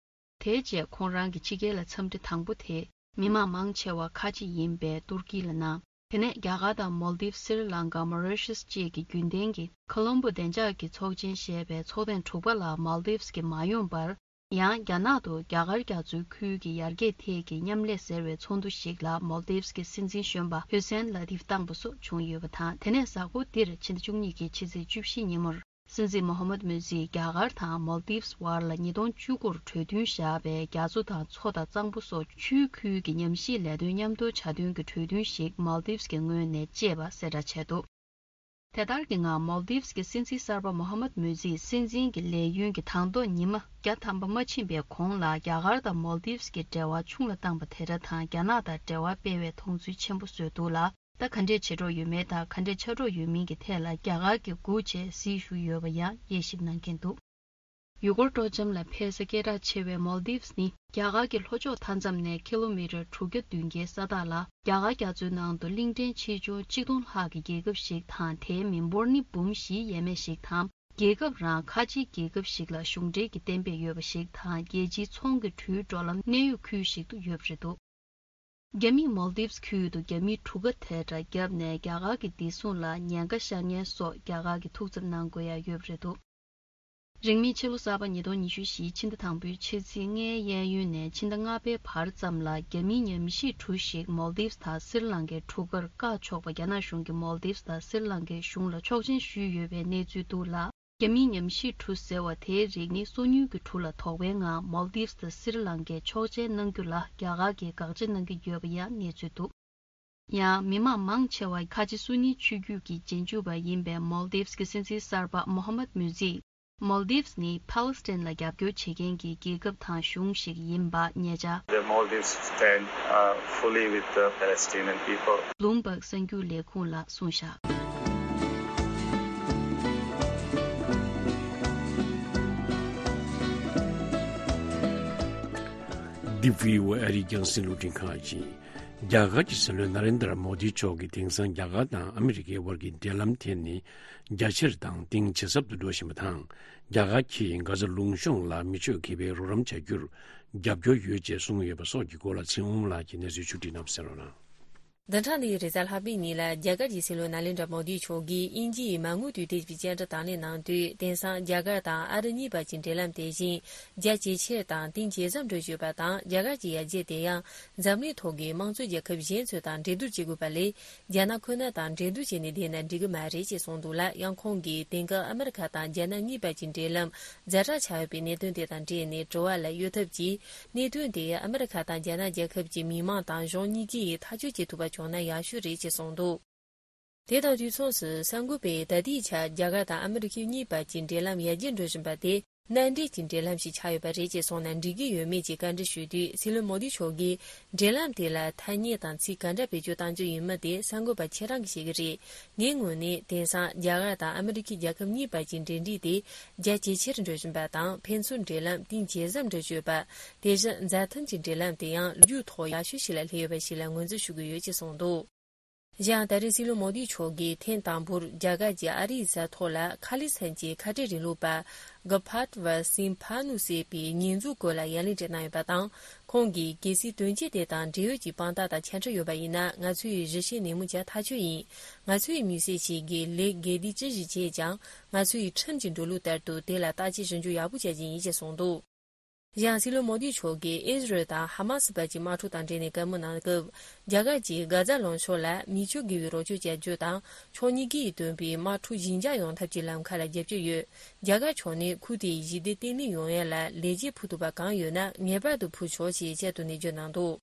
དེའི་རྗེས་ཁོང་རང་གི་ཕྱི་རྒྱལ་ལ་འཚམས་འདྲི་དང་པོ་དེ་མི་མང་མང་ཆེ་བ་ཁ་ཆེ་ཡིན་པའི་ཏུར་ཀི་ལ་གནང་། དེ་ནས་རྒྱ་གར་དང་མོལ་དིབ། སི་རི་ལང་ཀ། མོ་རི་ཤེས་བཅས་ཀྱི་རྒྱུན་ལྡན་གྱི་ཁོ་ལོམ་བོ་བདེ་འཇགས་ཀྱི་ཚོགས་ཆེན་ཞེས་པའི་ཚོགས་ཐེངས་དྲུག་པ་ལ་མོལ་དིབས་ཀྱིས་མ་ཡོང་བར། ཡང་རྒྱ་ནག་ཏུ་རྒྱ་གར་རྒྱ་མཚོའི་ཁུལ་གྱི་ཡར་རྒྱས་ཐད་ཀྱི་མཉམ་ལས་ཟེར་བའི་ཚོགས་འདུ་ཞིག་ལ་མོལ་དིབས་ཀྱི་སྲིད་འཛིན་གཞོན་པ་ཧུ་སེན་ལ་ཏིབ་བཏང་པ་སོགས་བྱུང་ཡོད་པ་དང་། དེ་ནས་གཟའ་འཁོར་འདིར་ཕྱི་ཟླ་བཅུ་གཉིས་ཀྱི་ཕྱི་ཚེས་བཅུ་བཞི་ཉིན་མོར། སྲིད་འཛིན་མོ་ཧ་མད་མུ་ཛིས་རྒྱ་གར་དང་མོལ་དིབས་བར་ལ་ཉིས་སྟོང་བཅུ་དགུ་ལ་གྲོས་མཐུན་བཞག་པའི་རྒྱ་མཚོ་དང་མཚོ་དང་གཙང་པོ་སོགས་ཆུའི་ཁུལ་གྱི་ཉམས་ཞིབ་ལས་དོན་མཉམ་དུ་བྱ་དོན་གྱི་གྲོས་མཐུན་ཞིག་མོལ་དིབས་ཀྱི་ངོས་ནས་བཅད་པ་གསལ་བསྒྲགས་བྱས་འདུག་དེ་ལྟར་གྱི་ངང་མོལ་དིབས་ཀྱི་སྲིད་འཛིན་གསར་པ་མོ་ཧ་མད་མུ་ཛིས་སྲིད་འཛིན་གྱི་ལས་ཡུན་གྱི་དང་ཐོག་ཉི་མ་བརྒྱ་ཐམ་པ་མ་ཕྱིན་པའི་གོང་ལ་རྒྱ་གར་དང་མོལ་དིབས་ཀྱི་འབྲེལ་བ་ཆུང་ལ་བཏང་པ་དེ་འདྲ་དང་། རྒྱ་ནག་དང་འབྲེལ་བ་སྤེལ་བའི་མཐོང་ཚུལ་ཆེན་པོ་བཟོས་འདུག་ལ། ད་ག་འདྲས་བྱེད་རོགས་ཡོད་མེད་དང་ག་འདྲས་ཆགས་རོགས་ཡོད་མིན་གྱི་ཐད་ལ་རྒྱ་གར་གྱིས་སྒུག་བྱས་གཟིགས་བཞུགས་ཡོད་པ་ཡང་དབྱེ་ཞིབ་གནང་མཁན་འདུག་ཡུལ་སྐོར་སྤྲོ་འཆམ་ལ་ཕེབས་ས་སྐད་གྲགས་ཆེ་བའི་མོལ་དིབས་ནི་རྒྱ་གར་གྱི་ལྷོ་ཕྱོགས་མཐའ་མཚམས་ནས་ཀི་ལོ་མི་ཊར་དྲུག་བརྒྱ་བདུན་བརྒྱའི་ས་ཐག་ལ། རྒྱ་གར་རྒྱ་མཚོའི་ནང་དུ་གླིང་ཕྲན་ཆེ་ཆུང་གཅིག་སྟོང་ལྷག་གི་རྒྱལ་ཁབ་ཞིག་དང་། དེའི་མི་འབོར་ནི་འབུམ་བཞིའི་ཡས་མས་ཤིག་དང་། རྒྱལ་ཁབ་རང་ཁ་ཆེའི་རྒྱལ་ཁབ་ཞིག་ལ་གཞུང་འབྲེལ་གྱི་གཏན་འབེབས་ཡོད་པ་ཞིག་དང་། རྒྱལ་སྤྱིའི་ཚོང་གི་འགྲུལ་འགྲོ་ལམ་གནས་ཡུལ་ཁུལ་ཞིག་ཏུ་ཡོད་པ་རེད་འདུག་རྒྱ་མིས་མོལ་དིབས་ཁུལ་དུ་རྒྱ་མིའི་གྲུ་ཁ་དེ་འདྲ་བརྒྱབ་ནས་རྒྱ་གར་གྱི་བདེ་སྲུང་ལ་ཉེན་ཁ་ཤར་ཉེན་སོགས་རྒྱ་གར་གྱིས་ཐུགས་འཚབ་གནང་དགོས་ཡ་ཡོད་པ་རེད་འདུག་རིང་མིན་ཕྱི་ལོ་གསར་པ་ཉིས་སྟོང་ཉི་ཤུ་བཞིའི་ཕྱི་ཟླ་དང་པོའི་ཕྱི་ཚེས་ལྔའི་གཡས་གཡོན་ནས་ཕྱི་ཟླ་ལྔ་པའི་བར་ཙམ་ལ་རྒྱ་མིའི་ཉམས་ཞིབ་གྲུ་ཞིག་མོལ་དིབས་དང་སི་རི་ལང་ཀའི་གྲུ་ཁར་བཀག་ཆོག་པ་རྒྱ་ནག་གཞུང་གིས་མོལ་དིབས་དང་སི་རི་ལང་ཀའི་གཞུང་ལ་ཆོག་མཆན་ཞུས་ཡོད་པའི་གནས་ཚུལ་འདུག་ལ། རྒྱ་མིའི་ཉམས་ཞིབ་གྲུ་ཟེར་བ་དེའི་རིགས་ནི་སོ་ཉུལ་གྱི་གྲུ་ལ་དོགས་པའི་ངང་མོལ་དིབས་དང་སི་རི་ལང་ཀས་ཆོག་མཆན་གནང་རྒྱུ་ལ་རྒྱ་གར་གྱིས་དགག་བྱ་གནང་གི་ཡོད་པ་ཡང་གནས་ཚུལ་འདུག་ཡང་མི་མང་མང་ཆེ་བ་ཁ་ཆེ་སུ་ནི་ཆོས་བརྒྱུད་ཀྱི་རྗེས་འཇུག་པ་ཡིན་པའི་མོལ་དིབས་ཀྱི་སྲིད་འཛིན་གསར་པ་མོ་ཧམ་མད་མུ་ཛིས་མོལ་དིབས་ནི་ཕཱ་ལེ་སི་ཐན་ལ་རྒྱབ་སྐྱོར་བྱེད་མཁན་གྱི་རྒྱལ་ཁབ་དང་གཞུང་ཞིག་ཡིན་པ་ཉེ་ཆར། The Maldives stand, uh, fully with the Palestinian people. བླུམ་བྷག་གསར་འགྱུར་ལས་ཁུངས་ལ་གསུངས་བཞག་འདི་བྷི་ཨོ་ཨེ་ཨ་རིའི་རྒྱང་སྲིང་རླུང་འཕྲིན་ཁང་ཡིན། རྒྱ་གར་གྱི་སྲིད་བློན་ནཱ་རེན་དྲ་མོ་དིའི་མཆོག་གིས་དེང་སང་རྒྱ་གར་དང་ཨ་མི་རི་ཀའི་དབར་གྱི་འབྲེལ་ལམ་དེ་ནི་རྒྱ་ཆེར་དང་གཏིང་ཇེ་ཟབ་ཏུ་འགྲོ་བཞིན་པ་དང་། རྒྱ་གར་གྱིས་གྷ་ཛ་ལུང་གཤོང་ལ་མི་ཆོས་དགེ་བའི་རོགས་རམ་བྱ་རྒྱུར་རྒྱབ་སྐྱོར་ཡོད་ཅེས་གསུངས་ཡོད་པ་སོགས་ཀྱི་སྐོར་ལ་ཚེ་དབང་ལགས་ཀྱིས་གནས་ཚུལ་ཕྱོགས་བསྒྲིགས་གནང་གསལ་ལོ་གནང་། བདུན་ཕྲག་འདིའི་རེས་གཟའ་ལྷག་པའི་ཉིན་ལ་རྒྱ་གར་གྱི་སྲིད་བློན་ནཱ་ལེནྡྲ་མོ་དི་མཆོག་གིས་དབྱིན་ཇི་ཡི་མ་དངུལ་དུས་དེབ་ཀྱི་བཅར་འདྲི་དང་ལེན་གནང་དུས། དེང་སང་རྒྱ་གར་དང་ཨ་རི་གཉིས་བར་གྱི་འབྲེལ་ལམ་དེ་བཞིན་རྒྱ་ཇེ་ཆེར་དང་གཏིང་ཇེ་ཟབ་འགྲོ་བཞིན་ཡོད་པ་དང་། རྒྱ་གར་གྱི་ཡར་རྒྱས་དེ་ཡང་འཛམ་གླིང་ཐོག་གི་དམངས་གཙོའི་རྒྱལ་ཁབ་གཞན་ཚོ་དང་འགྲན་བསྡུར་བྱེད་དགོས་པ་ལས། རྒྱ་ནག་ཁོ་ན་དང་འགྲན་བསྡུར་བྱས་ནས་བསྡད་ན་འགྲིག་གི་མ་རེད་ཅེས་གསུངས་འདུག་ལ། ཡང་ཁོང་གིས་དེང་སྐབས་ཨ་མི་རི་ཁ་དང་རྒྱ་ནག་གཉིས་བར་གྱི་འབྲེལ་ལམ་ཛ་དྲག་ཆགས་ཡོད་པའི་གནད་དོན་དེ་དང་འབྲེལ་ནས་དྲི་བ་ལ་གཡོལ་ཐབས་ཀྱིས། གནད་དོན་དེ་ཨ་མི་རི་ཁ་དང་རྒྱ་ནག་རྒྱལ་ཁབ་ཀྱི་མི་མང་དང་གཞུང་གཉིས་ཀས་ཐག་གཅོད་བྱེད་ཐུབ་པ་བྱུང་ན་ཡག་ཤོས་རེད་ཅེས་གསུངས་འདུག་དེ་དང་དུས་མཚུངས་སུ་གསར་འགོད་པས་ད་ལྟའི་ཆར་རྒྱ་གར་དང་ཨ་མི་རི་ཁའི་གཉིས་བར་གྱི་འབྲེལ་ལམ་ཡར་རྒྱས་འགྲོ་བཞིན་པ་དེ་མནའ་འབྲེལ་གྱི་འབྲེལ་ལམ་ཞིག་ཆགས་ཡོད་པ་རེད་ཅེས་གསུངས་ན་འགྲིག་གི་ཡོད་མེད་ཀྱི་བཀའ་འདྲི་ཞུས་དུས། སྲིད་བློན་མོ་དི་མཆོག་གིས་འབྲེལ་ལམ་དེ་ལ་ཐ་སྙད་དང་ཚིག་ག་འདྲ་བེད་སྤྱོད་གཏང་རྒྱུ་ཡིན་མིན་དེ་གསར་འགོད་པ་ཁྱེད་རང་གིས་ཤེས་ཀྱི་རེད། ངའི་ངོས་ནས་དེང་སང་རྒྱ་གར་དང་ཨ་མི་རི་ཁའི་རྒྱལ་ཁབ་གཉིས་བར་གྱི་འབྲེལ་འདྲིས་དེ་རྒྱ་ཇེ་ཆེར་འགྲོ་བཞིན་པ་དང་། ཕན་ཚུན་འབྲེལ་ལམ་གཏིང་ཇེ་ཟབ་འགྲོ་བཞིན་ཡོད་པ། དེ་བཞིན་མཛའ་མཐུན་གྱི་འབྲེལ་ལམ་དེ་ཡང་ལོ་རྒྱུས་ཐོག་ཡག་ཤོས་ཤིག་ལ་སླེབས་ཡོད་པ་ཞིག་ལ་ངོས་འཛིན་ཞུ་གི་ཡོད་ཅེས་གསུངས་འདུག་གཞན་ཡང་། ད་རེས་སྲིད་བློན་མོ་དི་མཆོག་གིས་ཐེངས་དང་པོར་རྒྱ་གར་གྱི་ཨ་རིའི་གཟའ་ཐོག་ལ་ཁ་ལི་སི་ཐན་གྱི་ཁ་བྲལ་རིང་ལུགས་པ་ག་ཕཱད་ཝ་སིན་ཕ་ནུ་ཟེར་བའི་ཉེས་འཛུགས་སྐོར་ལ་ཡ་ལན་སྤྲད་གནང་ཡོད་པ་དང་། ཁོང་གིས་གལ་སྲིད་དོན་རྐྱེན་དེ་དང་འབྲེལ་ཡོད་ཀྱི་དཔང་རྟགས་དང་ཆ་འཕྲིན་ཡོད་པ་ཡིན་ན། ང་ཚོ་ཡིས་གཞི་བྱས་ནན་མོ་བྱ་ཐག་ཆོད་ཡིན། ང་ཚོ་ཡི་མི་སེར་ཞིག་གིས་ལས་འགལ་འདི་ཅི་ཞིག་བྱས་ཀྱང་། ང་ཚོ་ཡི་ཁྲིམས་ཀྱི་འགྲོ་ལུགས་ལྟར་དུ་དེ་ལ་བརྟག་དཔྱད་ཞིབ་འཇུག་ཡག་པོ་བྱ་རྒྱུ་ཡིན་ཞེས་གསུངས་འདུག་གཞན་སྲིད་བློན་མོ་དི་མཆོག་གིས་ཨིས་རལ་དང་ཧ་མ་སི་བར་གྱི་དམག་འཁྲུག་དང་འབྲེལ་ནས་བཀའ་མོལ་གནང་སྐབས། རྒྱ་གར་གྱིས་གྷ་ཛ་ལུང་གཤོང་ལ་མི་ཆོས་དགེ་བའི་རོགས་སྐྱོར་བྱ་རྒྱུ་དང་། ཕྱོགས་གཉིས་ཀས་བཏོན་པའི་དམག་འཁྲུག་ཞི་འཇགས་ཡོང་ཐབས་ཀྱི་ལམ་ཁ་ལ་རྒྱབ་སྐྱོར་ཡོད། རྒྱ་གར་ཕྱོགས་ནས་ཁུལ་དེའི་ཞི་བདེ་བརྟན་ལྷིང་ཡོང་ཡ་ལ་ལེགས་སྐྱེས་ཕུལ་ཐུབ་པ་གང་ཡོད་ན་ངེས་པར་དུ་ཕུལ་ཆོག་ཅེས་བཅའ་སྡོད་ནས་བརྗོད་གནང་འདུག་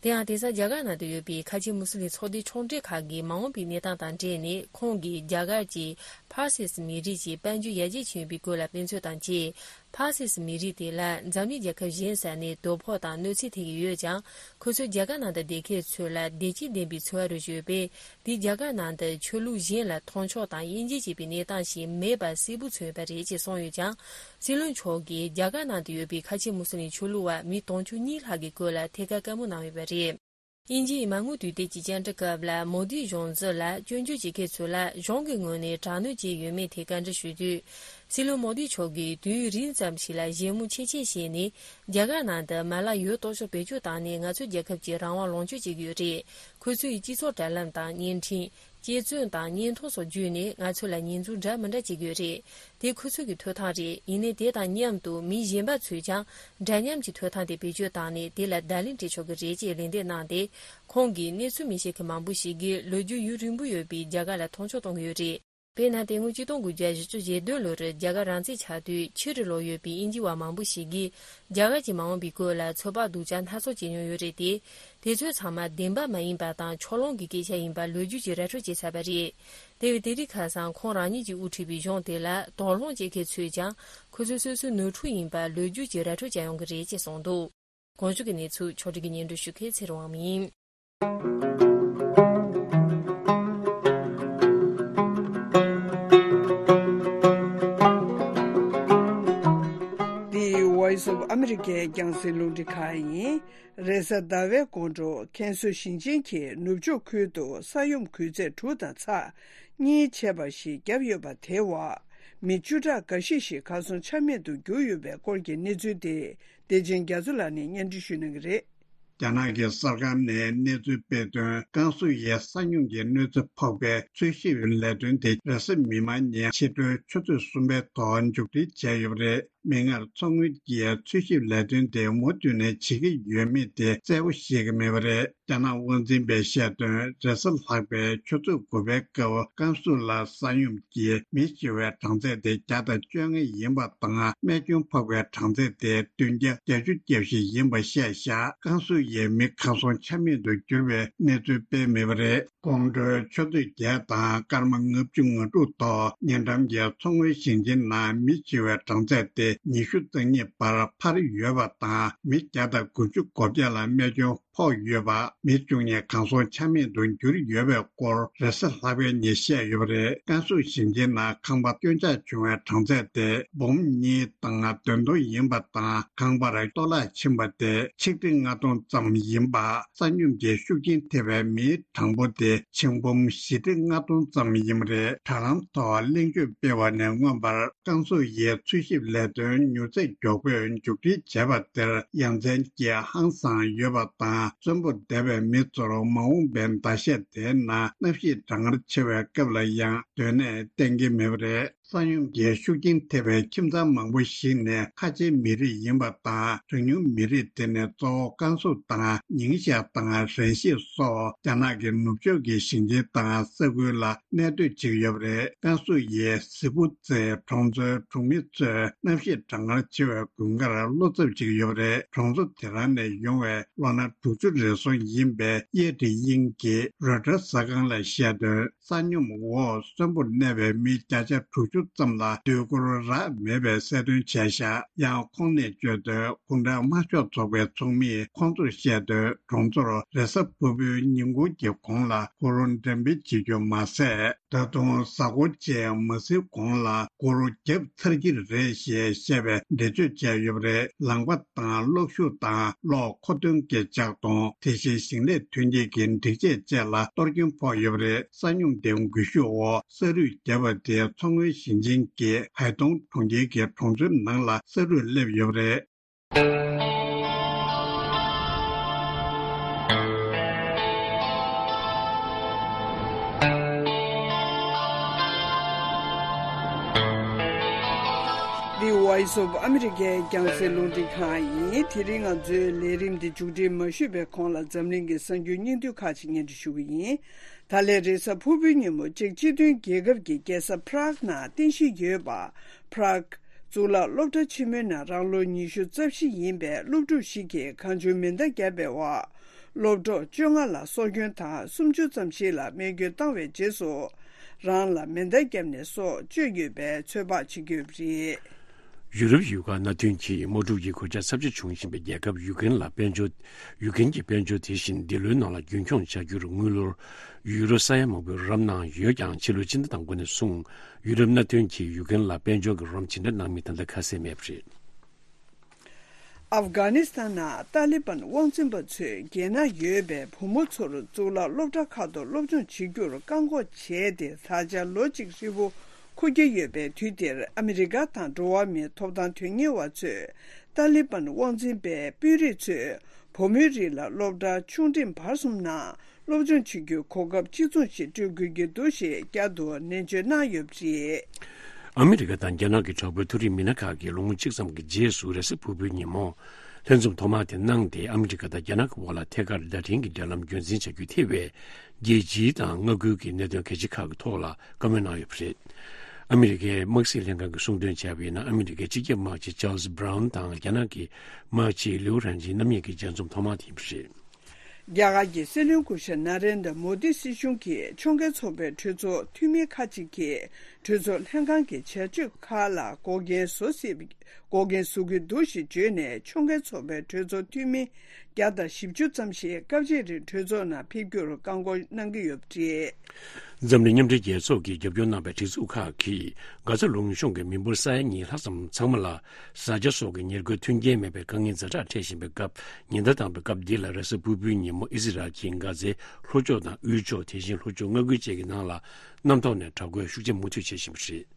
དེ་ཡང་། དེང་སང་རྒྱ་གར་ནང་དུ་ཡོད་པའི་ཁ་ཆེ་མུ་སི་ལིམ་ཚོགས་སྡེ་ཕྱོགས་འབྲེལ་ཁག་གི་མ་འོངས་པའི་གནས་སྟངས་དང་འབྲེལ་ནས། ཁོང་གིས་རྒྱ་གར་གྱིས་ཕར་སི་སི་མི་རིགས་ཀྱི་དཔལ་འབྱོར་ཡར་རྒྱས་ཕྱིན་ཡོད་པའི་སྐོར་ལ་དཔེ་མཚོན་དང་བཅས། ཕར་སི་སི་མི་རིགས་དེ་ལ་འཛམ་གླིང་རྒྱལ་ཁབ་གཞན་ས་ནས་དོ་ཕོག་དང་གནོད་འཚེ་ཐེབས་ཀྱི་ཡོད་ཀྱང་། ཁོ་ཚོས་རྒྱ་གར་ནང་དུ་བསྡད་མཁན་ཚོ་ལ་བདེ་སྐྱིད་ལྡན་པའི་འཚོ་བ་རོལ་བཞིན་ཡོད་པས། དེས་རྒྱ་གར་ནང་དུ་ཆོས་ལུགས་གཞན་ལ་མཐོང་ཕྱོགས་དང་དབྱེ་འབྱེད་བྱེད་པའི་གནས་སྟངས་ཤིག་མེད་པ་གསལ་པོ་མཚོན་ཡོད་པ་རེད་ཅེས་གསུངས་ཡོད་ཀྱང་། སྲིད་བློན་མཆོག་གིས་རྒྱ་གར་ནང་དུ་ཡོད་པའི་ཁ་ཆེ་མུ་སི་ལིམ་ཆོས་ལུགས་པ་མི་དུང་ཕྱུར་གཉིས་ལྷག་གི་སྐོར་ལ་ཐད་ཀར་བཀའ་མོལ་གནང་ཡོད་པ་རེད། དབྱིན་ཇིའི་མ་དངུལ་དུས་དེབ་ཀྱི་བཅར་འདྲི་སྐབས་ལ། མོ་དིའི་གཞུང་འཛིན་ལ་སྐྱོན་བརྗོད་བྱེད་མཁན་ཚོ་ལ་གཞུང་གི་ངོས་ནས་དྲག་གནོན་བྱས་ཡོད་མེད་ཐད་བཀའ་འདྲི་ཞུས་དུས། སྲིད་བློན་མོ་དི་མཆོག་གིས་དུས་ཡུན་རིང་ཙམ་ཞིག་ལ་བཞེས་མོལ་ཆེ་ཆེ་བྱས་ནས། རྒྱ་གར་ནང་དུ་མ་ལག་ཡོད་དོ་ཅོག་བེད་སྤྱོད་བཏང་ནས་ང་ཚོའི་རྒྱལ་ཁབ་ཀྱི་རང་དབང་ལོངས་སྤྱོད་བྱེད་ཀྱི་ཡོད་རེད། ཁོ་ཚོའི་སྤྱི་ཚོགས་དྲ་ལམ་དང་བརྙན་འཕྲིན། དཔྱད་རྩོམ་དང་བརྙན་ཐུང་སོགས་བརྒྱུད་ནས་ང་ཚོ་ལ་ཉེས་འཛུགས་འདྲ་མི་འདྲ་བྱེད་ཀྱི་ཡོད་རེད། དེ་ཁོ་ཚོ་གི་ཐོབ་ཐང་རེད། ཡིན་ནའི་དེ་དང་མཉམ་དུ་མི་གཞན་པ་ཚོས་ཀྱང་འདྲ་མཉམ་གྱི་ཐོབ་ཐང་དེ་བེད་སྤྱོད་བཏང་ནས་དེ་ལ་བརྡ་ལན་སྤྲད་ཆོག་གི་རེད་ཅེས་ལན་འདེབས་གནང་སྟེ། ཁོང་གིས་གནས་ཚུལ་མི་ཤེས་མཁན་མང་པོ་ཞིག་གིས་ལོ་རྒྱུས་ཡུན་རིང་པོ་ཡོད་པའི་རྒྱ་གར་ལ་མཐོང་ཕྱོགས་གཏོང་གི་ཡོད་རེད། དཔེར་ན། དེ་སྔོན་ཆིག་སྟོང་དགུ་བརྒྱ་བཞི་བཅུ་ཞེ་བདུན་ལོར་རྒྱ་གར་རང་བཙན་ཆགས་དུས་ཕྱི་རུ་ལོག་ཡོད་པའི་དབྱིན་ཇི་བ་མང་པོ་ཞིག་གིས་རྒྱ་གར་གྱི་མ་འོངས་པའི་སྐོར་ལ་ཚོད་དཔག་སྡུག་ཅག་སྣ་ཚོགས་བྱེད་མྱོང་ཡོད་རེད་དེ། དེ་ཚོ་ཚང་མ་བདེན་པ་མ་ཡིན་པ་དང་ཕྱོགས་ལྷུང་གི་སྐད་ཆ་ཡིན་པ་ལོ་རྒྱུས་ཀྱིས་ར་སྤྲོད་བྱས་ཚར་བ་རེད། དེ་བས་དེ་རིང་ཁ་སང་ཁོང་རང་ཉིད་ཀྱིས་དབུ་ཁྲིད་པའི་གཞུང་དེ་ལ་དོགས་སློང་བྱེད་མཁན་ཚོས་ཀྱང་ཁོ་ཚོ་སོ་སོའི་ནོར་འཁྲུལ་ཡིན་པ་ལོ་རྒྱུས་ཀྱིས་ར་སྤྲོད་བྱ་ཡོང་གི་རེད་ཅེས་གསུངས་འདུག་གོང་བརྗོད་ཀྱི་གནས་ཚུལ་ཕྱོགས་སྒྲིག་གིས་སྙན་སྒྲོན་ཞུ་མཁན་ཚེ་རིང་དབང་མོ་ཡིན། འདི་Voice of America་རྒྱང་སྲིང་རླུང་འཕྲིན་ཁང་ཡིན། རེས་གཟའ་ཟླ་བའི་དགོང་དྲོ་ཁེ་སོ་ཞིང་ཆེན་གྱི་ནུབ་ཕྱོགས་ཁུལ་དུ་ས་ཡོམ་སྐུལ་ཚད་དྲུག་དང་ཚེག་གཉིས་ཆེ་བ་ཞིག་བརྒྱབ་ཡོད་པ་དེའི་འོག་མི་བཅུ་ཕྲག་འགའ་ཤས་ཤིག་གར་སོང་ཆ་མེད་དུ་གྱུར་ཡོད་པའི་སྐོར་གྱི་གནས་ཚུལ་དེ་བདེ་ཆེན་རྒྱ་མཚོ་ལགས་ནས་སྙན་སྒྲོན་ཞུ་གནང་གི་རེད། རྒྱ་ནག་གི་གསར་ཁང་ནས་གནས་ཚུལ་སྤེལ་དོན། ཀན་སུའུ་ཡའི་ས་སྙོམས་ཀྱི་གནོད་འཚེ་ཕོག་པའི་འཚོལ་ཞིབ་ལས་དོན་དེ་རེས་གཟའ་མིག་དམར་ཉིན་ཕྱི་དྲོའི་ཆུ་ཚོད་གསུམ་པའི་ཐོག་མཇུག་སྒྲིལ་བྱས་ཡོད་པ་རེད། མིག་སྔར་མཚོ་སྔོན་གྱི་འཚོལ་ཞིབ་ལས་དོན་དེ་མུ་མཐུད་ནས་བྱེད་ཀྱི་ཡོད་མེད་དེ་གསལ་པོ་ཤེས་ཀྱི་མེད་པ་རེད། རྒྱ་ནག་དབང་འཛིན་པས་བཤད་དོན། རེས་གཟའ་ལྷག་པའི་ཆུ་ཚོད་དགུ་པའི་སྐབས་ཀན་སུའུ་ལ་ས་སྙོམས་ཀྱིས་མེ་ཤི་བའི་གྲངས་ཚད་དེ་བརྒྱ་དང་བཅོ་ལྔ་ཡིན་པ་དང་། རྨས་སྐྱོན་ཕོག་པའི་གྲངས་ཚད་དེ་བདུན་བརྒྱ་བརྒྱད་ཅུ་གྱ་བཞི་ཡིན་པ་བཤད་བཞག་ཀན་སུའུ་ཡའི་མི་གང་སོང་ཆ་མེད་དུ་གྱུར་བའི་གནས་ཚུལ་སྤེལ་མེད་པ་རེད། དགོང་དྲོའི་ཆུ་ཚོད་བརྒྱད་དང་སྐར་མ་ལྔ་བཅུ་ང་དྲུག་ཐོག་ཉེ་འགྲམ་གྱི་མཚོ་སྔོན་ཞིང་ཆེན་ནང་མེ་ཤི་བའི་གྲངས་ཚད་དེ་ཉི་ཤུ་རྩ་གཉིས་བར་འཕར་ཡོད་པ་དང་། མི་བརྒྱ་དང་དགུ་བཅུ་གོ་བརྒྱད་ལ་རྨས་སྐྱོན་ཕོག་ཡོད་པ། མི་བཅུ་གཉིས་གང་སོང་ཆ་མེད་དུ་གྱུར་ཡོད་པའི་སྐོར། རེས་གཟའ་ལྷག་པའི་ཉིན་བཤད་ཡོད་པ་རེད། ཀན་སུའུ་ཞིང་ཆེན་ནང་ཁང་པ་སྐྱོན་ཆག་བྱུང་བའི་གྲངས་ཚད་དེ་འབུམ་གཉིས་དང་བདུན་སྟོང་ཡིན་པ་དང་། ཁང་པར་གཏོར་བརླག་ཕྱིན་པ་དེ་ཆིག་ཁྲི་ལྔ་སྟོང་ཙམ་ཡིན་པ། ས་སྙོམས་ཀྱི་ཤུགས་རྐྱེན་ཐེབས་པའི་མིའི་གྲངས་འབོར་དེ་ཆིག་འབུམ་བཞི་ཁྲི་ལྔ་སྟོང་ཙམ་ཡིན་པ་རེད། དྲ་ལམ་ཐོག་གླེང་བརྗོད་སྤེལ་བ་ནས་མངོན་པར། ཀན་སུའུ་ཡའི་འཚོལ་ཞིབ་ལས་དོན་མྱུར་ཚད་མགྱོགས་པོས་མཇུག་སྒྲིལ་བྱས་པ་དེར་ཡ་མཚན་གྱིས་ཧང་སངས་ཡོད་པ་དང་། གསོན་པོར་བསྡད་པའི་མི་ཚོར་མ་འོངས་པའི་ཟླ་ཤས་དེའི་ནང་གནམ་གཤིས་གྲང་ངར་ཆེ་བའི་སྐབས་ལ་ཡང་སྡོད་གནས་གཏན་འཁེལ་མེད་པ་རེད། ས་སྙོམས་ཀྱི་ཤུགས་རྐྱེན་ཐེབས་པའི་ཁྱིམ་ཚང་མང་པོ་ཞིག་ནི་ཁ་ཆེའི་མི་རིགས་ཡིན་པ་དང་། གྲངས་ཉུང་མི་རིགས་དེ་ནི་གཙོ་བོ་ཀན་སུའུ་དང་ཉིང་ཞའེ་དང་རེན་ཤི་སོགས་རྒྱ་ནག་གི་ནུབ་ཕྱོགས་ཀྱི་ཞིང་ཆེན་དང་ས་ཁུལ་ལ་གནས་སྡོད་བྱེད་ཀྱི་ཡོད་པ་རེད། ཀན་སུའུ་ཡི་ཟི་ཕུ་ཙེ་གྲོང་ཚོའི་གྲོང་མི་ཚོས་གནམ་གཤིས་གྲང་ངར་ཆེ་བའི་དགུན་ཁར་བློ་འཚབ་བྱེད་ཀྱི་ཡོད་པ་རེད། གྲོང་ཚོ་དེ་རང་ནས་ཡོང་བའི་ལོ་ན་དྲུག་ཅུ་རེ་ཟུང་ཡིན་པའི་ཡེ་ཀྲི་དབྱིང་གིས་རོའི་ཊར་གསར་ཁང་ལ་བཤད་དོན། ས་སྙོམས་འོག་གསོན་པོར་གནས་པའི་མི་བརྒྱ་ཆ་དྲུག་ཅུ་ཙམ་ལ་སྡོད་གུར་རག་མེད་པའི་གསལ་སྟོན་བྱས་ཤག་ཡང་ཁོང་ནས་བརྗོད་དོན། གུང་ཁྲན་དམར་ཤོག་ཚོགས་པའི་ཚོགས་མིས་ཁོང་ཚོར་བཤད་དོན། གྲོང་ཚོར་རེས་གཟའ་ཕུར་བུའི་ཉིན་གུང་གི་གོང་ལ་གུར་འགྲེམས་སྤེལ་བྱེད་རྒྱུ་མ་ཟད། ད་དུང་གཟའ་འཁོར་བཅས་མ་ཟིན་གོང་ལ་གུར་བརྒྱབ་ཚར་གྱི་རེད་ཞེས་བཤད་པའི་འགྲེལ་བརྗོད་བྱས་ཡོད་པ་རེད། ལམ་ཁ་དང་གློག་ཤུགས་དང་གློག་མཁོ་འདོན་གྱི་ལྕགས་དོང་། དེ་བཞིན་ཞིང་ལས་ཐོན་སྐྱེད་ཀྱི་སྒྲིག་ཆས་བཅས་ལ་གཏོར་སྐྱོན་ཕོག་ཡོད་པ་རེད། ས་སྙོམས་དེ་འགུལ་ཤུགས་འོག་ས་རུད་བརྒྱབ་པ་དེ་མཚོ་སྔོན་ཞིང་ཆེན་གྱི་ཧའེ་ཏུང་གྲོང་ཁྱེར་གྱི་གྲོང་ཚོའི་ནང་ལ་ས་རུད་སླེབས་ཡོད་པ་རེད། The Voice of America རྒྱང་སྲིང་རླུང་འཕྲིན་ཁང་ཡིན། དེ་རིང་ང་ཚོའི་ལས་རིམ་འདི་མཇུག་སྒྲིལ་མ་ཞུས་པའི་གོང་ལ་འཛམ་གླིང་གི་གསར་འགྱུར་སྙིང་བསྡུས་ཁག་ཅིག་སྙན་སྒྲོན་ཞུ་གི་ཡིན། ད་ལན་རེས་གཟའ་ཕུར་བུའི་ཉིན་མོ་ཅེཀ་སྤྱི་མཐུན་རྒྱལ་ཁབ་ཀྱི་རྒྱལ་ས་Prague ནང་རྟེན་གཞི་ཡོད་པ། Prague གཙུག་ལག་སློབ་གྲྭ་ཆེན་མོའི་ནང་རང་ལོ་ཉི་ཤུ་རྩ་བཞི་ཡིན་པའི་སློབ་ཕྲུག་ཞིག་གིས་གང་བྱུང་མེ་མདའ་བརྒྱབ་པའི་འོག་སློབ་གྲོགས་བཅོ་ལྔ་ལ་སྲོག་སྐྱོན་དང་། སུམ་ཅུ་ཙམ་ཞིག་ལ་རྨས་སྐྱོན་བཏང་བའི་རྗེས་སུ། རང་ལ་མེ་མདའ་བརྒྱབ་ནས་སྲོག་གཅོད་ཡོད་པའི་ཚོད་དཔག་བྱེད་ཀྱི་ཡོད་པ་རེད། ཡུ་རོབ་ཡུལ་ཁག་མནའ་མཐུན་གྱིས་དམག་འཁྲུག་གི་གོད་ཆག་ཚབས་ཆེ་བྱུང་བཞིན་པའི་རྒྱལ་ཁབ་ཡུ་ཀེན་ལ་དཔལ་འབྱོར། ཡུ་ཀེན་གྱི་དཔལ་འབྱོར་དེ་བཞིན་འདི་ལོའི་ནང་ལ་རྒྱུན་འཁྱོངས་བྱ་རྒྱུར་དངུལ་ལོར་ཡུ་རོ་ས་ཡ་མང་པོའི་རོགས་རམ་གནང་ཡོད་ཀྱང་། ཕྱི་ལོའི་ཕྱི་ཟླ་དང་པོ་ནས་བཟུང་ཡུ་རོབ་མནའ་མཐུན་གྱིས་ཡུ་ཀེན་ལ་དཔལ་འབྱོར་གྱི་རོགས་རམ་ཇི་འདྲ་གནང་མིན་ད་ལྟ་ཁ་གསལ་མེད་པ་རེད། ཨབ་གྷ་ནི་སི་ཐན་ནང་ཏཱ་ལི་བན་དབང་འཛིན་པ་ཚོས་རྒྱལ་ནང་ཡོད་པའི་བུ་མོ་ཚོར་གཙུག་ལག་སློབ་གྲྭ་ཁག་ཏུ་སློབ་སྦྱོང་བྱེད་རྒྱུར་བཀག་འགོག་བྱས་ཏེ། ད་ཆ་ལོ་གཅིག་ཧྲིལ་པོ་འཁོར་གྱི་ཡོད་པའི་དུས་འདིར། ཨ་མི་རི་ཀ་དང་འགྲོ་བ་མིའི་ཐོབ་ཐང་དོན་གཉེར་བ་ཚོས་ཏཱ་ལི་བན་དབང་འཛིན་པའི་དཔོན་རིགས་ཚོས་བུ་མོའི་རིགས་ལ་སློབ་གྲྭ་ཆུང་འབྲིང་བར་གསུམ་ནང་སློབ་སྦྱོང་བྱེད་རྒྱུའི་གོ་སྐབས་གཅིག་མཚུངས་ཤིག་སྤྲོད་དགོས་ཀྱི་འདུག་ཞེས་བསྐྱར་དུ་ནན་བརྗོད་གནང་ཡོད་པ་རེད། ཨ་མི་རི་ཀ་དང་རྒྱ་ནག་གི་དྲག་པོའི་མཐོ་རིམ་མི་སྣ་ཁག་གིས་ལོ་ངོ་གཅིག་ཙམ་གྱི་རྗེས་སུ་རེས་གཟའ་ཕུར་བུའི་ཉིན་མོ་ལྷན་འཛོམས་ཐོག་མ་དེ་གནང་སྟེ། ཨ་མི་རི་ཀ་དང་རྒྱ་ནག་གི་དབར་ལ་ཐད་ཀར་བརྡ་འཕྲིན་གྱི་འབྲེལ་ལམ་རྒྱུན་འཛིན་བྱ་རྒྱུ་ཐེ་བའི་རྒྱལ་སྤྱིའི་དང་མངའ་ཁུལ་གྱི་གནད་དོན་གལ་ཆེ་ཁག་གི་ཐོག་ལ་བཀའ་མོལ་གནང་ཡོད་པ་རེད། ཨ་མི་རི་ཀའི་དམག་སྲིད་ལྷན་ཁང་གིས་གསུངས་དོན་བྱས་པ་ཡིན་ན། ཨ་མི་རི་ཀའི་སྤྱི་ཁྱབ་དམག་སྤྱི་ཅཱལ་སི་བྷ་རའུན་དང་རྒྱ་ནག་གི་དམག་སྤྱི་ལིའུ་རན་ཇི་རྣམ་གཉིས་ཀྱི་མཇལ་འཛོམས་ཐོག་མ་དེ་ཡིན་པ་རེད། རྒྱ་གར་གྱི་སྲིད་བློན་སྐུ་ཞབས་ན་རེན་དྲ་མོ་དི་སྲིད་གཞུང་གིས་ཕྱོགས་འགལ་ཚོགས་པའི་གྲོས་ཚོགས་འཐུས་མི་ཁག་ཅིག་གིས་གྲོས་ཚོགས་ལྷན་ཁང་གི་བྱ་སྤྱོད་ཁག་ལ་འགོག་རྐྱེན་བཟོ་སྲིད། འགོག་རྐྱེན་བཟོ་གི་འདུག་ཞེས་བརྗོད་ནས། ཕྱོགས་འགལ་ཚོགས་པའི་གྲོས་ཚོགས་འཐུས་མི་བརྒྱ་དང་བཞི་བཅུ་ཙམ་ཞིག་སྐབས་གཅིག་རིང་གྲོས་ཚོགས་ནང་ཕེབས་རྒྱུར་བཀག་འགོག་གནང་གི་ཡོད་པ་རེད། འཛམ་གླིང་མཉམ་འབྲེལ་རྒྱལ་ཚོགས་ཀྱིས་རྒྱབ་སྐྱོར་གནང་བའི་སྒྲིག་འཛུགས་ཁག་གིས་གྷ་ཛ་ལུང་གཤོང་གི་མི་འབོར་ས་ཡ་གཉིས་ལྷག་ཙམ་ཚང་མ་ལ་བཟའ་བཅའ་སོགས་ཀྱི་ཉེར་མཁོའི་མཐུན་རྐྱེན་མེད་པའི་དཀའ་ངལ་ཛ་དྲག་འཕྲད་བཞིན་པའི་སྐབས། ཉིན་ཟླ་དང་པོའི་སྐབས་འདི་ལ་རེས་གཟའ་ཕུར་བུའི་ཉིན་མོ་ཨི་ཟི་རལ་གྱིས་གྷ་ཛའི་ལྷོ་ཕྱོགས་དང་དབུས་ཕྱོགས། དེ་བཞིན་ལྷོ་ཕྱོགས་མངའ་ཁུལ་བཅས་ཀྱི་ནང་ལ་གནམ་ཐོག་ནས་དྲག་རྒོལ་ཤུགས་ཆེ་མུ་མཐུད་བྱེད་བཞིན་པ་རེད།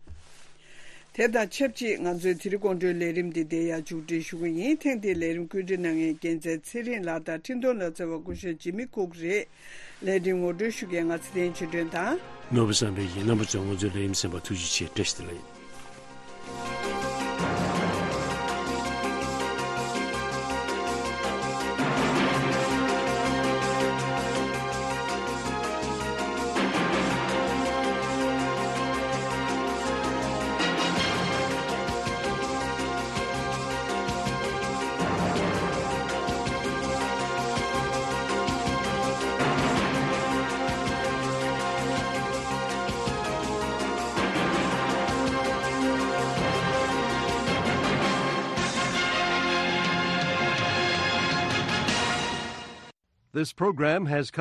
དེ་དང་ཆབས་ཅིག་ང་ཚོའི་དེ་རིང་དགོང་དྲོའི་ལས་རིམ་འདི་འདིར་ཡང་མཇུག་སྒྲིལ་ཞུ་གི་ཡིན། ཐེངས་འདིའི་ལས་རིམ་བཀོད་སྒྲིག་གནང་མཁན་རྒྱལ་མཚན་ཚེ་རིང་ལགས་དང་འཕྲིན་གཏོང་ལག་རྩལ་བ་སྐུ་ཞབས་ཇི་མི་ཁུག་རེད། ལས་རིམ་ངོ་སྤྲོད་ཞུ་མཁན་ང་ཚེ་བརྟན་ཆོས་སྒྲོན་དང་། ནོར་བུ་བསམ་འཕེལ་ཡིན། རྣམ་པ་ཚོས་ང་ཚོའི་ལས་རིམ་གསན་པར་ཐུགས་རྗེ་ཆེ། བཀྲ་ཤིས་བདེ་ལེགས། This program has come